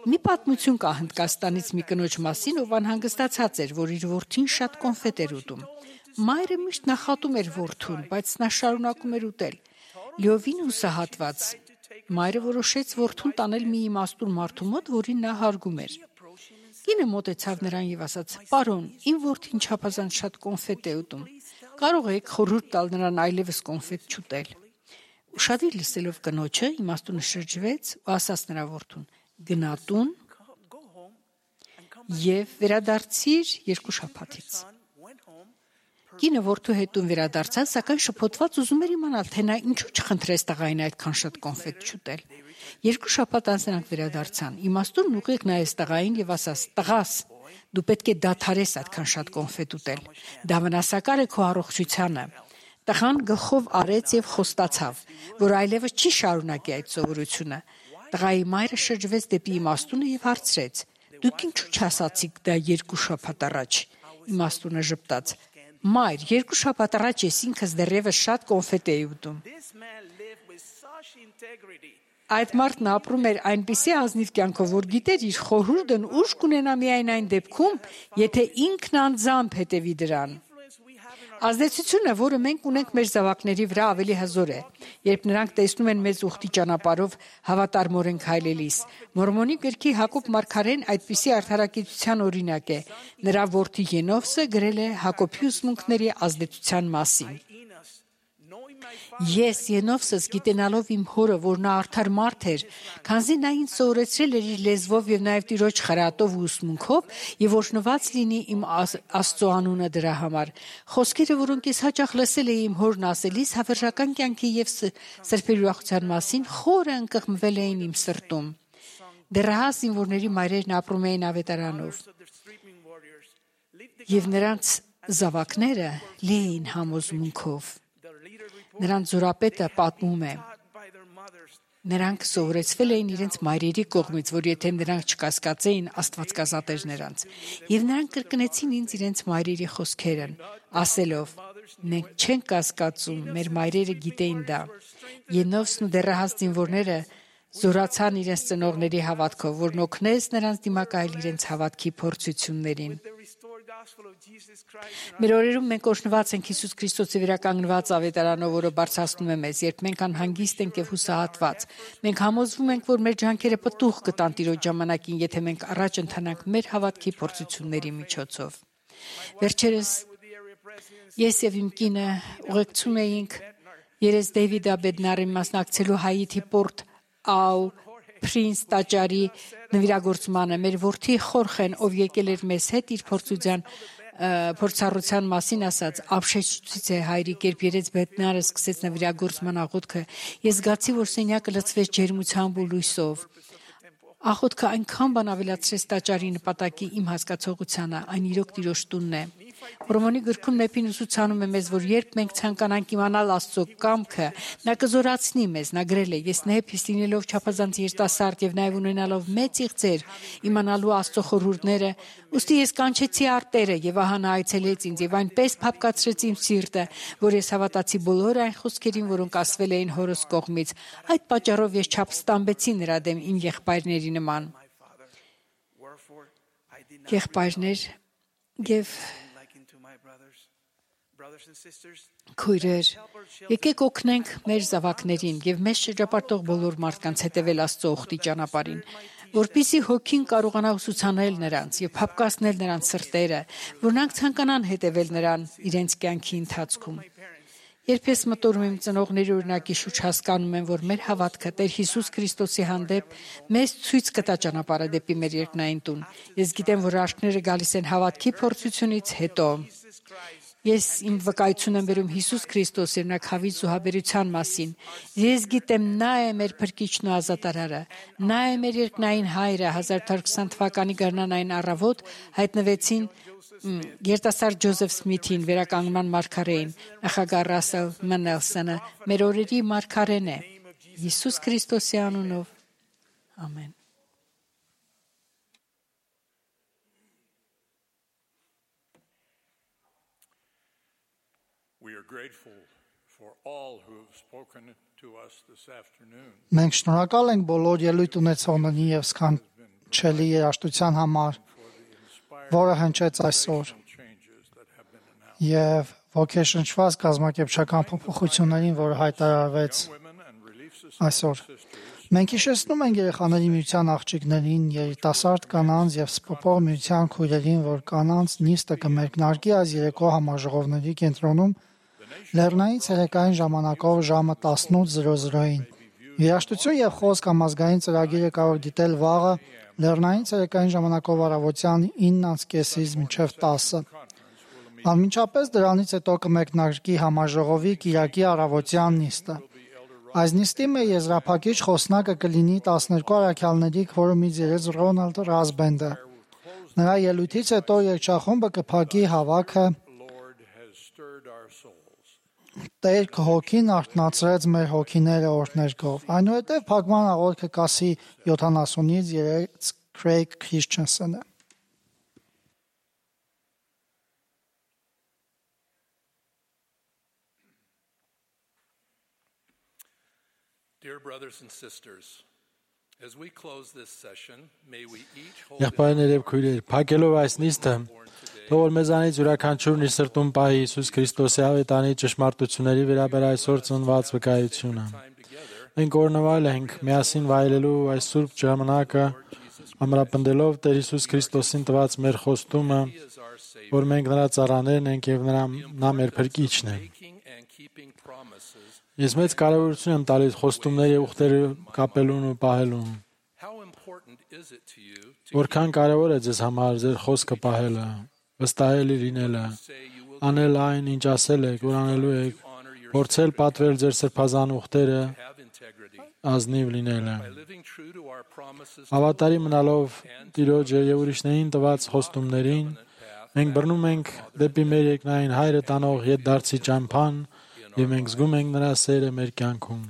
Մի պատմություն կա Հնդկաստանից մի կնոջ մասին, ով անհանգստացած էր, որ իր որդին շատ կոնֆետ էր ուտում։ Մայրը միշտ նախատում էր որդուն, բայց նա շարունակում էր ուտել։ Լիովին հուսահատված, մայրը որոշեց որդուն տանել մի իմաստուն մարդու մոտ, որին նա հարգում էր։ Կինը մոտեցավ նրան եւ ասաց. «Պարոն, իմ որդին չափազանց շատ կոնֆետ է ուտում։ Կարող եք խորհուրդ տալ նրան այլևս կոնֆետ չուտել»։ Ուշադիր լսելով կնոջը, իմաստունը շրջվեց ու ասաց նրա որդուն. «Գնա տուն եւ վերադարձիր երկու շաբաթից»։ Կինը որդու հետ տուն վերադարձավ, սակայն շփոթված ուզում էր իմանալ, թե նա ինչու չխնդրեց տղային այդքան շատ կոնֆետ չուտել։ Երկու շաբաթ անց նրանք վերադարձան։ Իմաստունն ուղիղ նայեց տղային եւ ասաց. «Տղաս, դու պետք է դադարես այդքան շատ կոնֆետ ուտել։ Դա վնասակար է քո առողջությանը»։ Տղան գլխով արեց եւ խոստացավ, որ այլևս չի շարունակի այդ սովորությունը։ Տղայի մայրը շրջվեց դեպի իմաստունը եւ հարցրեց. «Դուք ինչու չասացիք դա երկու շաբաթ առաջ»։ Իմաստունը ժպտաց. «Մայր, երկու շաբաթ առաջ ես ինքս դեռևս շատ կոնֆետ էի ուտում»։ Այդ մարդն ապրում էր այնպիսի ազնիվ կյանքով, որ գիտեր իր խորհուրդն ուժ կունենա միայն այն դեպքում, եթե ինքն անձամբ հետևի դրան։ Ազդեցությունը, որը մենք ունենք մեր զավակների վրա, ավելի հզոր է, երբ նրանք տեսնում են մեզ ուխտի ճանապարհով հավատարմորեն քայլելիս։ Մորմոնի գրքի Հակոբ մարգարեն այդպիսի արդարակեցության օրինակ է։ Նրա որդի Ենովսը գրել է Հակոբի ուսմունքների ազդեցության մասին։ Ես Ենովսս գիտենալով իմ հորը, որ նա արդար մարդ էր, քանզի նա ինձ սովորեցրել էր իր լեզվով եւ նաեւ Տիրոջ խրատով ու ուսմունքով, եւ օրհնված լինի իմ Աստծո անունը դրա համար։ Խոսքերը, որոնք ես հաճախ լսել էի իմ հորն ասելիս, հավերժական կյանքի եւ սրբերի ուրախության մասին, խորը ընկղմվել էին իմ սրտում։ Դեռահաս զինվորների մայրերն ապրում էին ավետարանով, եւ նրանց զավակները լի էին համոզմունքով։ Նրանց զորապետը պատմում է. նրանք սովորեցվել էին իրենց մայրերի կողմից, որ եթե նրանք չկասկածեին, Աստված կազատեր նրանց, եւ նրանք կրկնեցին ինձ իրենց մայրերի խոսքերն, ասելով. մենք չենք կասկածում, մեր մայրերը գիտեին դա։ Ենովսն ու դեռահաս զինվորները զորացան իրենց ծնողների հավատքով, որն օգնեց նրանց դիմակայել իրենց հավատքի փորձություններին։ Մեր օրերում մենք օրհնված ենք Հիսուս Քրիստոսի վերականգնված ավետարանով, որը բարձրացնում է մեզ, երբ մենք անհանգիստ ենք եւ հուսահատված։ Մենք համոզվում ենք, որ մեր ջանքերը պտուղ կտան Տիրոջ ժամանակին, եթե մենք առաջ ընթանանք մեր հավատքի փորձությունների միջոցով։ Վերջերս Ես եւ իմ կինը ուղեկցում էինք Երես Դեյվիդ Աբեդնարի մասնակցելու Հայիթի Պորտ Au Prince տաճարի նվիրագործմանը։ Մեր որդի Խորխեն, ով եկել էր մեզ հետ իր փորձության փորձառության մասին ասաց, ապշեցուցիչ է հայրիկ, երբ Երես Բեդնարը սկսեց նվիրագործման աղոթքը, ես զգացի, որ սենյակը լցվեց ջերմությամբ ու լույսով։ Աղոթքը այնքան բան ավելացրեց տաճարի նպատակի իմ հասկացողությանը, այն իրոք Տիրոջ տունն է։ Հռոմեացի գրքում Նեպին ուսուցանում է մեզ, որ երբ մենք ցանկանանք իմանալ Աստծո կամքը, նա կզորացնի մեզ, նա գրել է. Ես Նեփիս լինելով չափազանց երիտասարդ եւ նաեւ ունենալով մեծ իղձեր, իմանալու Աստծո խորհուրդները, ուստի ես կանչեցի արտերը եւ ահա նա այցելեց ինձ եւ այնպես փափկացրեց իմ սիրտը, որ ես հավատացի բոլոր այն խոսքերին, որոնք ասվել էին հորս կողմից։ Այդ պատճառով ես չափստամբեցի նրա դեմ իմ եղբայրների նման։ Եղբայրներ եւ Քույրեր, եկեք օգնենք մեր զավակներին եւ մեզ շրջապատող բոլոր մարդկանց հետևել Աստծո ուխտի ճանապարհին, որպեսզի հոգին կարողանա ուսուցանել նրանց եւ փափկացնել նրանց սրտերը, որ նրանք ցանկանան հետևել նրան իրենց կյանքի ընթացքում։ Երբ ես մտորում եմ ծնողների օրինակի շուրջ, հասկանում եմ, որ մեր հավատքը Տեր Հիսուս Քրիստոսի հանդեպ մեզ ցույց կտա ճանապարհը դեպի մեր երկնային տուն։ Ես գիտեմ, որ արկները գալիս են հավատքի փորձությունից հետո։ Ես իմ վկայություն եմ բերում Հիսուս Քրիստոսի ներքավի զոհաբերության մասին։ Ես գիտեմ, նա է մեր փրկիչն ու ազատարարը։ Նա է մեր երկնային հայրը։ հազար ութ հարյուր քսան թվականի գարնանային առավոտ հայտնվեցին երիտասարդ Ջոզեֆ Սմիթին, վերականգնման մարգարեին, նախագահ Ռասել Մենելսոնը, մեր օրերի մարգարեն է։ Հիսուս Քրիստոսի անունով։ Ամեն։ We are grateful for all who have spoken to us this afternoon. Մենք շնորհակալ ենք բոլոր ելույթ ունեցողներին եւ սքանչելի երաժշտության համար, որը հնչեց այսօր, եւ ոգեշնչված կազմակերպչական փոփոխություններին, որը հայտարարվեց այսօր։ Մենք հիշեցնում ենք երեխաների միության աղջիկներին, երիտասարդ կանանց եւ սպոպող միության քույրերին, որ կանանց նիստը կմեկնարկի այս երեկո համաժողովների կենտրոնում լեռնային ցերեկային ժամանակով ժամը տասնութ զրո զրոյին։ Երաժշտություն եւ խոսք համազգային ծրագիրը կարող դիտել վաղը լեռնային ցերեկային ժամանակով առավոտյան ինը կեսից մինչև տասը։ Անմիջապես դրանից հետո կմեկնարկի համաժողովի կիրակի առավոտյան նիստը։ Այս նիստի մեր եզրափակիչ խոսնակը կլինի տասներկու առաքյալների քվորումից երես Ռոնալդ Ռազբենդը։ Նրա ելույթից հետո երգչախումբը կփակի հավաքը Տեր հոգին արթնացրեց մեր հոգիները օրհներգով։ Այնուհետև փակման աղոթքը կասի յոթանասունից երեք Քրեյգ Քրիսչենսենը։ Dear brothers and sisters, as we close this session, may we each hold Եղբայրներ եւ քույրեր, փակելով այս նիստը, թող որ մեզանից յուրաքանչյուրն իր սրտում պահի Հիսուս Քրիստոսի ավետանի ճշմարտությունների վերաբեր այսօր ծնված վկայությունը։ Մենք օրնվայել ենք միասին վայելելու այս սուրբ ժամանակը, ամրապնդելով Տեր Հիսուս Քրիստոսին տված մեր խոստումը, որ մենք նրա ծառաներն ենք եւ նրա նա մեր փրկիչն է։ Ես մեծ կարևորություն եմ տալիս խոստումների եւ ուխտերի կապելուն ու պահելուն։ Որքան կարևոր է ձեզ համար ձեր խոսքը պահելը, վստահելի լինելը, անել այն, ինչ ասել եք, որ անելու եք, փորձել պատվել ձեր սրբազան ուխտերը, ազնիվ լինելը։ Հավատարի մնալով Տիրոջ եւ ուրիշներին տված խոստումներին, մենք բռնում ենք դեպի մեր երկնային հայրը տանող ետդարձի ճամփան եւ մենք զգում ենք նրա սերը մեր կյանքում։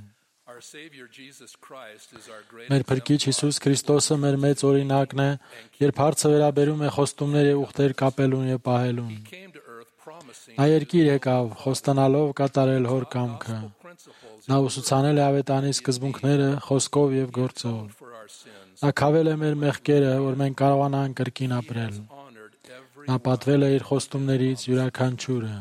Մեր փրկիչ Հիսուս Քրիստոսը մեր մեծ օրինակն է, երբ հարցը վերաբերում է խոստումներ եւ ուխտեր կապելուն եւ պահելուն։ Նա երկիր եկավ, խոստանալով կատարել հոր կամքը։ Նա ուսուցանել է ավետանի սկզբունքները խոսքով եւ գործով։ Նա քավել է մեր մեղքերը, որ մենք կարողանանք կրկին ապրել։ Նա պատվել է իր խոստումներից յուրաքանչյուրը։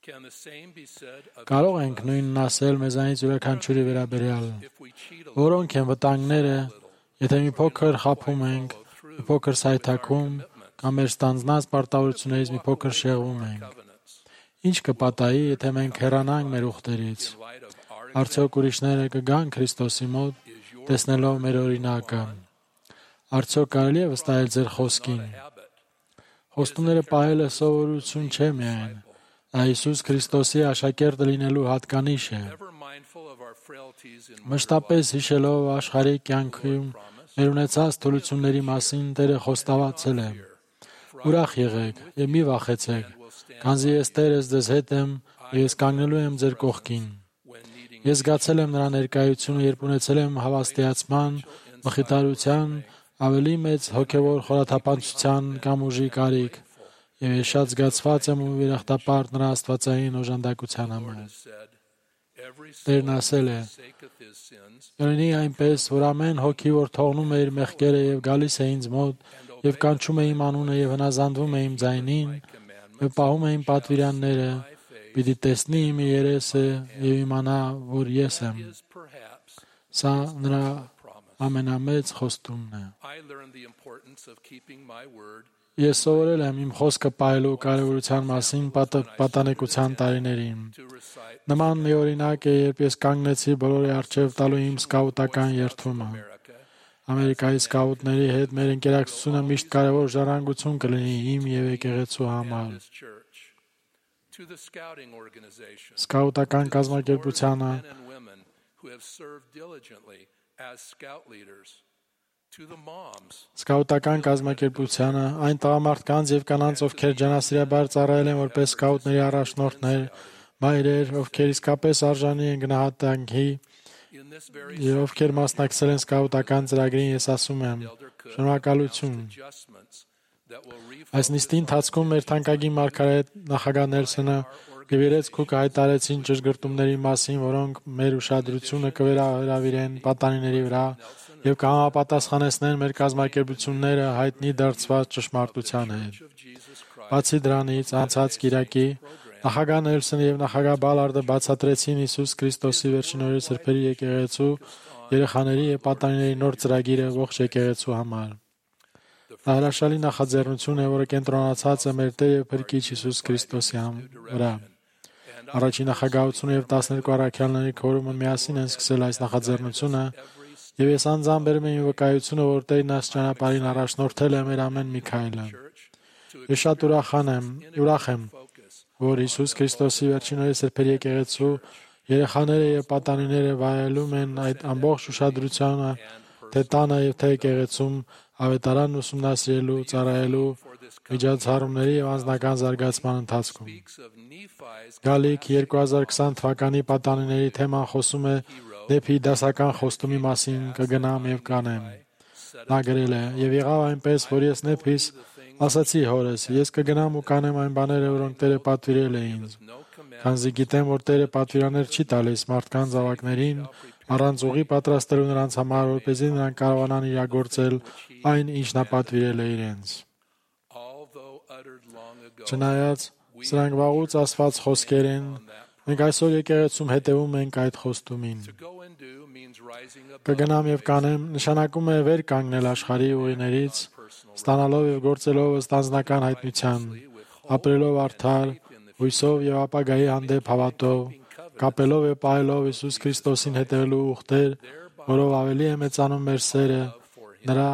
Կարող ենք նույնն ասել մեզանից յուրաքանչյուրի վերաբերյալ, որոնք են վտանգները, եթե մի փոքր խաբում ենք, մի փոքր սայթաքում կամ մեր ստանձնած պարտավորություններից մի փոքր շեղվում ենք։ Ինչ կպատահի, եթե մենք հեռանանք մեր ուխտերից։ Արդյոք ուրիշները կգան Քրիստոսի մոտ, տեսնելով մեր օրինակը։ Արդյոք կարելի է վստահել ձեր խոսքին։ Խոստումները պահելը սովորություն չէ միայն, այլ Հիսուս Քրիստոսի աշակերտը լինելու հատկանիշ է։ Մշտապես հիշելով աշխարհի կյանքում մեր ունեցած թուլությունների մասին Տերը խոստացել է. «Ուրախ եղեք եւ մի վախեցեք, քանզի ես Տերս ձեզ հետ եմ եւ ես կանգնելու եմ ձեր կողքին»։ Ես զգացել եմ նրա ներկայությունը, երբ ունեցել եմ հավաստիացման, մխիթարության, ավելի մեծ հոգևոր խորաթափանցության կամ ուժի կարիք, եւ ես շատ զգացված եմ ու երախտապարտ նրա աստվածային օժանդակության համար։ Տերն ասել է. «Յորինի այնպես, որ ամեն հոգի, որ թողնում է իր մեղքերը եւ գալիս է ինձ մոտ եւ կանչում է իմ անունը եւ հնազանդվում է իմ ձայնին եւ պահում է իմ պատվիրանները, պիտի տեսնի իմ երեսը եւ իմանա, որ ես եմ»։ Սա նրա ամենամեծ խոստումն է։ Ես սովորել եմ իմ խոսքը պահելու կարևորության մասին պատանեկության տարիներին։ Նման մի օրինակ է, երբ ես կանգնեցի բոլորի առջև տալու իմ սկաուտական երդումը։ Ամերիկայի սկաուտների հետ մեր ընկերակցությունը միշտ կարևոր ժառանգություն կլինի իմ եւ եկեղեցու համար։ Սկաուտական կազմակերպությանը Սկաուտական կազմակերպությանը, այն տղամարդկանց եւ կանանց, ովքեր ջանասիրաբար ծառայել են որպես սկաուտների առաջնորդներ, մայրեր, ովքեր իսկապես արժանի են գնահատանքի եւ ովքեր մասնակցել են սկաուտական ծրագրին, ես ասում եմ. շնորհակալություն։ Այս նիստի ընթացքում մեր թանկագին մարգարետ նախագահ Նելսոնը եւ երեք քուք հայտարարեցին ճշգրտումների մասին, որոնք մեր ուշադրությունը կվերահրավիրեն պատանիների վրա եւ կհամապատասխանեցնեն մեր կազմակերպությունները հայտնի դարձված ճշմարտության հետ։ Բացի դրանից, անցած կիրակի նախագահ Նելսոնը եւ նախագահ Բալարդը բացատրեցին Հիսուս Քրիստոսի վերջին օրերի սրբերի եկեղեցու երեխաների եւ պատանիների նոր ծրագիրը ողջ եկեղեցու համար։ Դա հրաշալի նախաձեռնություն է, որը կենտրոնացած է մեր Տեր եւ Փրկիչ Հիսուս Քրիստոսի վրա։ Առաջին նախագահությունը եւ տասներկու առաքյալների քորումը միասին են սկսել այս նախաձեռնությունը, եւ ես անձամբ բերում եմ վկայությունը, որ Տերն այս ճանապարհին առաջնորդել է մեր ամեն մի քայլը։ Ես շատ ուրախան եմ, ուրախ եմ, որ Հիսուս Քրիստոսի վերջին օրերի սրբերի եկեղեցու երեխաները եւ պատանիները վայելում են այդ ամբողջ ուշադրությունը թե տանը եւ թե եկեղեցում ավետարանն ուսումնասիրելու, ծառայելու, միջոցառումների եւ անձնական զարգացման ընթացքում։ Գալիք երկու հազար քսան թվականի պատանիների թեման խոսում է դեպի դասական խոստումի մասին կգնամ եւ կանեմ։ Նա գրել է. «Եվ եղավ այնպես, որ ես նեփիս ասացի հորս, ես կգնամ ու կանեմ այն բաները, որոնք Տերը պատվիրել է ինձ։ Քանզի գիտեմ, որ Տերը պատվիրաններ չի տալիս մարդկանց զավակներին, առանց ուղի պատրաստելու նրանց համար, որպեսզի նրանք կարողանան իրագործել այն, ինչ նա պատվիրել է իրենց»։ Չնայած սրանք վաղուց ասված խոսքեր են, մենք այսօր եկեղեցում հետևում ենք այդ խոստումին։ Կգնամ եւ կանեմ նշանակում է վեր կանգնել աշխարհի ուղիներից, ստանալով եւ գործելով ըստ անձնական հայտնության, ապրելով արդար, հույսով եւ ապագայի հանդեպ հավատով, կապելով եւ պահելով Հիսուս Քրիստոսին հետևելու ուխտեր, որով ավելի է մեծանում մեր սերը նրա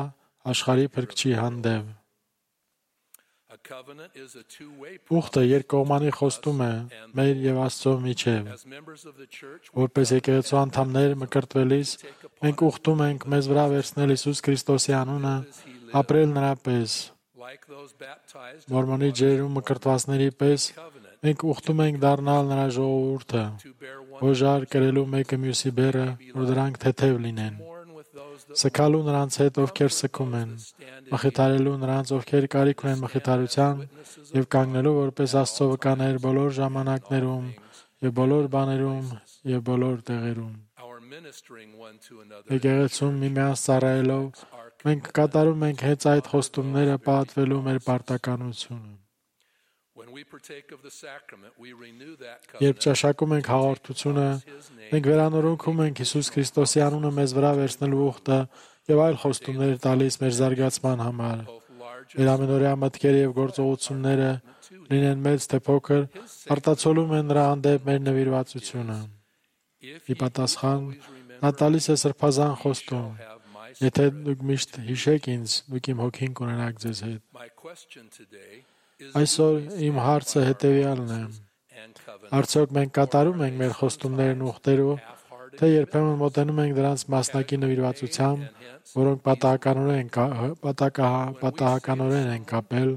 աշխարհի Փրկչի հանդեպ։ Ուխտը երկկողմանի խոստում է մեր եւ Աստծո միջեւ։ Որպես եկեղեցու անդամներ մկրտվելիս, մենք ուխտում ենք մեզ վրա վերցնել Հիսուս Քրիստոսի անունը, ապրել նրա պես։ Մորմոնի ջերում մկրտվածների պես մենք ուխտում ենք դառնալ նրա ժողովուրդը, հոժար կրելու մեկը մյուսի բեռը, որ դրանք թեթև լինեն։ Սգալու նրանց հետ, ովքեր սգում են, մխիթարելու նրանց, ովքեր կարիք ունեն մխիթարության, եւ կանգնելու որպես Աստծո վկաներ բոլոր ժամանակներում եւ բոլոր բաներում եւ բոլոր տեղերում։ Եկեղեցում միմյանց ծառայելով մենք կատարում ենք հենց այդ խոստումները պատվելու մեր պարտականությունը։ Երբ ճաշակում ենք հաղորդությունը, մենք վերանորոգում ենք Հիսուս Քրիստոսի անունը մեզ վրա վերցնելու ուխտը եւ այլ խոստումներ տալիս մեր զարգացման համար, Մեր ամենօրյա մտքերը եւ գործողությունները լինեն մեծ թե փոքր, արտացոլում են նրա հանդեպ մեր նվիրվածությունը։ Ի պատասխան, նա տալիս է սրբազան խոստում. Եթե դուք միշտ հիշեք ինձ, դուք իմ հոգին կունենաք ձեզ հետ։ Այսօր իմ հարցը հետևյալն է. արդյոք մենք կատարում ենք մեր խոստումներն ուխտերով, թե երբեմն մոտենում ենք դրանց մասնակի նվիրվածությամբ, որոնք պատահականորեն պատահականորեն են կապել,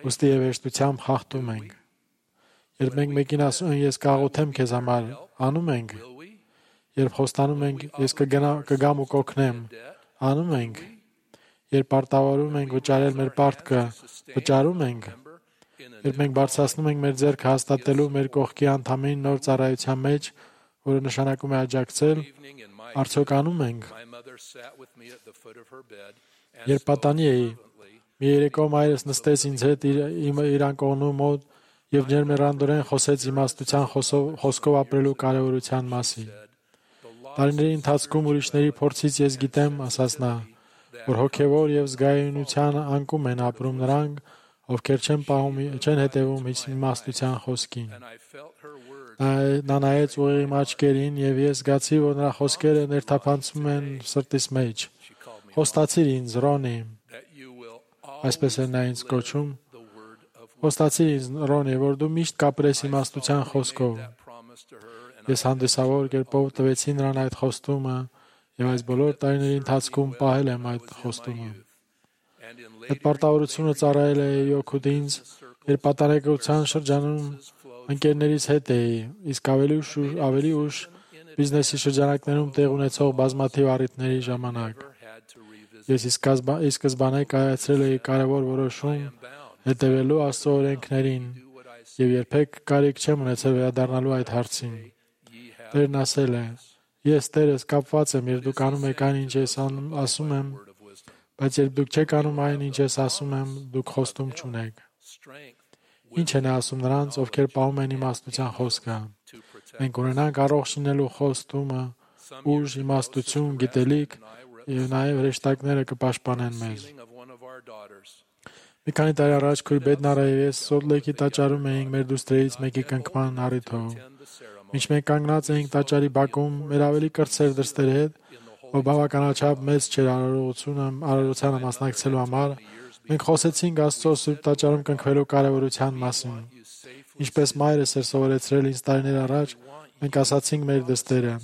ուստի եւ հեշտությամբ խախտում ենք։ Երբ մենք մեկին ասում ենք ես կաղոթեմ քեզ համար, անում ենք։ Երբ խոստանում ենք ես կգամ ու կօգնեմ, անում ենք։ Երբ պարտավորում ենք վճարել մեր պարտքը, վճարում ենք։ Երբ մենք բարձրացնում ենք մեր ձեռքը հաստատելու մեր կողքի անդամին նոր ծառայության մեջ, որը նշանակում է աջակցել, արդյոք անում ենք։ Երբ պատանի էի, մի երեկո մայրս նստեց ինձ հետ իր անկողնու մոտ եւ ջերմեռանդորեն խոսեց իմաստության խոսքով ապրելու կարեւորության մասին։ Տարիների ընթացքում ուրիշների փորձից ես գիտեմ, ասաց նա, որ հոգեվոր եւ զգայունության անկում են ապրում նրանք, ովքեր չեն պահում, չեն հետևում իմաստության խոսքին։ Նա նայեց ուղիղ իմ աչքերին եւ ես զգացի, որ նրա խոսքերը ներթափանցում են սրտիս մեջ։ Խոստացիր ինձ, Ռոնի, այսպես է նա ինձ կոչում, խոստացիր ինձ, Ռոնի, որ դու միշտ կապրես իմաստության խոսքով։ Ես հանդիսավոր կերպով տվեցի նրան այդ խոստումը եւ այս բոլոր տարիների ընթացքում պահել եմ այդ խոստումը։ Այդ պարտավորությունը ծառայել է օգուտ ինձ, երբ պատանեկության շրջանում ընկերներից հետ էի, իսկ ավելի ուշ ավելի ուշ բիզնեսի շրջանակներում տեղ ունեցող բազմաթիվ առիթների ժամանակ։ Ես ի սկզբանե կայացրել էի կարևոր որոշում հետևելու Աստծո օրենքներին եւ երբեք կարիք չեմ ունեցել վերադառնալու այդ հարցին։ Տերն ասել է. Ես Տերս կապված եմ, երբ դուք անում եք այն, ինչ ես ասում եմ, բայց երբ դուք չեք անում այն, ինչ ես ասում եմ, դուք խոստում չունեք։ Ինչ են ասում նրանց, ովքեր պահում են իմաստության խոսքը։ Մենք ունենանք առողջ լինելու խոստումը, ուժ, իմաստություն, գիտելիք եւ նաեւ հրեշտակները կպաշտպանեն մեզ։ Մի քանի տարի առաջ քույր Բեդնարը եւ ես Սոլտ Լեյքի տաճարում էինք մեր դուստրերից մեկի կնքման առիթով։ Մինչ մենք կանգնած էինք տաճարի բակում, մեր ավելի կրտսեր դրստերի հետ, որ բավականաչափ մեծ չէր արարողությունը, արարողությանը մասնակցելու համար, մենք խոսեցինք Աստծո Սուրբ տաճարում կնքվելու կարևորության մասին։ Ինչպես մայրս էր սովորեցրել ինձ տարիներ առաջ, մենք ասացինք մեր դստերը.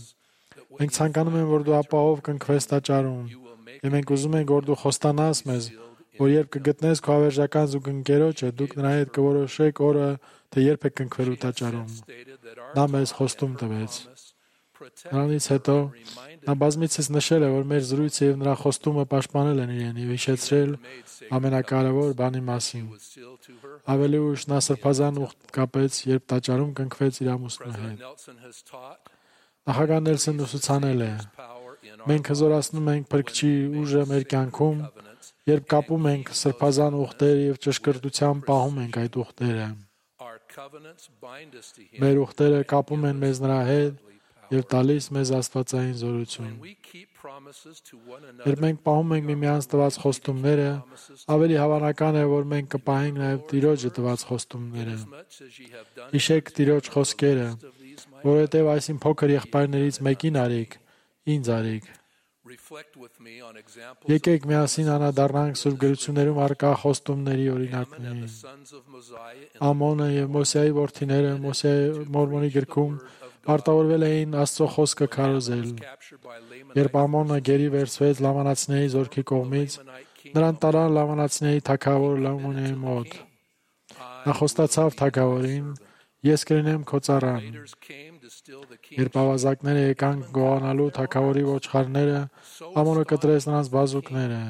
Մենք ցանկանում ենք, որ դու ապահով կնքվես տաճարում, եւ մենք ուզում ենք, որ դու խոստանաս մեզ, որ երբ կգտնես քո հավերժական զուգընկերոջը, դուք նրա հետ կորոշեք օրը, թե երբ եք կնքվելու տաճարում։ Նա մեզ խոստում տվեց։ Նրանից հետո նա բազմիցս նշել է, որ մեր զրույցը եւ նրա խոստումը պաշտպանել են իրեն եւ հիշեցրել ամենակարևոր բանի մասին։ Ավելի ուշ նա սրբազան ուխտ կապեց, երբ տաճարում կնքվեց իր ամուսնու հետ։ Նախագահ Նելսոնն ուսուցանել է. մենք հզորացնում ենք Փրկչի ուժը մեր կյանքում, երբ կապում ենք սրբազան ուխտեր եւ ճշգրտությամբ պահում ենք այդ ուխտերը։ Մեր ուխտերը կապում են մեզ նրա հետ եւ տալիս մեզ աստվածային զորություն։ Երբ մենք պահում ենք միմյանց տված խոստումները, ավելի հավանական է, որ մենք կպահենք նաեւ Տիրոջը տված խոստումները։ Հիշեք Տիրոջ խոսքերը, որովհետեւ այսին փոքր եղբայրներից մեկին արիք, ինձ արիք։ Եկեք միասին անդրադառնանք Սուրբ գրություններում առկա խոստումների օրինակներին։ Ամոնը եւ Մոսեի որդիները Մորմոնի գրքում պարտավորվել էին Աստծո խոսքը քարոզել։ Երբ Ամոնը գերի վերցվեց լամանացիների զորքի կողմից, նրան տարան լամանացիների թագավոր Լամոնիի մոտ։ Նա խոստացավ թագավորին. Ես կլինեմ քո ծառան։ Երբ ավազակները եկան գողանալու թագավորի ոչխարները, Ամոնը կտրեց նրանց բազուկները։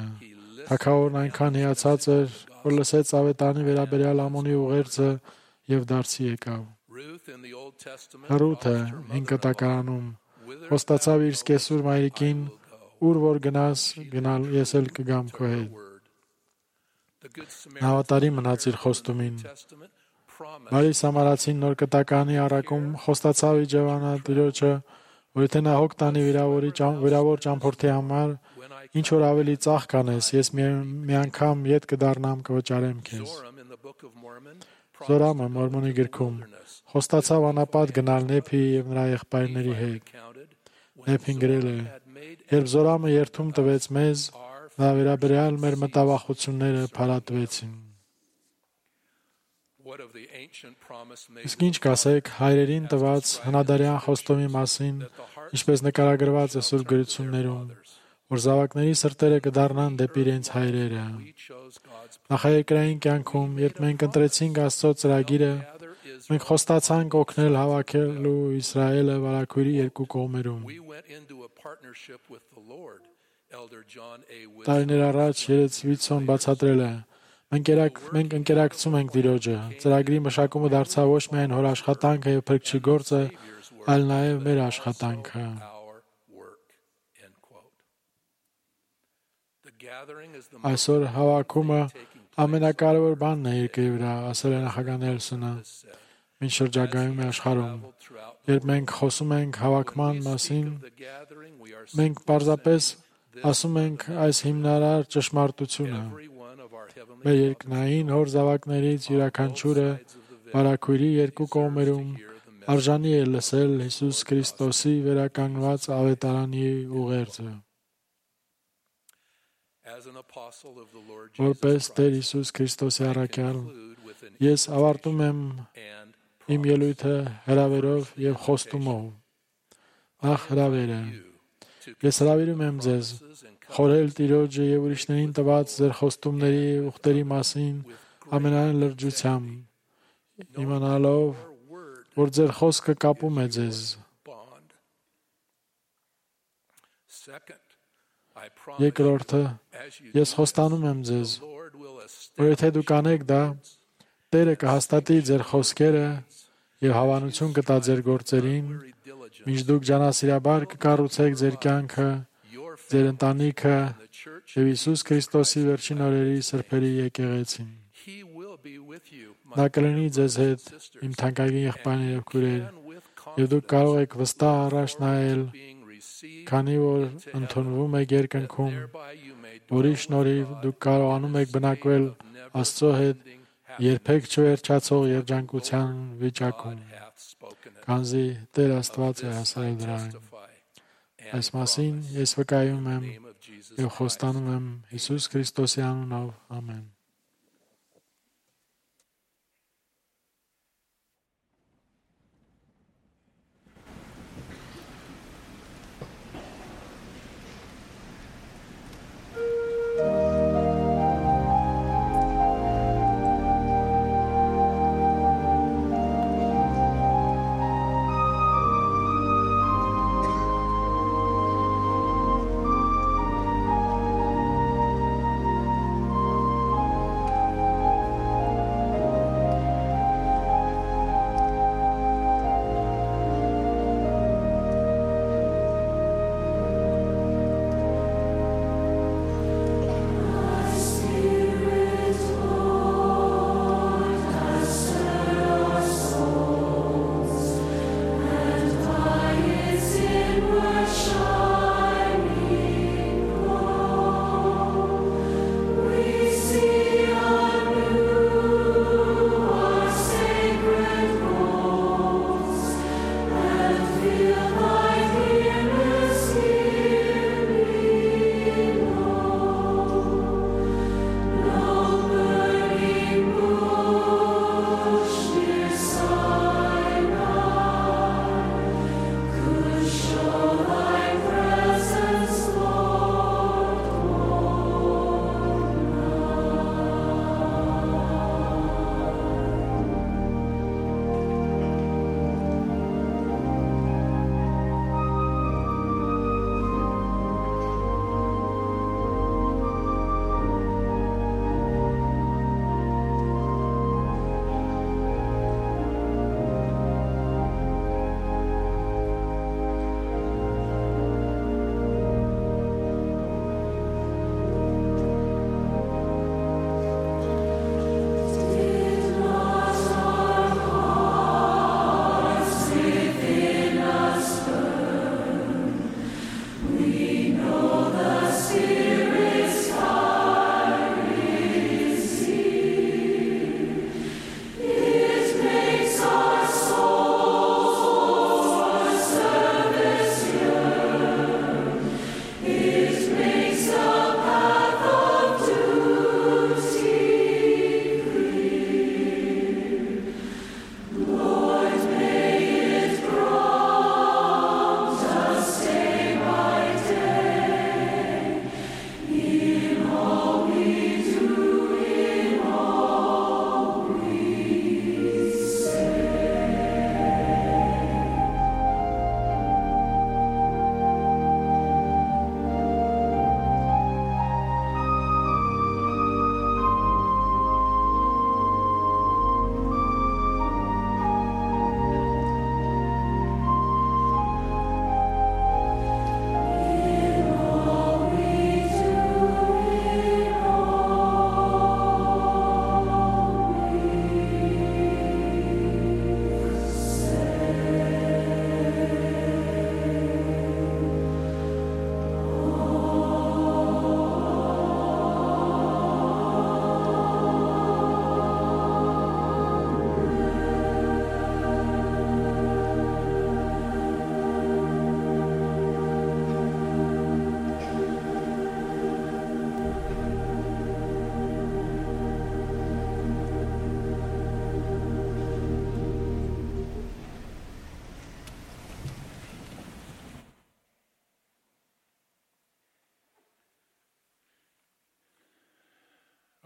Թագավորն այնքան հիացած էր, որ լսեց ավետարանի վերաբերյալ Ամոնի ուղերձը եւ դարձի եկավ։ Ռութը հին կտակարանում խոստացավ իր սկեսուր մայրիկին, ուր որ գնաս, գնալ ես էլ կգամ քո հետ։ Նա հավատարիմ մնաց իր խոստումին։ Բարի Սամարացին նոր կտականի առաքում խոստացավ Իջևանա Տիրոջը, որ եթե նա հոգ տանի վիրավորի վիրավոր ճամփորդի համար, ինչ որ ավելի ծախ կանես, ես մի, մի անգամ ետ կդառնամ կվճարեմ քեզ։ Զորամը Մորմոնի գրքում խոստացավ անապատ գնալ Նեփի եւ նրա եղբայրների հետ։ Նեփին գրել է. երբ Զորամը երթում տվեց մեզ, նա վերաբերյալ մեր մտավախությունները փարատվեցին։ Իսկ ինչ կասեք հայրերին տված հնադարյան խոստումի մասին, ինչպես նկարագրված է Սուրբ գրություններում, որ զավակների սրտերը կդառնան դեպի իրենց հայրերը։ Նախայեկրային կյանքում, երբ մենք ընտրեցինք Աստծո ծրագիրը, մենք խոստացանք օգնել հավաքելու Իսրայելը վարագույրի երկու կողմերում։ Տարիներ առաջ երեց Վիթսոն բացատրել է. Մենք մենք ընկերակցում ենք Տիրոջը։ Ծրագրի մշակումը դարձավ ոչ միայն հոր աշխատանքը եւ փրկչի գործը, այլ նաեւ մեր աշխատանքը։ Այսօր հավաքումը ամենակարևոր բանն է երկրի վրա, ասել է նախագահ Նելսոնը, ինչ շրջագայում է աշխարհում։ Երբ մենք խոսում ենք հավաքման մասին, մենք պարզապես ասում ենք այս հիմնարար ճշմարտությունը։ Մեր երկնային հոր զավակներից յուրաքանչյուրը վարագույրի երկու կողմերում արժանի է լսել Հիսուս Քրիստոսի վերականգնված ավետարանի ուղերձը։ Որպես Տեր Հիսուս Քրիստոսի առաքյալ, ես ավարտում եմ իմ ելույթը հրավերով եւ խոստումով։ Նախ հրավերը։ Ես հրավիրում եմ ձեզ խորհել Տիրոջը եւ ուրիշներին տված ձեր խոստումների ուխտերի մասին ամենայն լրջությամբ, իմանալով, որ ձեր խոսքը կապում է ձեզ։ Երկրորդը, ես խոստանում եմ ձեզ, որ եթե դուք անեք դա, Տերը կհաստատի ձեր խոսքերը եւ հավանություն կտա ձեր գործերին, մինչ դուք ջանասիրաբար կկառուցեք ձեր կյանքը, ձեր ընտանիքը եւ Հիսուս Քրիստոսի վերջին օրերի սրբերի եկեղեցին։ Նա կլինի ձեզ հետ, իմ թանկագին եղբայրներ եւ քույրեր, եւ դուք կարող եք վստահ առաջ նայել, քանի որ ընդունվում եք երկնքում, որի շնորհիվ դուք կարողանում եք բնակվել Աստծո հետ երբեք չվերջացող երջանկության վիճակում, քանզի Տեր Աստված է հասարել դրան։ Այս մասին ես վկայում եմ եւ խոստանում եմ Հիսուս Քրիստոսի անունով։ Ամեն։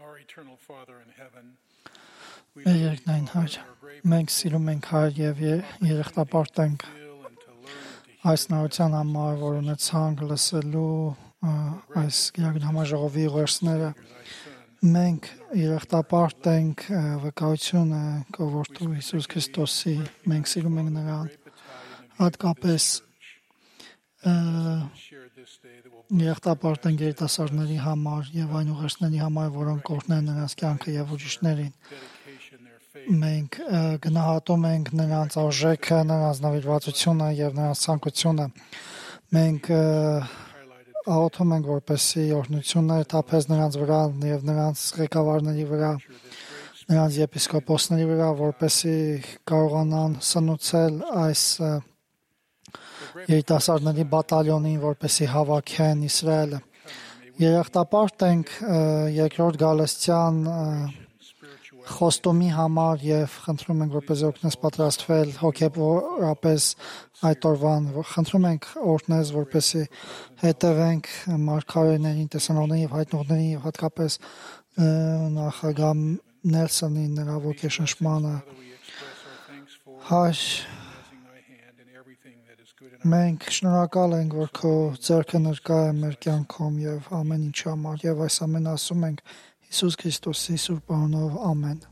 Our eternal Father in heaven, Մեր երկնային Հայր, մենք սիրում ենք Հայր եւ երախտապարտ ենք այս նորության համար, որ ունեցանք լսելու այս գերագույն համաժողովի ուղերձները։ Մենք երախտապարտ ենք վկայությունը կողորտու Հիսուս Քրիստոսի, մենք սիրում ենք նրան, հատկապես երախտապարտ ենք երիտասարդների համար եւ այն ուղերձների համար, որոնք կօրհնեն նրանց կյանքը եւ ուրիշներին։ Մենք գնահատում ենք նրանց արժեքը, նրանց նվիրվածությունը եւ նրանց ցանկությունը։ Մենք աղոթում ենք, որպեսզի օրհնությունները թափես նրանց վրա եւ նրանց ղեկավարների վրա, նրանց եպիսկոպոսների վրա, որպեսզի կարողանան սնուցել այս երիտասարդների բատալյոնին, որպեսզի հավաքեն Իսրայելը։ Երախտապարտ ենք երկրորդ գալստյան խոստումի համար եւ խնդրում ենք, որպեսզի օգնես պատրաստվել հոգեորապես այդ օրվան, խնդրում ենք օրհնես, որպեսզի հետևենք մարգարեներին, տեսանողներին եւ հայտնողներին եւ հատկապես նախագահ Նելսոնի նրա ոգեշնչմանը։ Հայր, մենք շնորհակալ ենք, որ քո ձեռքը ներկա է մեր կյանքում եւ ամեն ինչ համար եւ այս ամենը ասում ենք Հիսուս Քրիստոսի սուրբ անունով, ամեն։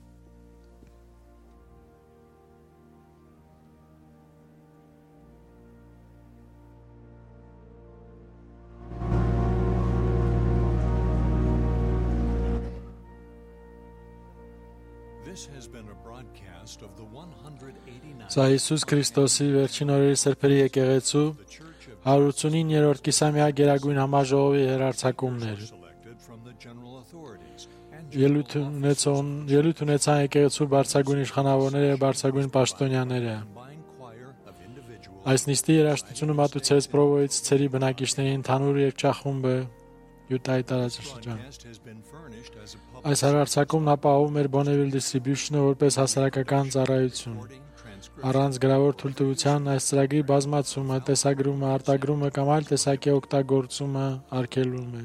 Սա Հիսուս Քրիստոսի վերջին օրերի սրբերի եկեղեցու հարյուր ութսունիններորդ կիսամյա գերագույն համաժողովի հեռարձակումն էր։ Ելույթ ունեցան ելույթ ունեցան եկեղեցու բարձրագույն իշխանավորները եւ բարձրագույն պաշտոնյաները։ Այս նիստի երաժշտությունը մատուցեց Պրովոյից ցերի բնակիչների ընդհանուր երգչախումբը Յուտայի տարածաշրջան։ Այս հեռարձակումն ապահովում էր Bonneville Distribution-ը որպես հասարակական ծառայություն։ Առանց գրավոր թույլտվության այս ծրագրի բազմացումը, տեսագրումը, արտագրումը կամ այլ տեսակի օգտագործումը արգելվում է։